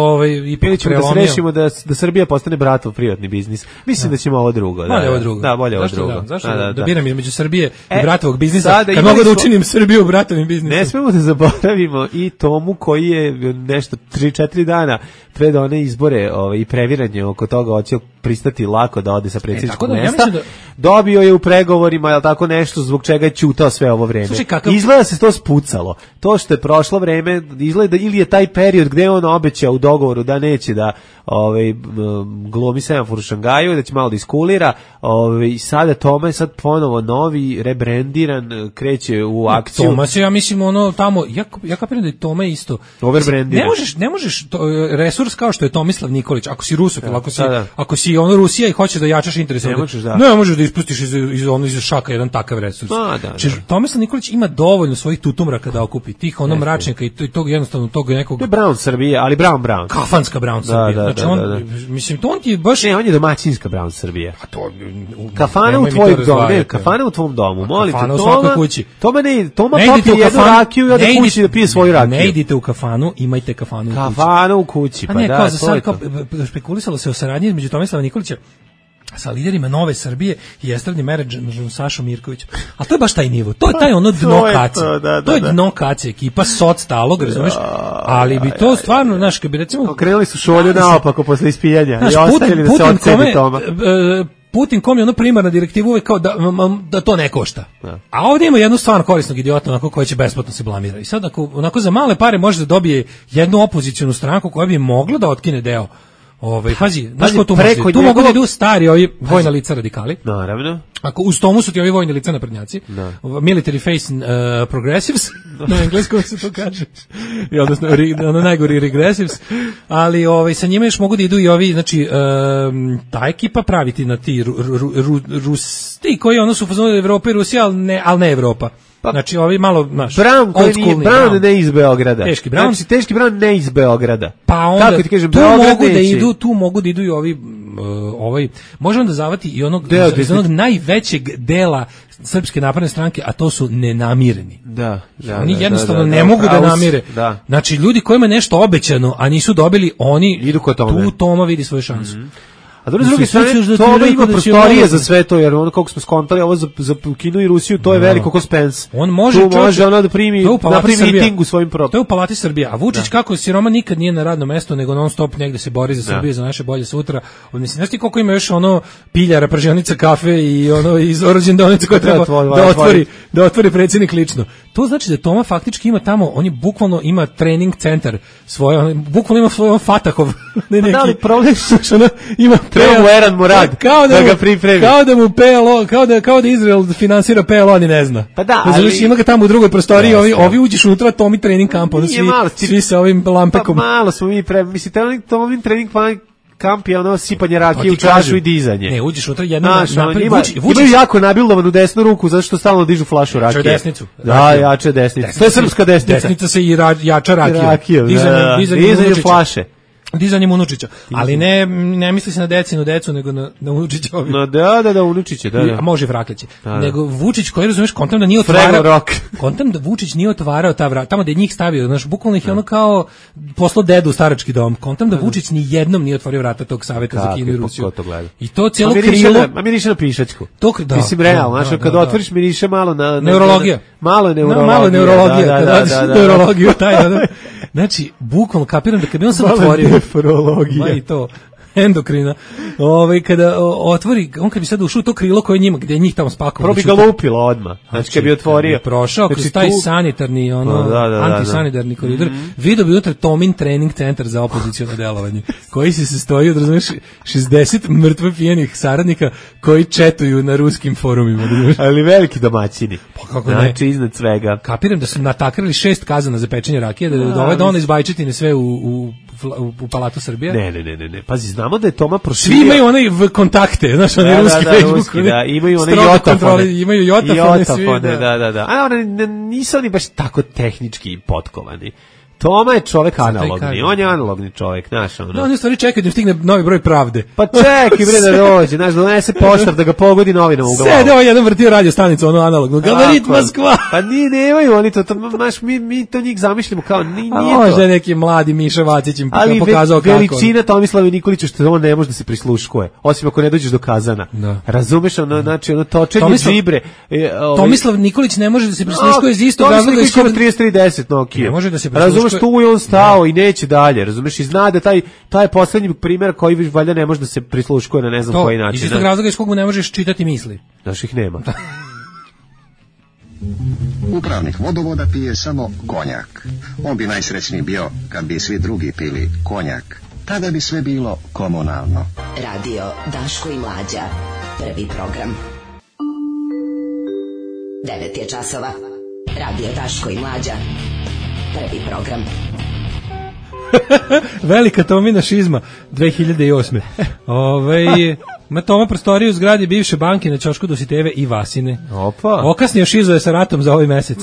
F: ipak
E: prelomio. Da se rešimo da Srbija postane bratov privatni biznis. Mislim da ćemo ovo drugo.
F: Bolje ovo drugo.
E: Da, bolje ovo drugo.
F: Zašto da biram između Srbije i bratovog biznisa, kad mogu da učinim Srbiju bratovim biznisom?
E: Ne smemo da zaboravimo i Tomu koji je nešto 3-4 dana pred one izbore i previranje oko toga hoće pristati lako da ode sa predsjedničkog mesta. Dobio je u pregovorima, je tako nešto, zbog čega je ćutao sve ovo vreme. Izgleda se to spucalo. To što je prošlo vreme, izgleda ili je taj period gde on obećao u dogovoru da neće da glumi semafor u Šangaju, da će malo da iskulira, i sada Toma je sad ponovo novi, rebrendiran, kreće u akciju.
F: Toma se, ja mislim, tamo, ja kapiram da je Toma isto.
E: Overbrendiran.
F: Ne možeš resurs kao što je Tomislav Nikolić, ako si rusofil, ako si Rusija i hoćeš da jačaš interese, ne možeš da ispustiš iz šaka jedan takav resurs. Tomislav Nikolić ima dovoljno svojih tutumraka da okupi, tih mračnjaka i tog jednostavno tog nekog.
E: To je Brown Srbija, ali Brown.
F: Kafanska Brown Srbija. Mislim, to on ti je baš...
E: Ne, on je domaćinska Brown Srbija. Kafana u tvojom domu, kafana u tvom domu, molim te.
F: Kafana u svakoj kući.
E: Toma popije jednu rakiju i ode kući da pije svoju rakiju.
F: Ne idite u kafanu, imajte kafanu u kući.
E: Kafana u kući, pa da, to je to.
F: Spekulisalo se o saradnji između Tomislava Nikolića sa liderima Nove Srbije i estradnim menadžerom Sašom Mirkovićem. A to je baš taj nivo. To je taj dno kace. To je dno kace, ekipa soc talog, razumeš? Ali bi to stvarno, znaš, kad bi recimo...
E: Krenuli su šolju naopako posle ispijanja i ostavili da se odsedi Toma.
F: Putin kom je primarna direktiva uvek kao da to ne košta. A ovdje ima jednu stvarno korisnog idiota onako koji će besplatno se blamira. I sad onako za male pare može da dobije jednu opozicijonu stranku koja bi mogla da otkine deo. Pazi, znaš ko tu može? Tu mogu da idu stari ovi vojna lica radikali.
E: Naravno.
F: Ako uz tomu su ti ovi vojni lica naprednjaci, military face progressives, na engleskom se to kaže, odnosno najgori regressives, ali sa njima još mogu da idu i ovi, znači, ta ekipa praviti na ti Rusti koji su fazonili Evropa i Rusija, ali ne Evropa. Znači, ovi malo, znaš,
E: Brown ne iz Beograda.
F: Teški Brown.
E: Znači, teški Brown ne iz Beograda.
F: Pa onda, kako ti kažem, tu mogu da idu i ovi, možemo da zavati i iz onog najvećeg dela Srpske napredne stranke, a to su nenamireni. Oni jednostavno ne mogu da namire. Znači, ljudi kojima je nešto obećano, a nisu dobili, oni
E: idu kod Tome.
F: Tu Toma vidi svoju šansu.
E: A s druge strane, Toma ima prostorije za sve to, jer ono kako smo skontali, ovo za Kinu i Rusiju, to je veliko ko Spence.
F: On može
E: ono da primi miting u svojim propom.
F: To je u Palati Srbija. A Vučić kako siroma nikad nije na radnom mestu, nego non stop negde se bori za Srbiju, za naše bolje sutra. Mislim, znaš ti koliko ima još piljara, pržionica, kafe i iz rođendanica koje treba da otvori predsjednik lično. To znači da Toma faktički ima tamo, on je bukvalno ima trening centar svoj, bukvalno ima svoj Fatahov.
E: Da li problem ima treba mu Eran Murad da ga pripremi.
F: Kao da mu PLO, kao da Izrael finansira PLO, a ni ne zna.
E: Pa da, ali...
F: Ima ga tamo u drugoj prostoriji, ovi uđeš unutra, Tomi trening kamp, svi sa ovim lampekom.
E: Pa malo smo mi mislite, Tomi trening kamp je sipanje rakije u čašu i dizanje.
F: Ne, uđeš unutra jednom
E: imaju jako nabildovan u desnu ruku, zato što stalno dižu flašu rakije.
F: Jače desnicu.
E: Da, jače desnicu. To je srpska desnica.
F: Desnica se i jača rakiju.
E: Dizanje flaše.
F: Dizanjem Unučića, ali ne misli se na decinu decu, nego na Unučića.
E: Da, Unučiće, da.
F: A može Vrakliće. Nego Vučić koji, razumeš, kontam da nije Vučić nije otvarao ta vrata, tamo da je njih stavio, znaš, bukvalno ih je ono kao poslao dedu u starački dom. Kontam da Vučić ni jednom nije otvorio vrata tog saveta za Kinu i Rusiju. I to cijelo krilo...
E: A miriše na pišačku. Mislim, realno, znaš, kada otvoriš miriše malo na...
F: Neurologija.
E: Malo je
F: neurologija. Kada odeš neurologiju, znači, bukvalno kapiram da kad bi on sam otvorio...
E: Nefrologija.
F: I to, endokrina. Kada otvori, on kad bi sad ušao to krilo koje njima, gde je njih tamo spakovao.
E: Probi ga lupilo odmah. Znači, kad bi otvorio.
F: Prošao kroz taj sanitarni, antisanitarni koridor, vidio bi unutra Tomin trening centar za opoziciono delovanje, koji se sastoji od, razumiješ, 60 mrtve pijenih saradnika koji četuju na ruskim forumima.
E: Ali veliki domaćini.
F: Pa kako ne?
E: Znači, iznad svega.
F: Kapiram da su natakrili 6 kazana za pečenje rakije, da ono iz Bajčetine sve u Palatu Srbije.
E: Ne. Pazi, znamo da je Toma proširio.
F: Svi imaju onaj kontakte, znaš, onaj ruski Facebook.
E: Da, imaju onaj jotafone.
F: Imaju jotafone svi.
E: Da. A nisu oni baš tako tehnički potkovani. Toma je čovek analogni, on je analogni čovek, znaš, ono.
F: Da, oni u stvari čekaju da im stigne novi broj Pravde.
E: Pa čekaj bre da dođe, znaš, da donese poštar da ga pogodi novinom u glavu.
F: Sede ovaj jedan vrtio radio stanicu, ono analogno, Gabarit Moskva.
E: Pa nemaju oni to, znaš, mi to njih zamišljamo kao, nije to.
F: Možda neki mladi Miša Vacić im pokazao kako.
E: Ali veličina Tomislava Nikolića što on ne može da se prisluškuje, osim ako ne dođeš do Kazana. Da. Razumeš, ono, znači, ono točenje džibre.
F: Tomislav Nikolić ne može da se prisluškuje iz istog razloga iz koga
E: 3310 Nokia.
F: Ne može da se prisluškuje.
E: Razumeš, tu je on stao i neće dalje, razumeš, i zna da taj poslednji primjer koji valjda ne može da se prisluškuje na ne znam koji način.
F: Iz istog razloga iz kog mu ne možeš čitati misli.
E: Znaš, ih nema.
G: Upravnik vodovoda pije samo konjak. On bi najsrećniji bio kad bi svi drugi pili konjak. Tada bi sve bilo komunalno.
B: Radio Daško i Mlađa. Prvi program. 9 je časova. Radio Daško i Mlađa. Prvi program.
F: Velika Tomina šizma 2008. Ma Toma prostoriju u zgradi bivše banke na ćošku Dositejeve i Vasine.
E: Opa.
F: Okasnio šizuje sa ratom za ovaj mesec.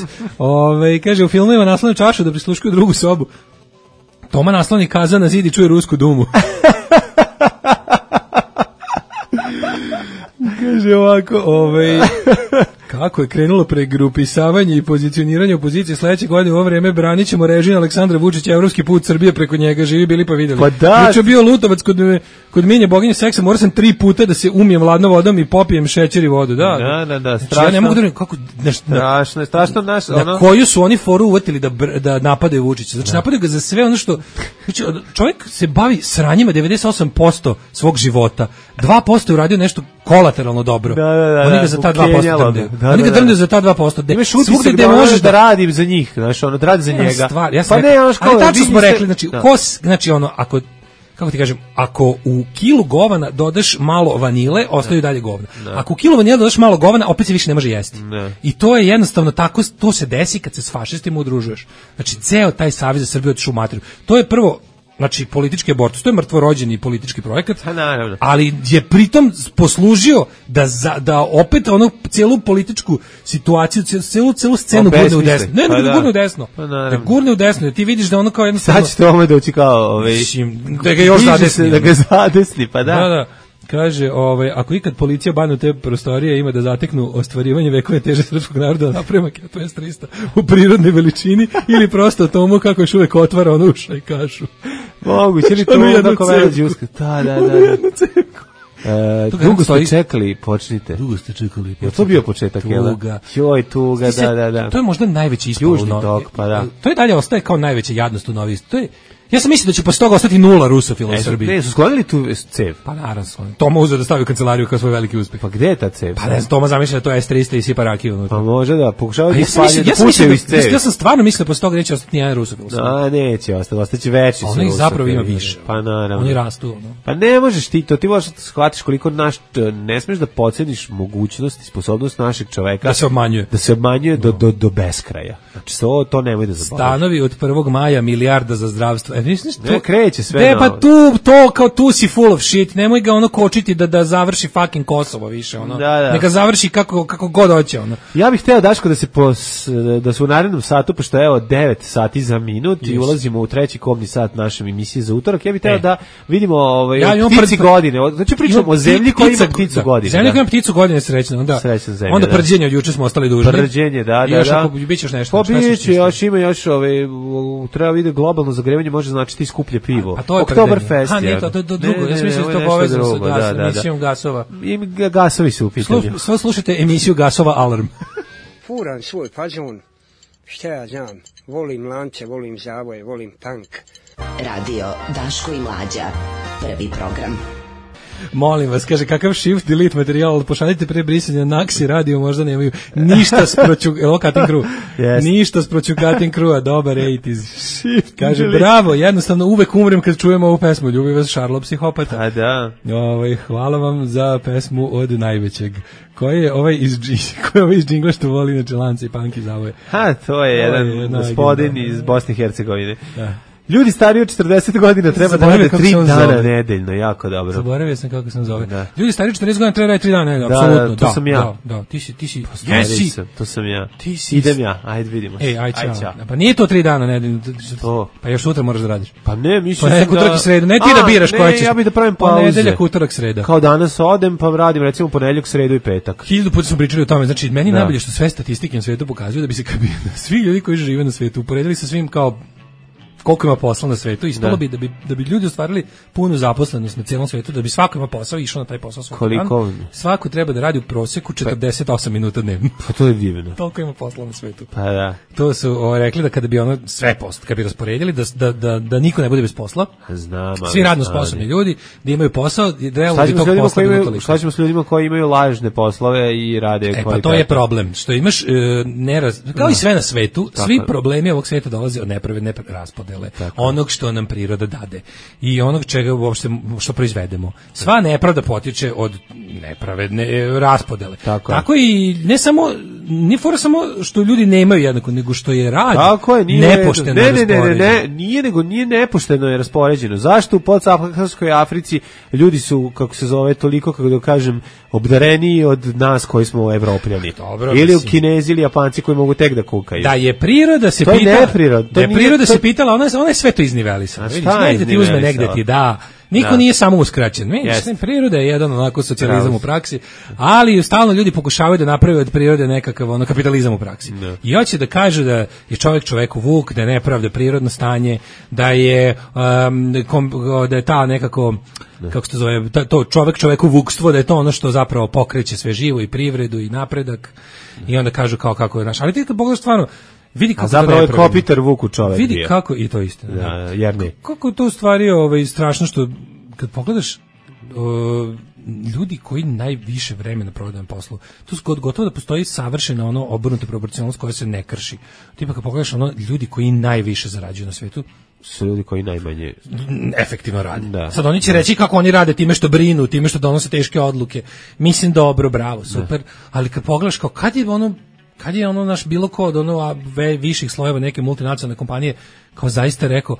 F: Kaže, u filmovima naslone čašu da prisluškuju drugu sobu. Toma nasloni Kazan na zid i čuje Rusku dumu. Kaže ovako, kako je krenulo pregrupisavanje i pozicioniranje opozicije sledeće godine u ovo vreme branit ćemo režim Aleksandra Vučića, evropski put Srbije preko njega, živi bili pa videli.
E: Pa da.
F: Juče bio Lutovac kod Minje boginje seksa, morao sam 3 puta da se umijem ladnom vodom i popijem šećer i vodu. Da,
E: strašno.
F: Znači, ja ne mogu da kako
E: strašno naš,
F: na koju su oni foru uvatili da napadaju Vučića. Znači napadaju ga za sve ono što znači, čovjek se bavi sranjima 98% svog života. 2% je uradio nešto kolateralno dobro. Oni ga za ta 2% drnde. Oni ga drnde za ta 2%.
E: Svugde gde možeš da radim za njih, znaš, ono, da radi za njega.
F: Pa ne, ali tačno smo rekli, znači ono, ako kako ti kažem, ako u kilu govana dodaš malo vanile, ostaju dalje govna. Ako u kilu vanile dodaš malo govana, opet se više ne može jesti. I to je jednostavno tako, to se desi kad se s fašistima udružuješ. Znači, ceo taj Savez za Srbiju otišao u materiju. To je prvo, znači, politički abortus, to je mrtvorođeni politički projekat, ali je pritom poslužio da opet ono celu političku situaciju, celu scenu gurne u desno. Ne, gurne u desno. Da gurne u desno, ti vidiš da ono kao jednostavno...
E: Sad će to ome doći kao...
F: Da ga još zadesni.
E: Da ga zadesni, pa da.
F: Da. Kaže, ako ikad policija banu te prostorije ima da zateknu ostvarivanje vekove teže srpskog naroda, napravi maketu S-300 u prirodnoj veličini ili prosto tomu kako još uvek otvara ono uša i kašu.
E: Moguće li to tako vela džuska? Da. Dugo ste čekali, počnite.
F: Dugo ste čekali.
E: Je to bio početak, jel? Joj, tuga, da.
F: To je možda najveći ispod.
E: Južni tok, pa da.
F: To je dalje ostaje kao najveća jadnost u Novi. To je ja sam mislio da će posle toga ostati 0 rusofila u Srbiji.
E: Ne, su sklonili tu cev?
F: Pa naravno sklonili. Toma uzeo da stavi u kancelariju kao svoj veliki uspeh.
E: Pa gde je ta cev?
F: Pa ne znam, Toma zamišlja da to je S-300 i sipa rakiju unutra.
E: Pa može da, pokušavaju da spalje, da pućaju iz cevi.
F: Ja sam stvarno mislio da posle toga neće ostati nijedan rusofil u Srbiji.
E: Neće ostati, ostaće veći.
F: Oni zapravo ima više.
E: Pa naravno.
F: Oni rastu.
E: Pa ne možeš ti to, ti možeš da shvatiš koliko ne smiješ da podceniš mogućnost i sposobnost našeg čoveka.
F: Da se obmanjuje.
E: Da se obmanjuje do beskraja. Znači, to nemoj da zaboraviš.
F: Stanovi od 1. maja milijarda za zdravstvo. Misliš to?
E: Kreće sve.
F: Ne, pa tu si full of shit. Nemoj ga ono kočiti da završi fucking Kosovo više, ono. Neka završi kako god hoće, ono.
E: Ja bih hteo, Daško, da se u narednom satu, pošto je 9 sati za minut i ulazimo u treći kobni sat naše emisije za utorak, ja bih hteo da vidimo ptici godine. Znači pričamo o zemlji koja ima pticu godine.
F: Zemlja koja ima pticu godine, srećna, onda.
E: Srećna zemlja.
F: Onda prđenje od juče smo ostali dužni.
E: Prđenje, da.
F: Još ako biće još nešto.
E: Pa biće, još treba vidjeti globalno zagrevanje, može značiti skuplje pivo.
F: A to je
E: Oktoberfest.
F: Nije to drugo. Ja mislim da je to povezano sa emisijom gasova.
E: I gasovi su u pitanju.
F: Slušajte emisiju Gasova Alarm.
H: Furam svoj fazon, šta ja znam, volim lance, volim zavoje, volim tank.
B: Radio Daško i Mlađa, prvi program.
F: Molim vas, kaže, kakav shift delete materijal, pošaljite pre brisanja na Naksi radio, možda nemaju ništa sproću, ništa sproću Cutting Crew-a, dobar 80s. Kaže, bravo, jednostavno uvek umrem kad čujem ovu pesmu, ljubi vas Šarlo psihopata.
E: A da.
F: Hvala vam za pesmu od najvećeg. Koji je ovaj iz džingla što voli na čelance i panki zavoje?
E: To je jedan gospodin iz Bosne i Hercegovine.
F: Da.
E: Ljudi stariji od 40 godina treba da rade 3 dana nedeljno, jako dobro.
F: Zaboravio sam kako se on zove. Da. Ljudi stariji od 40 godina treba da rade 3 dana nedeljno, apsolutno.
E: To sam ja.
F: Da, ti si.
E: To sam ja. Idem ja, ajde vidimo.
F: Ajde. Pa nije to 3 dana nedeljno. Pa još sutra moraš da radiš.
E: Pa ne, mislim
F: da utorak i sredu, ne ti da biraš koja ćeš.
E: Ja bih da pravim pauze.
F: Ponedeljak, utorak, sreda.
E: Kao danas odem pa radim recimo ponedeljak, sredu i petak.
F: 1000 puta smo pričali o tome, znači meni najbolje što sve statistike na svetu pokazuju da bi se svi ljudi koji žive na svetu uporedili sa svim kao koliko ima posla na svetu, ispalo bi da bi ljudi ostvarili punu zaposlenost na celom svetu, da bi svako ima posao i išao na taj posao svaki dan. Svako treba da radi u proseku 48 minuta dnevno.
E: Pa to je divno.
F: Toliko ima posla na svetu.
E: Pa da.
F: To su rekli da kada bi ono sve posla, kad bi rasporedili da niko ne bude bez posla.
E: Znam.
F: Svi radno sposobni ljudi da imaju posao, realno bi tog posla bilo toliko.
E: Šta ćemo s ljudima koji imaju lažne poslove i rade kvalitetno?
F: Pa to je problem, što imaš kao i sve na svetu, svi problemi ovog sveta dolaze od nepravedne raspodele. Onog što nam priroda dade i onog čega uopšte što proizvedemo. Sva nepravda potiče od nepravedne raspodele. Tako i ne fora samo što ljudi nemaju jednako, nego što je rad nepošteno raspoređen.
E: Nije nepošteno je raspoređeno. Zašto u podsaharskoj Africi ljudi su, kako se zove, toliko, kako da kažem, obdareniji od nas koji smo Evropljani? Ili u Kinezi ili Japanci koji mogu tek da kukaju.
F: Da je priroda se pitala, ona je sve to iznivelisala. Negde ti uzme, negde ti da. Niko nije samo uskraćen. Priroda je jedan onako socijalizam u praksi, ali stalno ljudi pokušavaju da naprave od prirode nekakav kapitalizam u praksi. I hoće da kažu da je čovjek čoveku vuk, da je nepravda prirodno stanje, da je ta nekako, kako se to zove, to čovjek čoveku vukstvo, da je to ono što zapravo pokreće sve živo i privredu i napredak. I onda kažu kao kako je naš. Ali ti kad pogledaš stvarno, vidi kako
E: zapravo je Kopitar vuku čovjek.
F: Vidi bio. Kako i to istina. Kako to u stvari strašno što kad pogledaš ljudi koji najviše vremena provode na poslu, tu gotovo da postoji savršena obrnuta proporcionalnost koja se ne krši. Tipa kad pogledaš ljudi koji najviše zarađuju na svetu
E: su ljudi koji najmanje
F: efektivno rade. Sad oni će reći kako oni rade time što brinu, time što donose teške odluke. Mislim dobro, bravo, super, ali kad pogledaš kao kad je naš bilo ko od viših slojeva neke multinacionalne kompanije kao zaista rekao,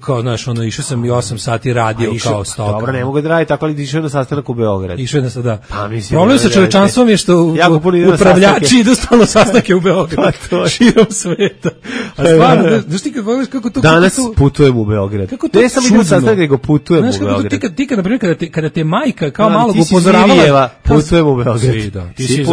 F: kao znaš, išao sam i 8 sati radio kao stoka.
E: Dobro, ne mogu da radi tako, ali išao na sastanak u Beograd.
F: Išao je da. Problem sa čovečanstvom je što upravljači idu stalno sastanke u Beograd. Širom sveta. A stvarno, znaš ti kad pogledaš kako to...
E: Danas putujem u Beograd. Ne samo idem sastanak, nego putujem u Beograd.
F: Ti kad, na primjer, kada te majka kao malog upozoravala...
E: Putujem u Beograd.
F: Ti si iz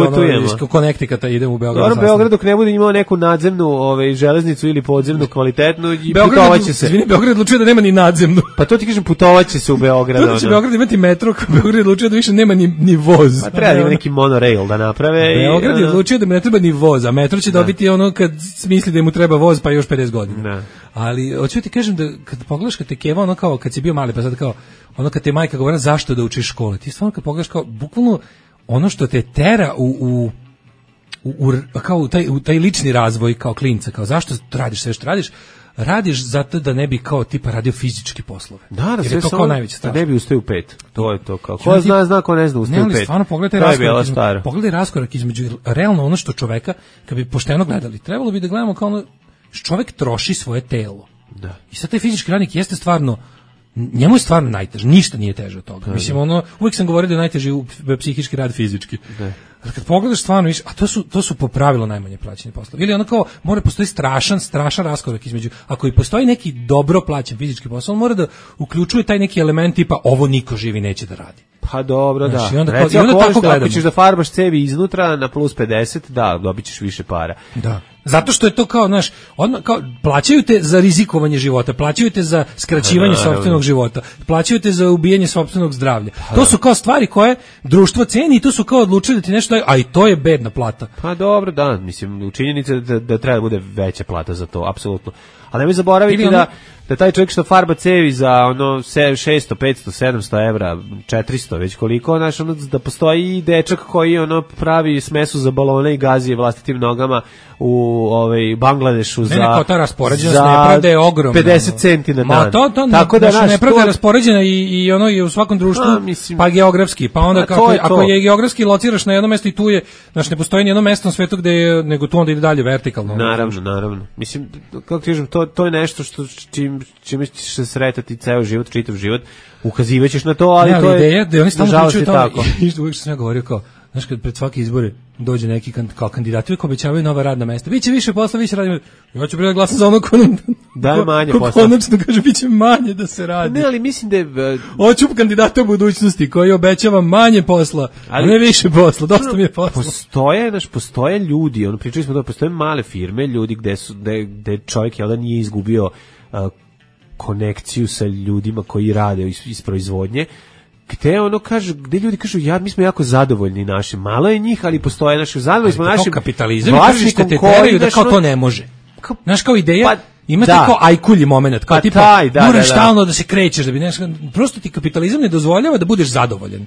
F: Connecticuta, idem u Beograd.
E: Dobro, Beograd dok ne bude imao neku nadzemnu železnicu ili podzemnu kvalitetnu i putovaće se.
F: Beograd odlučio da nema ni nadzemnu.
E: Pa to ti kažem, putovaće se u Beograd.
F: To će Beograd imati metro, Beograd odlučio da više nema ni voz.
E: Pa treba da ima neki monorail da naprave.
F: Beograd je odlučio da mu ne treba ni voz, a metro će dobiti kad smisli da mu treba voz pa još 50 godina. Ali hoću ti kažem da kad pogledaš kad te keva kao kad si bio mali pa sad kao kad te majka govori zašto da učiš škole. Ti stvarno kad pogledaš kao bukvalno ono što te tera u taj lični razvoj kao klinca, kao zašto radiš sve što radiš zato da ne bi kao tipa radio fizički poslove.
E: Da,
F: je to kao najveća stvar.
E: Da ne bi ustao u 5. To je to kao. Ko zna, ko ne zna ustao u 5.
F: Ne, stvarno pogledaj raskorak između realno ono što čoveka, kad bi pošteno gledali, trebalo bi da gledamo kao čovek troši svoje telo.
E: Da.
F: I sad taj fizički radnik jeste stvarno, njemu je stvarno najteže, ništa nije teže od toga. Mislim, uvijek sam govorio da je najteži psihički rad fizički. Da. Ali kad pogledaš stvarno, a to su po pravilu najmanje plaćeni poslovi. Ili kao mora postoji strašan raskorak između, ako i postoji neki dobro plaćen fizički posao, on mora da uključuje taj neki element tipa ovo niko živi neće da radi.
E: Pa dobro,
F: znači,
E: da. Ako ćeš da farbaš cevi iznutra na plus 50, da, dobit ćeš više para.
F: Da. Zato što je to kao, kao plaćaju te za rizikovanje života, plaćaju te za skraćivanje sopstvenog života, plaćaju te za ubijanje sopstvenog zdravlja. To su kao stvari koje društvo ceni i to su kao odlučili da ti nešto daju, a i to je bedna plata.
E: Pa dobro, da, mislim, u činjenici da treba da bude veća plata za to, apsolutno. Ali nemoj zaboraviti da taj čovjek što farba cevi za 600, 500, 700 evra, 400, već koliko, da postoji i dečak koji pravi smesu za balone i gazi vlastitim nogama u Bangladešu za...
F: Ne, kao ta raspoređenost nepravda je ogromna.
E: 50 centi na dan.
F: Tako da nepravda je raspoređena i ono je u svakom društvu, pa geografski, pa onda ako je geografski lociraš na jedno mesto i tu je, znači ne postoji ni jedno mesto na svetu gde je, nego tu onda ide dalje vertikalno.
E: Naravno. Mislim, kako ti kažem, to je nešto čime ćeš se sretati ceo život, čitav život, ukazivaćeš na to, ali to je...
F: Ideja da oni stalno pričaju to, uvijek što sam ja govorio kao, znaš, kad pred svaki izbore dođe neki kao kandidati, uvijek obećavaju nova radna mesta. Biće više posla, više radimo. Ja ću prije glasati za ono ko
E: manje posla.
F: Konačno kaže, biće manje da se radi.
E: Ne, ali mislim da je...
F: Hoću kandidata u budućnosti koji obećava manje posla, ali ne više posla, dosta mi je posla.
E: Postoje ljudi, pričali smo da postoje male firme, ljudi gde čovjek nije izgubio konekciju sa ljudima koji rade iz proizvodnje, gde ljudi kažu, mi smo jako zadovoljni našim, malo je njih, ali postoje naši, zadovoljni smo našim
F: kapitalizam i tržište te teraju da kao to ne može. Znaš, kao ideja, imate kao ajkulji moment, kao tipa, moraš stalno da se krećeš, da bi prosto ti kapitalizam ne dozvoljava da budeš zadovoljan.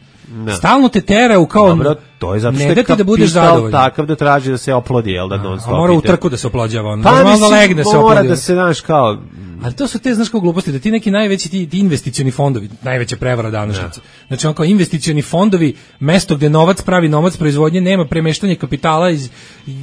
F: Stalno te teraju kao...
E: Dobro, to je zato što je kapital takav da traži da se oplodi, jel da non stop.
F: Mora u trku da se oplođava,
E: mora da se, znaš, kao...
F: Ali to su te, znaš, kao gluposti, da ti neki najveći ti investicioni fondovi, najveća prevara današnjice. Znači, on kao investicioni fondovi, mesto gde novac pravi novac proizvodnje, nema premeštanje kapitala iz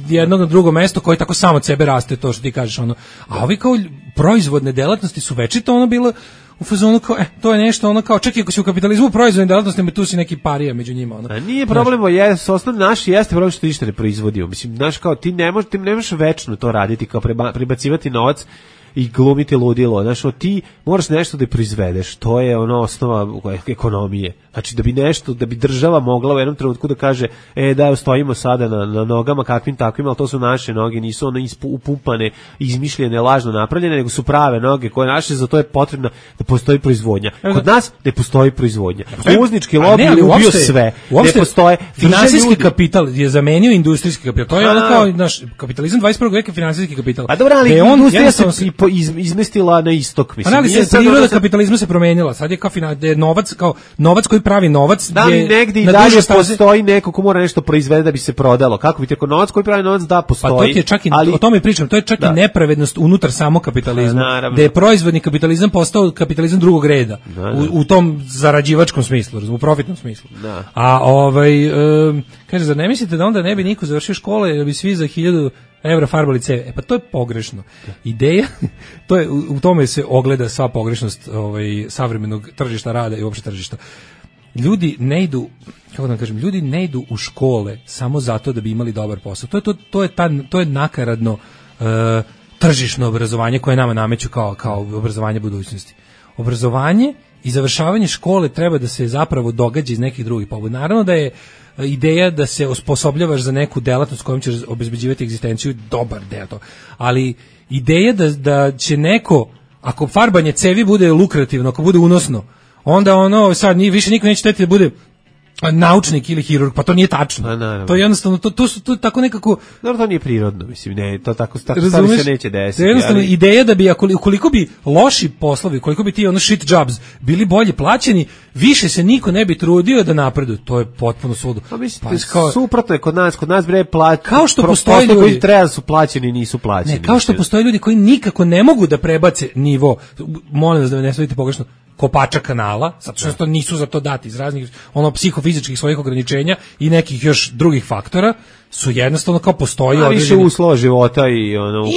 F: jednog na drugo mesto koje tako samo od sebe raste, to što ti kažeš, a ovi kao proizvodne delatnosti su večito bilo u fazonu kao, to je nešto, kao, čak i ako si u kapitalizmu proizvodne delatnosti, tu si neki parija među njima.
E: Nije problem, osnovno naši jeste problem što ništa ne proizvodimo. Mislim, znaš, kao, ti ne možeš večno to raditi, kao prebacivati novac i glumiti ludilo. Znači, ti moraš nešto da proizvedeš. To je osnova ekonomije. Znači, da bi država mogla u jednom trenutku da kaže, stojimo sada na nogama kakvim takvim, ali to su naše noge, nisu upumpane, izmišljene, lažno napravljene, nego su prave noge koje naše, zato je potrebno da postoji proizvodnja. Kod nas ne postoji proizvodnja. Uvoznički lobby je ubio sve. Ne postoje.
F: Finansijski kapital je zamenio industrijski kapital. To je kao naš kapitalizam 21. veka, finansijski kapital.
E: A dobro, ali industrija se izmestila na istok, mislim.
F: Ali priroda kapitalizma se promenila. Sad je kao novac koji pravi novac.
E: Da li negdje i dalje postoji neko ko mora nešto proizvede da bi se prodalo? Kako bi te novac koji pravi novac postoji?
F: Pa to je čak i, o tome pričam, to je čak i nepravednost unutar samog kapitalizma. Da je proizvodni kapitalizam postao kapitalizam drugog reda. U tom zarađivačkom smislu, u profitnom smislu. A kaže, zar ne mislite da onda ne bi niko završio škole, da bi svi za 1000 evra farbali ceve? Pa to je pogrešno. Ideja, u tome se ogleda sva pogrešnost savremenog tržišta rada i uopšte tržišta. Ljudi ne idu, kako da kažem, ljudi ne idu u škole samo zato da bi imali dobar posao. To je nakaradno tržišno obrazovanje koje nama nameću kao obrazovanje budućnosti. Obrazovanje i završavanje škole treba da se zapravo događa iz nekih drugih pobuda. Naravno da je ideja da se osposobljavaš za neku delatnost kojom ćeš obezbeđivati egzistenciju, dobar deo to. Ali ideja da će neko, ako farbanje cevi bude lukrativno, ako bude unosno, onda sad više niko neće teti da bude naučnik ili hirurg, pa to nije tačno. To je jednostavno, to tako nekako...
E: Dobro, to nije prirodno, mislim, ne, to tako stvari se neće desiti.
F: To je jednostavno ideja da bi, ukoliko bi loši poslovi, ukoliko bi ti shit jobs bili bolje plaćeni, više se niko ne bi trudio da napreduje. To je potpuno suludo.
E: Pa mislim, suprotno je kod nas bre
F: kao što postoje ljudi
E: koji treba su plaćeni, nisu plaćeni.
F: Ne, kao što postoje ljudi koji nikako ne mogu da prebace nivo, molim vas da ne shvatite pogrešno, kopača kanala, zato što nisu za to dati iz raznih psihofizičkih svojih ograničenja i nekih još drugih faktora, su jednostavno kao postoji određeni...
E: više uslova života i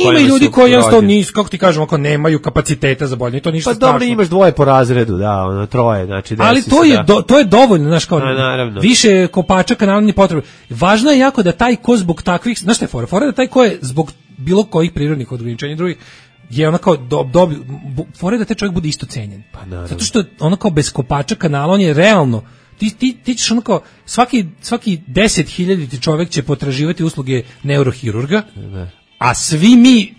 F: ima i ljudi koji jednostavno nisu, kako ti kažem, ako nemaju kapaciteta za bolje, to ništa strašno.
E: Pa dobro, imaš dvoje po razredu, troje, znači...
F: Ali to je dovoljno, znaš, kao više kopača kanala nije potrebno. Važno je jako da taj ko zbog takvih, znaš šta je fora? Fora da taj ko je zbog bilo kojih prirodnih ograničenja drugih, je kao fora da taj čovjek bude isto cenjen.
E: Pa,
F: zato što kao bez kopača kanala on je realno, ti ćeš kao svaki 10.000 čovjek će potraživati usluge neurohirurga, a svi mi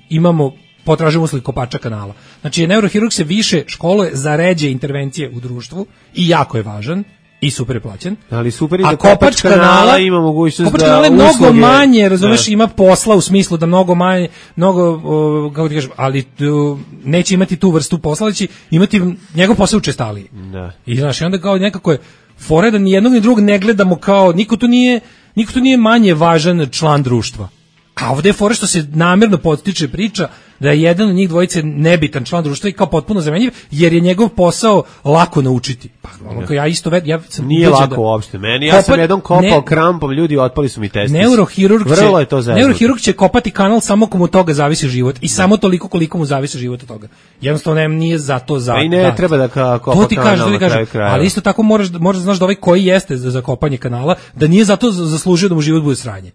F: potražujemo usluge kopača kanala. Znači neurohirurg se više školuje za ređe intervencije u društvu i jako je važan i super je plaćen.
E: Ali super je da kopač kanala ima mogućnost da
F: kanala je mnogo manje, razumeš, ima posla u smislu da mnogo manje, kako ti kažem, ali neće imati tu vrstu posla, ali će imati njegov posao učestaliji. I znaš, onda kao nekako je fore da ni jednog ni drugog ne gledamo kao, niko tu nije manje važan član društva. A ovde je fora što se namerno podstiče priča da je jedan od njih dvojice nebitan član društva i kao potpuno zamenjiv, jer je njegov posao lako naučiti. Pa ono kao ja isto sam
E: nije lako uopšte meni. Ja sam jednom kopao krampom, ljudi otpali su mi testisi.
F: Neurohirurg će kopati kanal samo komu toga zavisi život i samo toliko koliko mu zavisi život od toga. Jednostavno nije zato za.
E: I ne treba da kopa kanal na kraju kraja.
F: Ali isto tako moraš da znaš da ovaj koji jeste za kopanje kanala, da nije zato zaslužio da mu život bude sranje.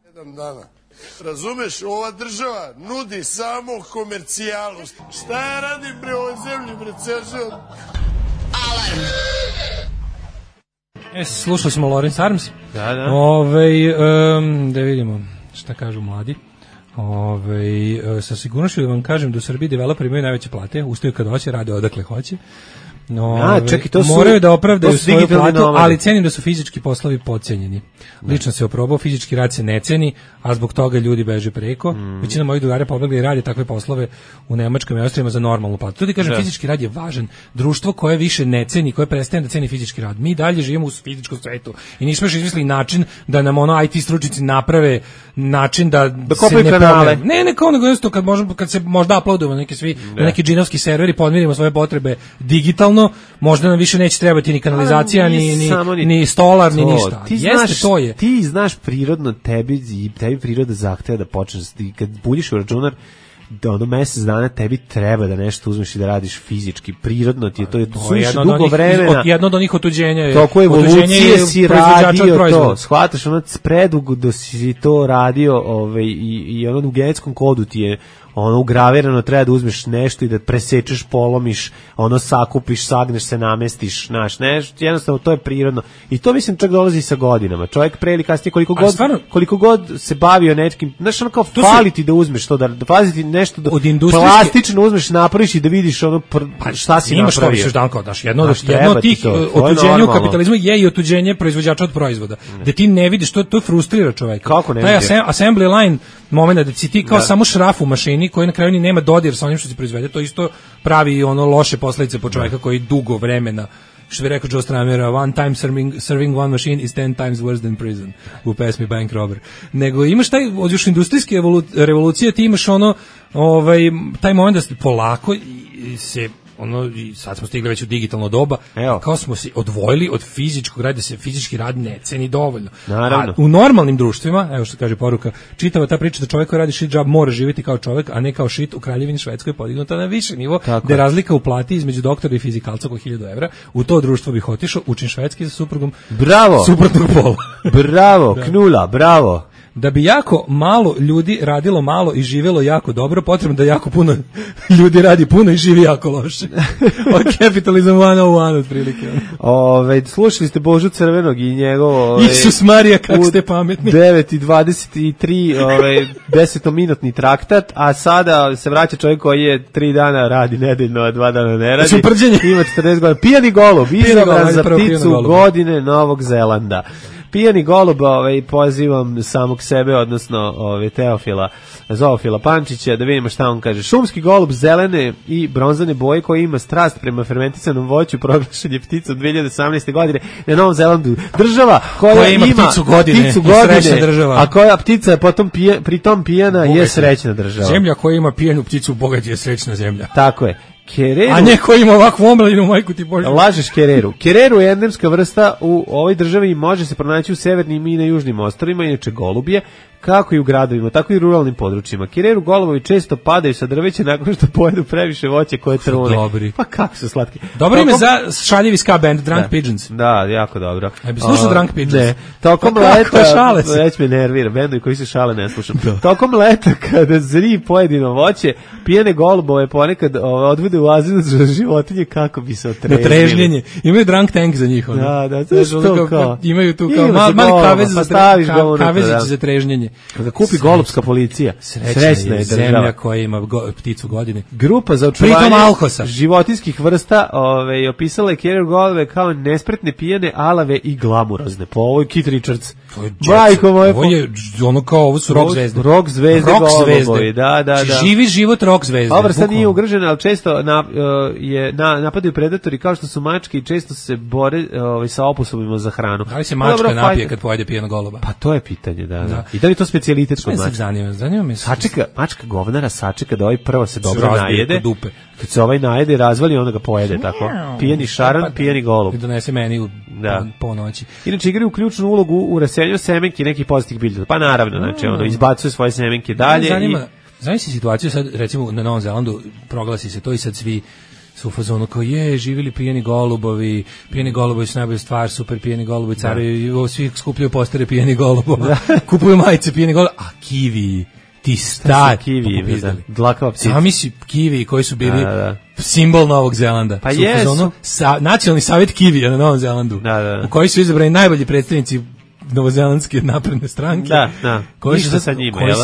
I: Jedan dana. Razumeš, ova država nudi samo komercijalu. Šta ja radim bre ovoj zemlji, bre, ceo život?
B: Alarm.
F: Slušali smo Lawrence Arms.
E: Da.
F: Da vidimo šta kažu mladi. Sa sigurnošću da vam kažem da u Srbiji developeri imaju najveće plate, ustaju kad hoće, rade odakle hoće. Moraju da opravdaju svoju platu, ali cenim da su fizički poslovi podcenjeni. Lično se oprobao, fizički rad se ne ceni, a zbog toga ljudi beže preko. Većina mojih drugara pobegla i radi takve poslove u Nemačkoj i Austrijama za normalnu platu. To ti kažem, fizički rad je važan. Društvo koje više ne ceni, koje prestaje da ceni fizički rad. Mi dalje živimo u fizičkom svetu i nismo još izmislili način da nam IT stručnjaci naprave način da se ne kanale. Ne kao nego isto kad se možda uploadujemo na neki džinovski server i podmirimo svoje potrebe digitalno, možda nam više neće trebati ni kanalizacija, ni stolar, ni ništa.
E: Ti znaš prirodno, tebi priroda zahteva da počneš, kad buljiš u računar, da mesec dana tebi treba da nešto uzmeš i da radiš fizički, prirodno ti je to suviše dugo vremena.
F: Jedno od onih otuđenja je.
E: Toko evolucije si radio to, shvataš, predugo da si to radio i ono u genetskom kodu ti je ugravirano, treba da uzmeš nešto i da presečeš, polomiš, sakupiš, sagneš se, namestiš, jednostavno to je prirodno. I to mislim čak dolazi sa godinama. Čovjek pre ili kasnije koliko god se bavio nečkim, kao fali ti da uzmeš to, da paziti nešto da plastično uzmeš, napraviš i da vidiš šta si napravio.
F: Imaš što jedno od tih otuđenja u kapitalizmu je i otuđenje proizvođača od proizvoda. Da ti ne vidiš, to frustrira čovjeka.
E: Kako ne vidiš?
F: Taj assembly line moment da si ti kao samo šraf u mašini koji na kraju ni nema dodir sa onim što se proizvede, to isto pravi loše posledice po čovjeka koji dugo vremena, što bi rekao Joe Stramera, one time serving one machine is 10 times worse than prison u pesmi Bank Robber. Nego imaš taj, od još industrijske revolucije ti imaš taj moment da se polako se i sad smo stigli već u digitalno doba, kao smo se odvojili od fizičkog rada, da se fizički rad ne ceni dovoljno.
E: Naravno.
F: A u normalnim društvima, evo što kaže poruka, čitava ta priča da čovjek koji radi shit job mora živjeti kao čovjek, a ne kao shit, u Kraljevini Švedskoj podignuta na više nivo, gde je razlika u plati između doktora i fizikalca oko 1000 evra. U to društvo bih otišao, učim švedski sa suprugom suprotnog pola.
E: Bravo, knula, bravo.
F: Da bi jako malo ljudi radilo malo i živjelo jako dobro, potrebno da jako puno ljudi radi puno i živi jako loše. Capitalism 101 otprilike.
E: Slušali ste Božu Crvenog i njegovo
F: Isus Marija, kako ste pametni.
E: 9:23 10-minutni traktat, a sada se vraća čovjek koji je 3 dana radi nedeljno, a 2 dana ne radi. Ima 40 godina. Pijani golub, izabran za pticu godine Novog Zelanda. Pijani golub, pozivam samog sebe, odnosno Teofila, Zoofila Pančića, da vidimo šta on kaže. Šumski golub zelene i bronzane boje koji ima strast prema fermentisanom voću, proglašen je pticom 2018. godine na Novom Zelandu. Država koja ima pticu godine, a koja ptica je potom pritom pijana je srećna država.
F: Zemlja koja ima pijanu pticu bogat je srećna zemlja.
E: Tako je. Kereru,
F: a neko ima ovakvu omladinu, majku ti Bože.
E: Lažeš kereru. Kereru je endemska vrsta u ovoj državi i može se pronaći u severnim i na južnim ostrvima, inače golub je, kako i u gradovima, tako i u ruralnim područjima. Kereru golubovi često padaju sa drveća nakon što pojedu previše voće koje trune.
F: Dobri.
E: Pa kako su slatki.
F: Dobro ime za šaljivi ska band, Drunk Pigeons.
E: Da, jako dobro.
F: Bi slušao Drunk Pigeons?
E: Ne. Tokom leta, već me nervira, bendovi koji se šale ne slušam. Tokom leta, kada zri pojedino voće, pijene golubove ponekad odvode u azil za životinje kako bi se otrežnili.
F: Trežnjenje. Imaju drunk tank za njih.
E: Da, to kao.
F: Imaju tu kao mali kavezić za trežnjenje.
E: Kada kupi golubska policija, srećna je
F: zemlja koja ima pticu godine.
E: Grupa za očuvanje životinskih vrsta opisala je Kereru golube kao nespretne, pijane, alave i glamurozne. Po ovoj Keith Richards.
F: Ovo je ono kao, ovo su rock zvezde.
E: Rock zvezde golubovi, da.
F: Živi život rock zvezde.
E: Ova vrsta nije ugrožena, ali često napadaju predatori kao što su mačke i često se bore sa oposobima za hranu.
F: Da li se mačka napije kad pojede pijenog goluba?
E: Pa to je pitanje, da. I da li je to specijalitet kod mačke?
F: Zanima me.
E: Mačka govnara sačeka da ovaj prvo se dobro najede. Kad se ovaj najede i razvali, onda ga pojede, tako. Pijeni šaran, pijeni golub.
F: I donese meni po noći.
E: Inače, igraju ključnu ulogu u raseljenju semenki nekih pozitivnih biljaka. Pa naravno, znači, izbacuje svoje semenke dalje.
F: Zanima se situaciju sad, recimo, na Novom Zelandu proglasi se to i sad svi su u fazonu kao živjeli pijeni golubovi su najbolja stvar, super pijeni golubovi, caruju, svi skupljaju postere pijeni golubova, kupuju majice pijeni golubova, a kivi, ti stari
E: kivi, dlakava ptica.
F: Sami si kivi koji su bili simbol Novog Zelanda.
E: Pa jesu.
F: Nacionalni savjet kivija na Novom Zelandu, u koji su izabrani najbolji predstavnici novozelandske napredne stranke. Koji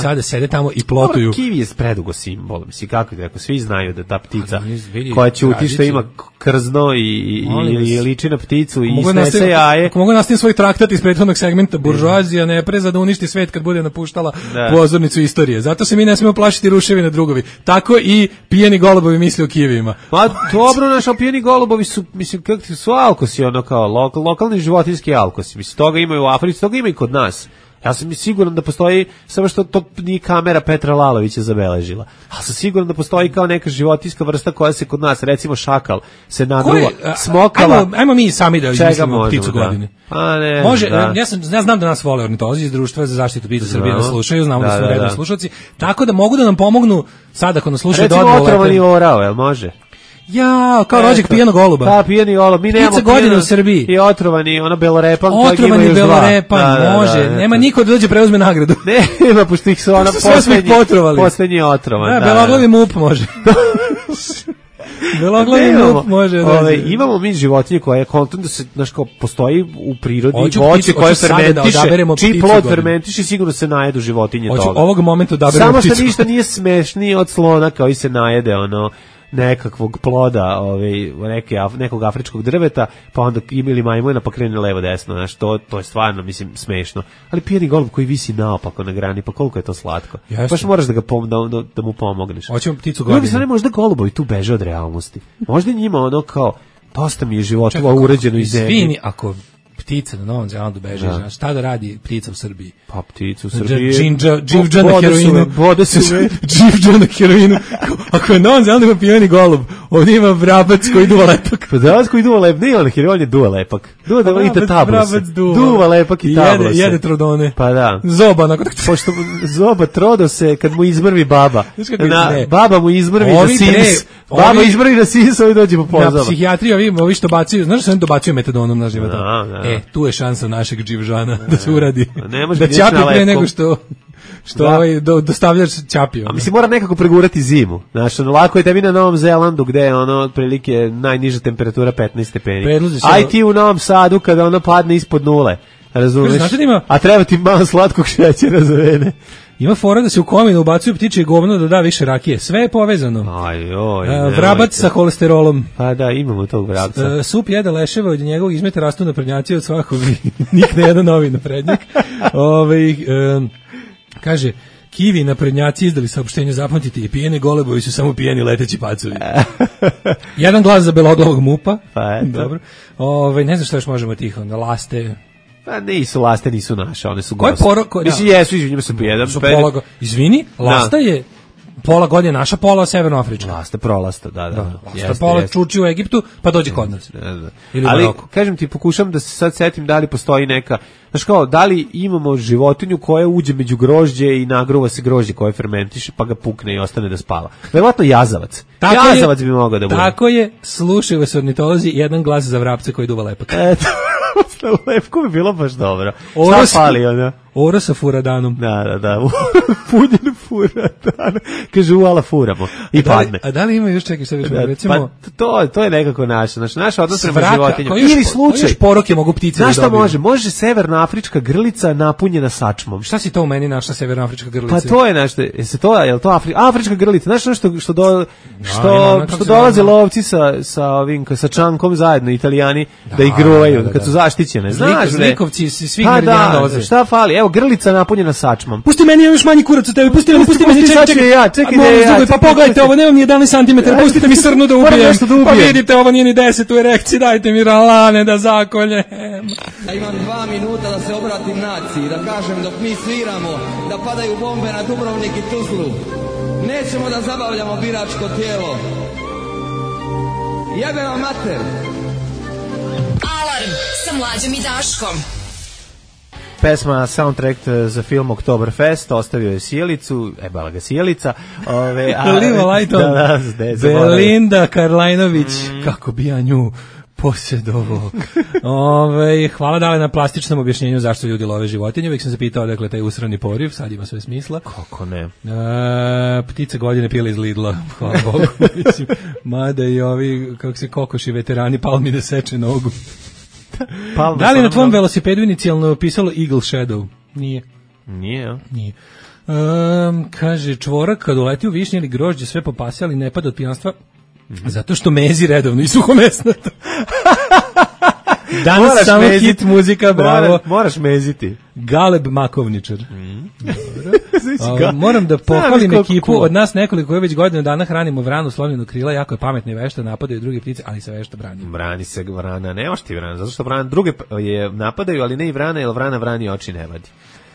F: sada sede tamo i plotuju.
E: Kiwi je predugo simbol. Mislim, kako je, ako svi znaju da ta ptica koja će uti što ima krzno i liči na pticu i snese jaje.
F: Ako mogu nastaviti svoj traktat iz prethodnog segmenta, buržoazija ne preza da uništi svet kad bude napuštala pozornicu istorije. Zato se mi ne smemo plašiti ruševine drugovi. Tako i pijeni golubovi misle o kivijima.
E: Pa dobro, naši pijeni golubovi su, mislim, kako su alkosi, ono kao lokalni životinjski alkosi. Mislim, toga imaju u Africi, toga ima i kod nas. Ja sam siguran da postoji, samo što to nije kamera Petra Lalovića zabeležila. Ali sam siguran da postoji kao neka životinjska vrsta koja se kod nas, recimo šakal, se nagruva, smokala.
F: Ajmo mi sami da izmislimo pticu godine.
E: Pa ne,
F: može, ja znam da nas vole ornitolozi iz Društva za zaštitu ptica Srbije da slušaju, znamo da su redni slušalci, tako da mogu da nam pomognu sad ako nas slušaju.
E: Recimo otrovani orao, jel može?
F: Ja, kao rođak pijenog goluba.
E: Pa, pijeni golub. Mi nemamo
F: godine u Srbiji.
E: I otrovani, belorepan.
F: Otrovani belorepan, može. Nema niko da dođe preuzme nagradu.
E: Nema, pošto ih su ona poslednji otrovan.
F: Beloglavi mup može. Beloglavi mup može.
E: Imamo mi životinje koja je kontent da se, znaš, kao postoji u prirodi voće koje fermentiše, čiji plod fermentiše, sigurno se najedu životinje toga.
F: Ovog momenta odaberemo pticu.
E: Samo što ništa nije smešnije od slona koji se najede, nekakvog ploda, nekog afričkog drveta, pa onda imali majmuna pa krene levo desno, znaš, to je stvarno, mislim, smešno. Ali pijeni golub koji visi naopako na grani, pa koliko je to slatko. Baš moraš da mu pomogneš.
F: Hoćemo pticu godine.
E: Možda golubovi tu beže od realnosti. Možda njima kao, dosta mi je životova uređeno iz zemlje.
F: Izvini, ako ptica na Novom Zelandu beže, znaš, šta da radi ptica u Srbiji?
E: Pa ptica u Srbiji...
F: Dživđa na heroinu. Dživđa na heroinu. Ako je Novom Zelandu ima pijeni golub, ovdje ima vrabac koji duva lepak.
E: Pa vrabac koji duva lepak, nije on heroin je duva lepak. Duva lepak i tablose.
F: Jede trodone.
E: Pa da.
F: Zoba,
E: pošto zoba trodose kad mu izmrvi baba. Baba mu izmrvi na sis. Baba izmrvi na sis, ovi dođe po pozoba.
F: Na psihijatriji ovi što bacuju, znaš što oni dobacuju metadonom na života? Tu je šansa našeg Dživžana da se uradi. Da ćapi pre nego što dostavljaš ćapio.
E: A mislim, mora nekako pregurati zimu. Znaš, lako je tebi na Novom Zelandu gde je otprilike najniža temperatura 15 stepeni. Aj ti u Novom Sadu kada padne ispod nule. Razumeš? A treba ti malo slatkog šećera za vene.
F: Ima fora da se u kominu ubacuju ptiče govno da da više rakije. Sve je povezano. Vrabac sa holesterolom.
E: Pa da, imamo tog vrabca.
F: Sup jede leševa, od njegovog izmeta rastu naprednjaci od svakog nikne jedan novi naprednjak. Kaže, kivi naprednjaci izdali saopštenje, zapamtite, i pijeni golebovi su samo pijeni leteći pacovi. Jedan glas za beloglavog mupa.
E: Pa
F: dobro. Ne znam što još možemo tiho, na laste.
E: Pa nisu laste, nisu naše, one su
F: goste.
E: Mislim, jesu, izvinjamo se jedan.
F: Izvini, lasta je pola godine naša, pola severnoafrička.
E: Lasta prolasta, da.
F: Lasta pola čuči u Egiptu, pa dođe kod nas.
E: Ali, kažem ti, pokušam da se sad setim da li postoji neka, znaš kao, da li imamo životinju koja uđe među grožđe i nagruva se grožđe koje fermentiše, pa ga pukne i ostane da spava. Verovatno jazavac. Jazavac bi mogao da bude.
F: Tako je, slušaju vas ornitolozi, jedan glas za vrapce koji duva lepak.
E: Lepko bi bilo baš dobro. Šta fali ona?
F: Oro sa furadanom.
E: Da. Punjen furadan. Kaže, uala furamo. I padne.
F: A da li ima još čekaj što već recimo?
E: Pa to je nekako naše. Znači, naš odnos prema životinjama. Ili slučaj.
F: Još poroke mogu ptice da dobiju.
E: Znaš šta može? Može severnoafrička grlica napunjena sačmom.
F: Šta si to u meni našla severnoafrička grlica?
E: Pa to je nešto. Je li to afrička grlica? Znaš nešto što dolaze lovci sa čankom zajedno, Italijani, da ih gruvaju kad su zaštićene. Znaš,
F: zlikovci svih meridijana dolaze.
E: Šta fali? Evo, grlica napunjena sačmom.
F: Pusti meni, još manji kurac od tebe, pusti pusti me, čekaj, pa pogledajte ovo, nemam ni 11 cm, pustite mi srnu da ubijem. Pa vidite, ovo nije ni 10 u erekciji, dajte mi ralane da zakoljem.
J: Ja imam 2 minuta da se obratim naciji, da kažem dok mi sviramo, da padaju bombe na Dubrovnik i Tuzlu. Nećemo da zabavljamo biračko tijelo. Jebe vam mater.
B: Alarm sa Mlađom i Daškom.
E: Pesma soundtrack za film Oktoberfest, ostavio je Sjelicu, bala ga Sjelica.
F: Liva Lajton, Belinda Karlajnović, kako bi ja nju posjedovo. Hvala Dale na plastičnom objašnjenju zašto ljudi love životinje. Uvijek sam se pitao dakle taj usrani poriv, sad ima sve smisla.
E: Kako ne?
F: Ptica godine pila iz Lidla, hvala Bogu. Mada i ovi, kako se kokoši veterani, palmi da seče nogu. Da li na tvom velosipedu inicijalno pisalo Eagle Shadow? Nije. Nije. Kaže, čvorak kad uleti u višnje ili grožđe sve popase, ali ne pada od pijanstva, zato što mezi redovno i suhomesnato. Danas moraš samo meziti. Hit muzika, bravo.
E: Moraš meziti.
F: Galeb Makovničar. Moram da pohvalim ekipu od nas nekoliko koje već godinu dana hranimo vranu slonjenu krila, jako je pametna i vešta, napadaju druge ptice, ali se vešta brani.
E: Brani se vrana, nemaš ti vrana, zato što vrana druge je napadaju, ali ne i vrana, jer vrana vrani oči ne vadi.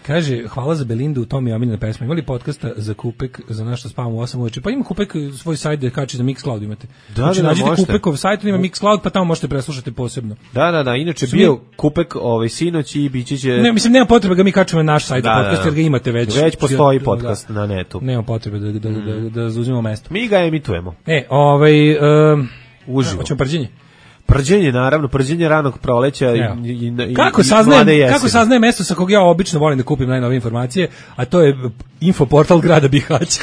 F: Kaže, hvala za Belindu, u tom je omiljena pesma. Imali podcasta za Kupek, za nešto spavamo u 8 uveče? Pa ima Kupek svoj sajt da kači za Mixcloud imate. Znači, nađite Kupekov sajt, ima Mixcloud, pa tamo možete preslušati posebno.
E: Da, inače bio Kupek sinoć i biće će...
F: Ne, mislim, nema potrebe ga mi kačemo na naš sajt podcast, jer ga imate već.
E: Već postoji podcast na netu.
F: Nema potrebe da zauzimamo mesto.
E: Mi ga emitujemo.
F: Uživo. Hoćemo prđenje?
E: Prđenje, naravno, prđenje ranog proleća
F: kako saznaje mesto sa kog ja obično volim da kupim najnovije informacije, a to je infoportal grada Bihaća.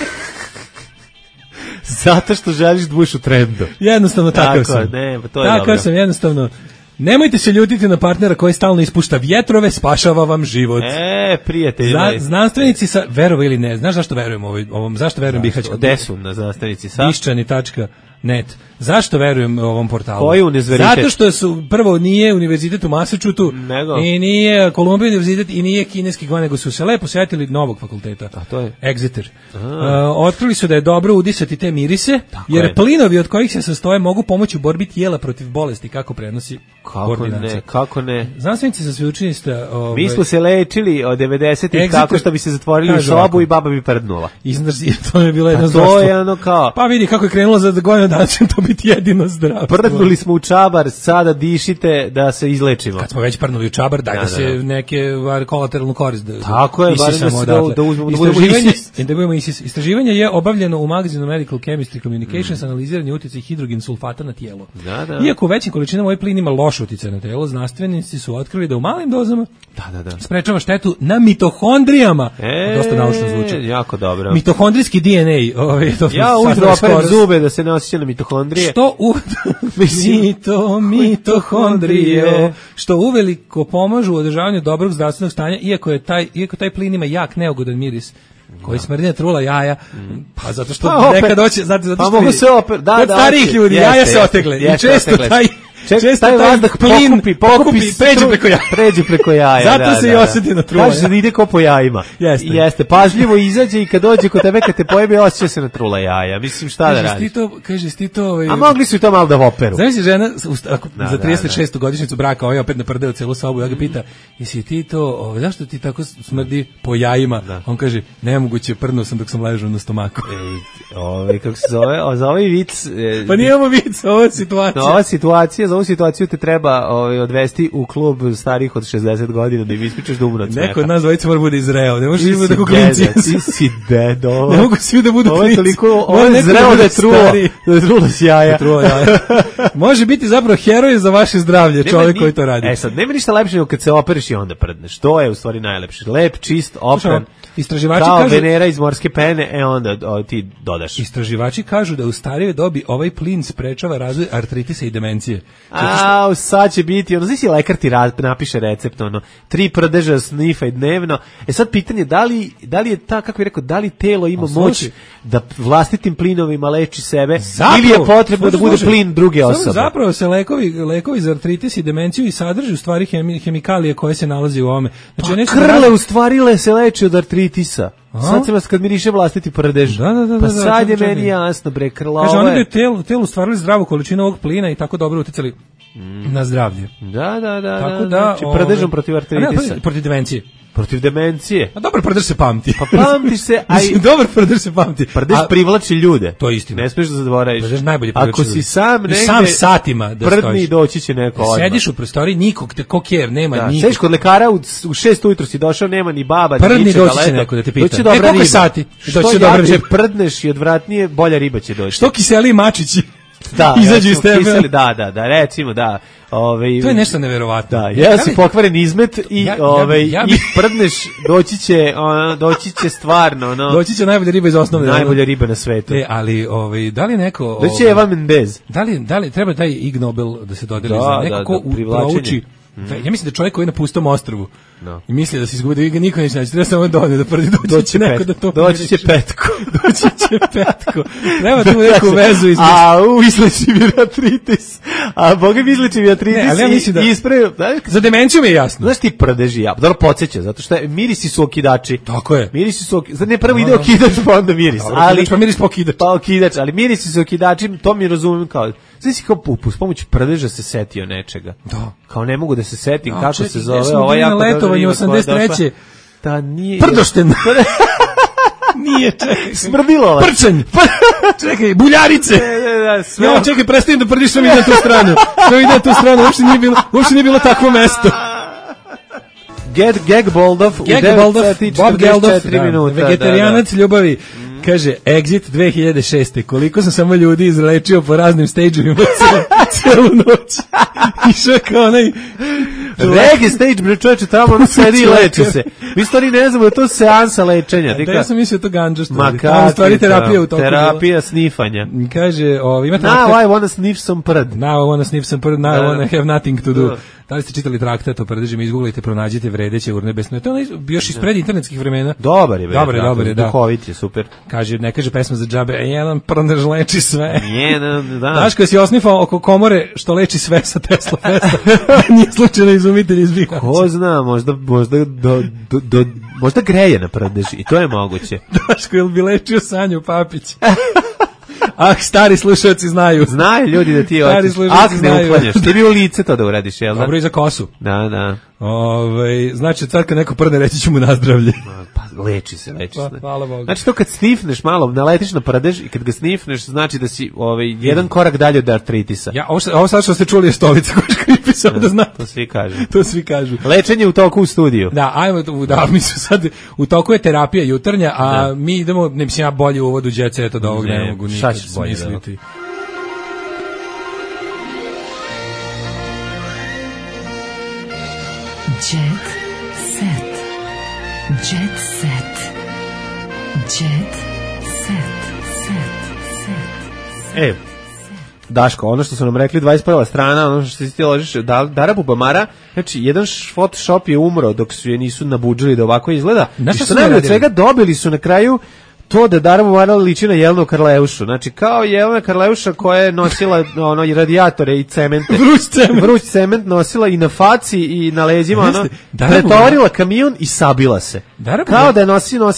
E: Zato što želiš da budeš u trendu.
F: Jednostavno takav sam. Takav sam, jednostavno. Nemojte se ljutiti na partnera koji stalno ispušta vjetrove, spašava vam život.
E: Prijatelji.
F: Znanstvenici sa, verovo ili ne, znaš zašto verujem ovom zašto verujem Bihaću?
E: Gde su na znanstvenici sa?
F: Iščani.net. Zašto verujem ovom portalu?
E: Koji univerzitet?
F: Zato što su, prvo, nije univerzitet u Massachusettsu i nije Columbia univerzitet i nije kineski go, nego su se lepo sjetili novog fakulteta.
E: A to je?
F: Exeter. Otkrili su da je dobro udisati te mirise, jer plinovi od kojih se sastoje mogu pomoći u borbi tijela protiv bolesti, kako prenosi koordinacija.
E: Kako ne?
F: Znanstvenici sa sveučilišta...
E: Mi smo se lečili od 90-ih tako što bi se zatvorili u sobu i baba bi prdnula.
F: To je bilo jedno zdravstvo.
E: To je ono kao...
F: Pa vidi kako je krenulo za godinu dana, će to biti jedino zdravstvo.
E: Prdnuli smo u čabar, sada dišite da se izlečimo.
F: Kad smo već prdnuli u čabar, daj da se neke kolateralnu korist da
E: tako je, da uzmemo
F: da budemo ISIS. Istraživanje je obavljeno u magazinu Medical Chemistry Communications, analiziranje utjecaja hidrogen sulfata na tijelo. Iako u većim količinama ovaj plin ima loš utjecaj na telo, znanstvenici su otkrili da u malim dozama sprečava štetu na mitohondrijama. Dosta naučno zvuči.
E: Jako dobro.
F: Mitohondrijski DNA.
E: Ja ujutro operem zube da se ne osjeća na mitohondrije.
F: Mitohondrije. Što uveliko pomažu u održavanju dobrog zdravstvenog stanja, iako taj plin ima jak neugodan miris koji smrdi na trula jaja, pa zato što nekad doće, zato što
E: mogu se kod
F: starih ljudi jaja se otegle i često taj vazdah pokupi, pređe preko jaja.
E: Zato
F: se i osjeti na trula.
E: Kaže da ide ko po jajima. Jeste, pažljivo izađe i kad dođe kod tebe, kad te pojebe, osjeća se na trula jaja. Mislim, šta da radiš?
F: Kažeš ti to...
E: A mogli su i to malo da voperu.
F: Znaš si žena, za 36. godišnjicu braka, ovaj opet naprdeo celu sobu, ja ga pita, jesi ti to, zašto ti tako smrdi po jajima? On kaže, nemoguće, prdnuo sam dok sam ležao na stomaku.
E: Kako se zove? Za ovaj vic...
F: Pa nije ovo vic, ovo je situacija.
E: Za ovu situaciju te treba odvesti u klub starih od 60 godina da im ispričaš da umru od smeha.
F: Neko od nas dvojica mora bude izreo, ne može da tako klinci.
E: Ti si dedo.
F: Ne mogu svi da budu klinci.
E: Ovo je zreo da je trulo s jaja.
F: Može biti zapravo heroj za vaše zdravlje, čovjek koji to radi.
E: Sad, nema ništa lepše nego kad se operiš i onda prdneš. To je u stvari najlepše. Lep, čist, opran.
F: Istraživači
E: kao kažu, Venera iz morske pene, onda ti dodaš.
F: Istraživači kažu da u starijoj dobi ovaj plin sprečava razvoj artritisa i demencije.
E: Sad će biti, znači lekar ti napiše recept, 3 prdeža snifaj dnevno. Sad pitanje, da li je ta, kako bih rekao, da li telo ima moć da vlastitim plinovima leči sebe, ili je potrebno da bude plin druge osobe?
F: Zapravo se lekovi za artritis i demenciju i sadrži u stvari hemikalije koje se nalazi u ovome.
E: Znači, krle u stvari se leči od artritisa. Sad se vas kad miriše vlastiti prdež. Pa sad je meni jasno, bre, krlova.
F: Kaže, oni bi u telu stvarili zdravu količinu ovog plina i tako dobro uticali na zdravlje.
E: Da.
F: Tako da,
E: znači, prdežom protiv artritisa.
F: Protiv demencije.
E: Protiv demencije.
F: A dobar prdež se pamti.
E: Pa pamti se,
F: dobar prdež se pamti.
E: Prdež privlači ljude.
F: To je istina.
E: Ne smiješ da zaboraviš.
F: Prdež najbolje privlači
E: ljude. Ako si sam negde,
F: sam satima da stojiš.
E: Prdni doći će neko odmah.
F: Sediš u prostoriji, nikog te koker, nema nikog.
E: Sediš kod lekara u 6 ujutro si došao, nema ni baba, ni
F: prdni
E: ničega.
F: doći će neko da te pita.
E: Doći dobra riba.
F: Sati?
E: Što jače prdneš i odvratnije, bolja riba će doći.
F: Što kiseli mačići.
E: Da,
F: izađu iz tebe.
E: Da, recimo, da.
F: To je nešto neverovatno.
E: Da, ja si pokvaren izmet i i prdneš, doći će stvarno,
F: doći će najbolja riba iz osnovne.
E: Najbolja riba na svetu.
F: Ali da li neko
E: doći je Eva Mendez.
F: Da li treba taj Ig Nobel da se dodeli za neko ko prouči. Ja mislim da čovjek koji je na pustom ostrvu i misli da se izgubi, da ga niko neće naći, treba samo da prvi doći će neko da to
E: doći će petko.
F: Treba tu neku vezu između.
E: Izleči mi artritis. A Boga mi izleči mi artritis i ispravio.
F: Za demenciju mi je jasno.
E: Znaš ti prdeži ja, dobro podsjeća, zato što mirisi su okidači.
F: Tako je.
E: Mirisi su okidači. Ne prvo ide okidač, pa onda miris.
F: Ali pa miris pokidač.
E: Pa okidač, ali mirisi su okidači, to mi razumem kao. Znači kao s pomoću prdeža se setio nečega.
F: Da.
E: Kao ne mogu da se setim kako se zove, ovo jako
F: letovanje 83.
E: Da nije.
F: Prdošten. Nije, čekaj.
E: Smrdilovac.
F: Prčanj. Čekaj, buljarice. Ja, čekaj, prestajem da prdiš, što mi ide na tu stranu. Uopšte nije bilo takvo mesto.
E: Gag Boldov u 9:44 minuta.
F: Vegetarijanac ljubavi. Kaže, Exit 2006. Koliko sam samo ljudi izlečio po raznim stageovima celu noć. Išao kao onaj...
E: Reggae stage, bre čoveče, tamo ono sedi i leči se. Mi stvari ne znamo da to seansa lečenja.
F: Da, ja sam mislio to ganđa što
E: je. Tamo
F: stvari terapija u toku.
E: Terapija snifanja.
F: Kaže, imate...
E: Now I wanna sniff some prd.
F: Now I wanna have nothing to do. Da li ste čitali traktat o prdežima, izgooglajte, pronađite vredeće urnebesno. To je još ispred internetskih vremena.
E: Dobar je,
F: da.
E: Duhovit je, super.
F: Kaže, ne kaže pesma za džabe, jedan prdež leči sve.
E: Jedan, da.
F: Znaš kada si osnifao oko komore što leči sve sa Tesla Festa, nije slučajno izumitelj iz Bihaća.
E: Ko zna, možda greje na prdež i to je moguće.
F: Daško, jel bi lečio Sanju Papić? Stari slušalci znaju.
E: Znaju ljudi da ti hoćeš. Ne uklanjaš. Ti bi u lice to da uradiš, jel da?
F: Dobro i za kosu.
E: Da.
F: Znači, sad kad neko prdne, reći ću mu nazdravlje.
E: Pa leči se.
F: Hvala Bogu.
E: Znači to kad snifneš malo, naletiš na prdež i kad ga snifneš, znači da si jedan korak dalje od artritisa.
F: Ovo sad što ste čuli je stolica koja škripi, samo da znate.
E: To svi kažu.
F: Lečenje
E: Lečenje u toku u studiju.
F: Da, mi su sad, u toku je terapija jutarnja, a mi idemo, ne mislim ja bolje u uvodu Jet Set od ovog, ne mogu nikad smisliti.
B: Jet Set. Jet Set. Jet Set.
E: Daško, ono što su nam rekli 21. strana, ono što si ti ložiš, Dara Bubamara, znači jedan Photoshop je umro dok su je nisu nabuđili da ovako izgleda. I što najbolje od svega dobili su na kraju to da Dara Bubamara liči na Jelenu Karleušu. Znači kao Jelena Karleuša koja je nosila radijatore i cemente. Vruć cement nosila i na faci i na leđima, pretovarila kamion i sabila se. Kao da je nosila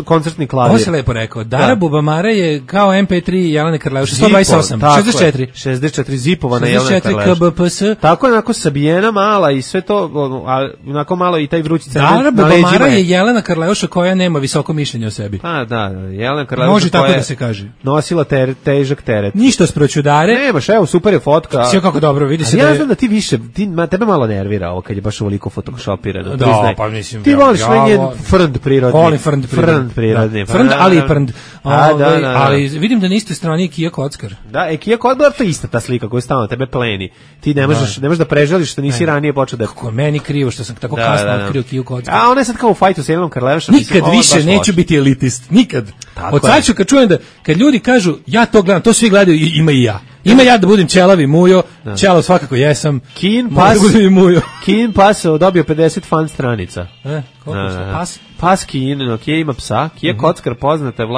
E: koncertni klavir.
F: Ovo se lepo rekao. Dara Bubamara je kao MP3 Jelene Karleuše. 128,
E: 64 zipovana Jelena Karleuša.
F: 64 KBPS.
E: Tako je onako sabijena mala i sve to, onako malo i taj vrući cement
F: na leđima. Dara Bubamara je Jelena Karleuša koja nema visoko mišljenje o sebi.
E: Da, Jelena Karleuša
F: može tako da se kaže.
E: Nosila težak teret.
F: Ništa sproćudare.
E: Nemaš, evo, super je fotka.
F: Sve kako dobro, vidi se
E: da je... Ja znam da ti više, tebe malo nervira ovo kad je baš ovoliko photoshopirano.
F: Da, pa mislim.
E: Ti voliš njen frnd prirodni.
F: Volim frnd prirodni. Frnd, ali i prnd. Ali vidim da niste strani Kija Kockar.
E: Da, Kija Kockar, to je ista ta slika koju stalno tebe pleni. Ti ne možeš da prežališ što nisi ranije počeo da...
F: Kako meni krivo što sam tako kasno otkrio Kiju Kockar.
E: A ona je sad kao u fajtu sa Jelenom Karleušom.
F: Nikad više neću biti elitist, nikad. Od sad ću kad čujem da, kad ljudi kažu ja to gledam, to svi gledaju, ima i ja. Ima ja da budem ćelavi mujo, ćelav svakako jesam.
E: Kin Pas dobio 50 fan stranica.
F: Koliko se Pas?
E: Pas Kin, Kija ima psa, Kija Kockar poznata je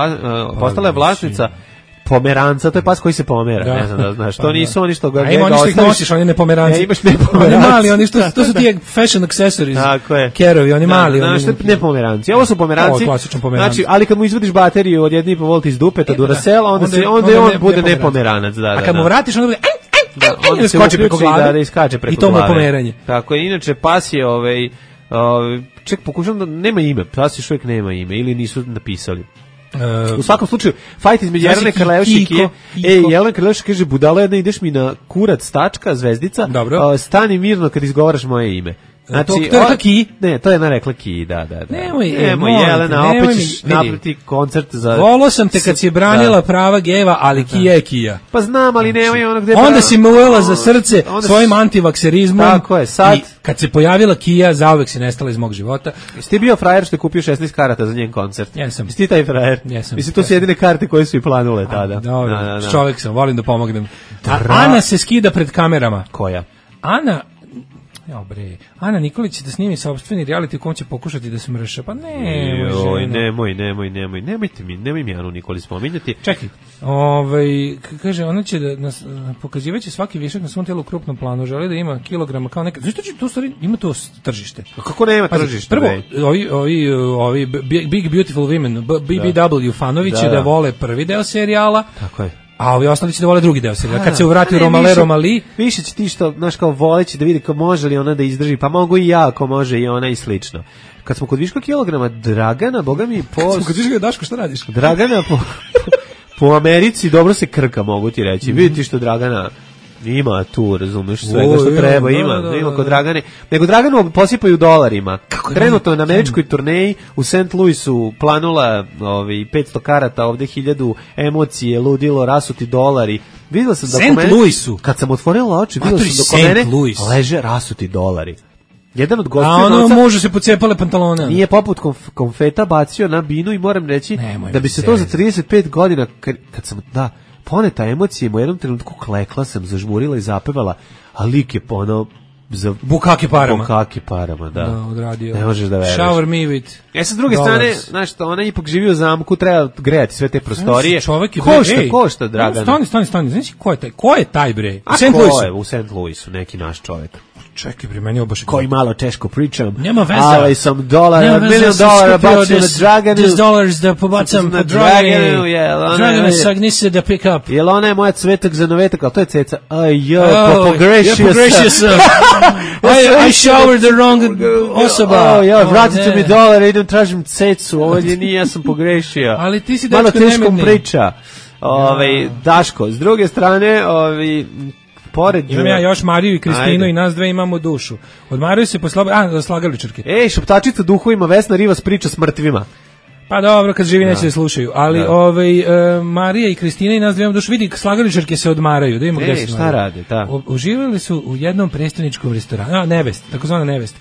E: postala je vlasnica pomeranca, to je pas koji se pomera, ne znam da znaš. To nisu oni što ga
F: gleda. A ima oni što ih nosiš, oni ne pomeranci.
E: Imaš ne pomeranci.
F: Oni mali, oni što, to su ti fashion accessories.
E: Tako je.
F: Kerovi, oni mali.
E: Znaš, ne pomeranci. Ovo su pomeranci. Znači, ali kad mu izvadiš bateriju od 1,5 V iz dupeta Duracella, onda on bude ne pomeranac.
F: A kad mu vratiš, onda bude
E: on se skoči preko glave. Da iskače preko glave.
F: I to mu je pomeranje.
E: Tako je. Inače, pas je ček, pokušam da nema ime. Pas još uvijek nema ime ili nisu napisali. U svakom slučaju, fajt između Jelene Karleuše i Kije. Jelena Karleuše kaže, budala jedna, ideš mi na kurac, tačka, zvezdica, stani mirno kad izgovaraš moje ime. Znači,
F: to je rekla Ki?
E: Ne, to je jedna rekla Ki, da.
F: Nemoj,
E: Jelena, opet ćeš napraviti koncert za...
F: Volao sam te kad si branila prava geva, ali Kija je Kija.
E: Pa znam, ali nemoj ono gde...
F: Onda si me uvela za srce svojim antivakserizmom.
E: Tako je, sad...
F: I kad se pojavila Kija, zauvek si nestala iz mog života.
E: Jesi ti bio frajer što je kupio 16 karata za njen koncert?
F: Jesam.
E: Jesi ti taj frajer?
F: Jesam.
E: Mislim, to su jedine karte koje su i planule tada.
F: Dobro, čovjek sam, volim da pomognem. Ana se skida pred kamerama.
E: Koja?
F: Ana Nikolić će da snimi sopstveni reality u kom će pokušati da se mrša. Pa
E: nemoj mi Anu Nikolić spominjati.
F: Čekaj, kaže, ona će da nas pokazivaće svaki višak na svom tijelu u krupnom planu, želi da ima kilograma kao neka. Zašto će to stvari, ima to tržište?
E: Kako nema tržište?
F: Prvo, ovi Big Beautiful Women, BBW fanovi će da vole prvi deo serijala.
E: Tako je.
F: A ovi ostali će da vole drugi deo serijala. Kad se uvrati Romali...
E: Više će ti što, znaš, kao voleći da vidi kao može li ona da izdrži, pa mogu i ja, ako može i ona i slično. Kad smo kod viška kilograma, Dragana, boga mi po...
F: Kad smo kod viška, Daško, šta radiš?
E: Dragana po Americi dobro se krka, mogu ti reći. Vidite što Dragana... Ima tu, razumiješ, svega što treba, ima kod Dragane. Nego Draganu posipaju dolarima. Trenutno na američkoj turneji u St. Louisu planula 500 karata, ovde 1000 emocije, ludilo, rasuti dolari. Videla sam da
F: St. Louisu?
E: Kad sam otvorila oči, videla sam da kod mene leže rasuti dolari. Jedan od gostiju...
F: A ono mužu se pocepale pantalone.
E: Nije poput konfeta bacio na binu i moram reći da bi se to za 35 godina, kad sam, poneta emocije, u jednom trenutku klekla sam, zažmurila i zapevala, a lik je ono za
F: bukake
E: parama, da.
F: Odradio.
E: Ne možeš da veruješ.
F: Shower me with.
E: S druge strane, znaš što, ona ipak živi u zamku, treba grejati sve te prostorije. Košta, Dragana.
F: Stani, znači ko je taj bre?
E: U St. Louisu, neki naš čovjek.
F: Čekaj, pri meni obaš
E: koji malo teško pričam.
F: Nema veze.
E: Ali sam $1 million bacio na Draganu.
F: $10 da pobacam po Draganu. Dragana sagnise da pick up.
E: Jel ona je moja cvetak za novetak, ali to je ceca. Pogrešio sam.
F: I showered the wrong osoba.
E: Vratite mi $1, idem tražim cecu. Ovo nije, ja sam pogrešio.
F: Ali ti si dečko
E: nemirni. Malo teškom priča. Daško, s druge strane,
F: imam ja još Mariju i Kristinu i nas dve imamo dušu. Od Mariju se slagaličarke.
E: Šaptačica duhovima, Vesna Rivas priča s mrtvima.
F: Pa dobro, kad živi neće da slušaju. Ali Marija i Kristina i nas dve imamo dušu. Vidi, slagaličarke se odmaraju. Da imamo gde se
E: šta rade, da.
F: Uživali su u jednom prestoničkom restoranu. Nevest, takozvana Nevest.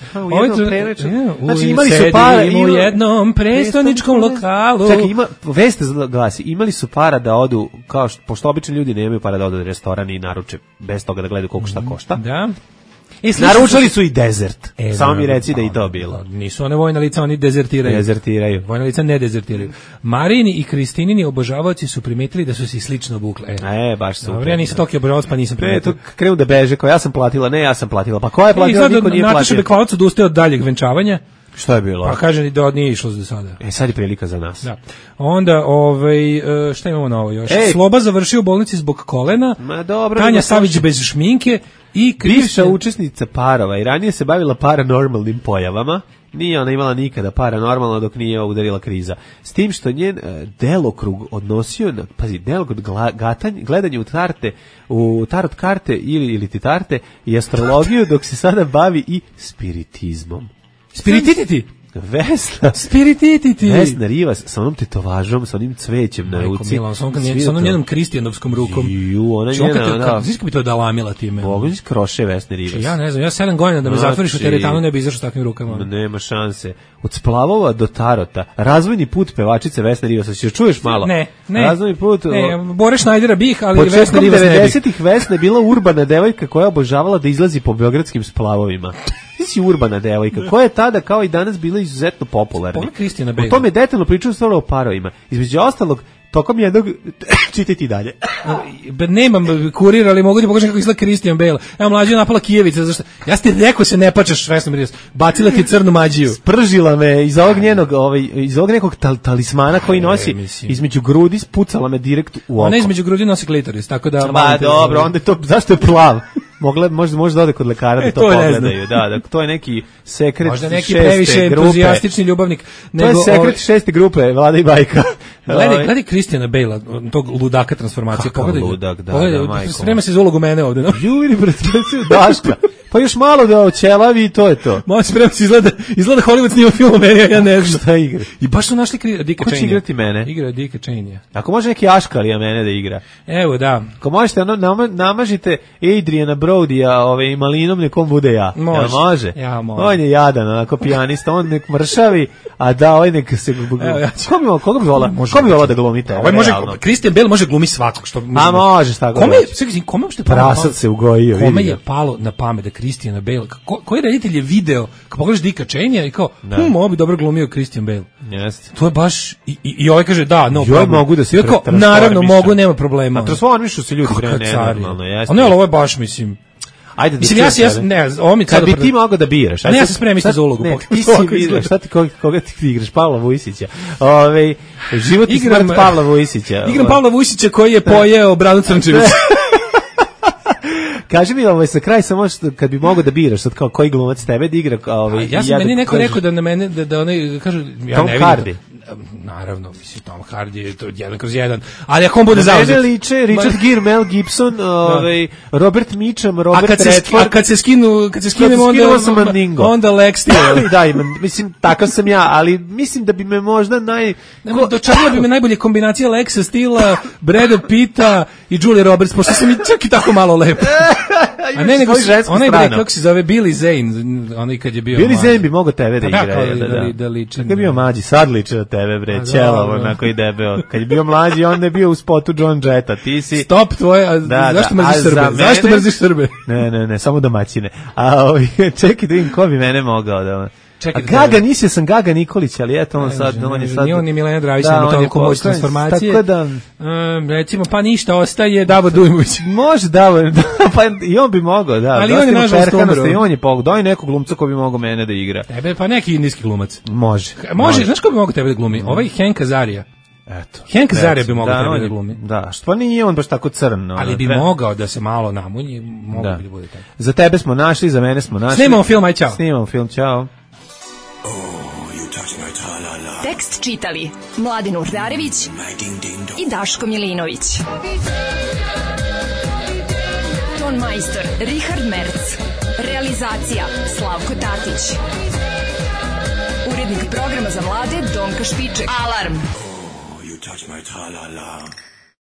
E: Znači imali su para
F: u jednom prestoničkom lokalu.
E: Čekaj, vest glasi, imali su para da odu, kao pošto obični ljudi nemaju para da odu u restoran i naruče bez toga da gledaju koliko šta košta.
F: Da.
E: Naručali su i dezert. Samo mi reci da i to bilo.
F: Nisu one vojna lica, oni dezertiraju. Vojna lica ne dezertiraju. Marini i Kristinini obožavaoci su primetili da su se slično obukle.
E: Baš super.
F: Dobro, ja nisam toliko obožavac, pa nisam primetio.
E: Krenu da beže, kao ja sam platila. Pa ko je platila, niko nije platio.
F: Nataša Bekvalac odustaje od daljeg venčavanja.
E: Šta je bilo?
F: Pa kaže da nije išlo do sada.
E: Sad je prilika za nas.
F: Da. Onda, šta imamo na ovo još? Sloba završio u bolnici zbog kolena. Tanja Savić bez šminke i
E: bivša učesnica parova i ranije se bavila paranormalnim pojavama. Nije ona imala nikada paranormalno dok nije udarila kriza. S tim što njen delokrug odnosio na, delokrug gledanje u tarot karte ili titarte i astrologiju, dok se sada bavi i spiritizmom.
F: Spiritititi?
E: Vesna Rivas sa onom tetovažom, sa onim cvećem na ruci.
F: Sa onom njenom kristijanovskom rukom. Znaš kako bi to dalamila time?
E: Bogović kroše Vesne Rivas.
F: Ja ne znam, ja 7 godina da me zatvoriš u teretanu ne bi izašao s takvim rukama.
E: Nema šanse. Od splavova do tarota. Razvojni put pevačice Vesne Rivas. Će čuješ malo?
F: Ne.
E: Razvojni put.
F: Bore Schneidera bih, ali Vesna Rivas ne bih.
E: Početkom 90-ih Vesna je bila urbana devojka koja je obožavala da izlazi po beogradskim splavovima. Ti si urbana devojka, koja je tada kao i danas bila izuzetno popularna. O tome je detaljno pričao stvarno o parovima. Između ostalog, tokom jednog čitajte i dalje.
F: Nemam kurir, ali mogu ti pokažem kako izgleda Christian Bale. Evo mlađa napala Kijevica, zašto? Ja ti rekao se ne pačaš Vesna Mirjana. Bacila ti crnu mađiju.
E: Spržila me iz ovog njenog, iz ovog nekog talismana koji nosi između grudi, spucala me direkt u oko.
F: Ona između grudi nosi klitoris, tako da...
E: Ba, dobro, onda je to, zašto je plav? Može da ode kod lekara da to pogledaju. Da, to je neki sekret
F: možda neki previše entuzijastični ljubavnik.
E: To je sekret 6. grupe, Vlada i Bajka.
F: Gledaj Christiana Bale, tog ludaka transformacije.
E: Kakav ludak, da, majko.
F: Sprema se za ulogu mene ovde. No?
E: Juri, predstavljaju Daška. Pa još malo da oćelavi i to je to.
F: Može sprema se, izgleda Hollywood snima film o meni, ja ne znam.
E: Šta igra?
F: I baš su našli Dicka Cheney.
E: Ko će igrati mene?
F: Igra Dicka Cheney.
E: Ako može neki Aškalija mene da igra.
F: Evo, da.
E: Ako možete, namažite Adriana Brodija malinom, nekom bude ja.
F: Može.
E: Ja, može. On je jadan, onako pijanista, on nek mršavi, a da, ovaj nek se... Koga bi volao da glumi tebe?
F: Ovaj može, Christian Bale može glumi svakog.
E: A može, tako da.
F: Kome uopšte
E: prasad se ugojio, vidi.
F: Kome je palo na pamet da Christiana Bale, koji reditelj je video, kad pogledaš Dicka Cheney i kao, ovo bi dobro glumio Christian Bale.
E: Jeste.
F: To je baš, i ovaj kaže, da, no problem.
E: Mogu da se
F: naravno, mogu, nema problema.
E: A transformišu se ljudi pre nenormalno, jeste.
F: A ne, ali ovo je baš, mislim...
E: Ajde,
F: mislim,
E: kad bi ti mogao da biraš.
F: Ne, ja se spremim za ulogu.
E: Ne, ti si biraš, koga ti igraš? Pavla Vujsića. Život i smrt Pavla Vujsića.
F: Igram Pavla Vujsića koji je pojeo Branu Crnčević.
E: Kaži mi sa kraj samo kad bi mogao da biraš sad kao koji glumac tebe da igra
F: ja sam meni neko rekao da na mene da oni kažu ja
E: Tom
F: ne vidim
E: Hardy.
F: Naravno, mislim Tom Hardy je to 1/1, ali ako on bude zauzet.
E: Mene liče Richard Gere, Mel Gibson, Robert Mitchum, Robert Redford.
F: A kad se skinu onda Lex Steele.
E: Da, mislim takav sam ja, ali mislim da bi me možda
F: dočarila bi me najbolje kombinacija Lexa Steela, Brada Pitta i Julie Roberts, pošto sam i čak i tako malo lep. A ne, nego onaj bre, kako se zove, Billy Zane, onaj kad je bio
E: Billy Zane bi mogao tebe da igra.
F: Da liči.
E: Kad je bio mlađi, sad liči na tebe, bre, ćelavo, onako i debeo. Kad je bio mlađi, onda je bio u spotu John Jetta, ti si...
F: Stop tvoje, zašto mrziš Srbe? Zašto mrziš Srbe?
E: Ne, samo domaćine. A čekaj da vidim ko bi mene mogao da... Gaga, nisio sam Gaga Nikolić, ali eto on sad...
F: Nije on ni Milena Dravić, nema toliko moć transformacije.
E: Tako da...
F: Recimo, pa ništa, ostaje Davor Dujmović.
E: Može Davor, pa i on bi mogao, da.
F: Ali on je nažalost umro.
E: I on je pogledao, daj nekog glumca ko bi mogao mene da igra.
F: Tebe, pa neki indijski glumac.
E: Može.
F: Znaš ko bi mogao tebe da glumi? Ovaj Hank Azaria.
E: Eto.
F: Hank Azaria bi mogao tebe da glumi.
E: Da, što nije on baš tako crn.
F: Ali bi mogao da se malo namunji, mogao bi da bude tako.
E: Za tebe smo našli, za mene smo našli.
F: Snimamo film, aj čao.
E: Snimamo film, čao.
B: Tekst čitali Mladin Urdarević i Daško Milinović. Ton majstor Richard Merc. Realizacija Slavko Tatić. Urednik programa za mlade Donka Špiček. Alarm! You touch my tra-la-la.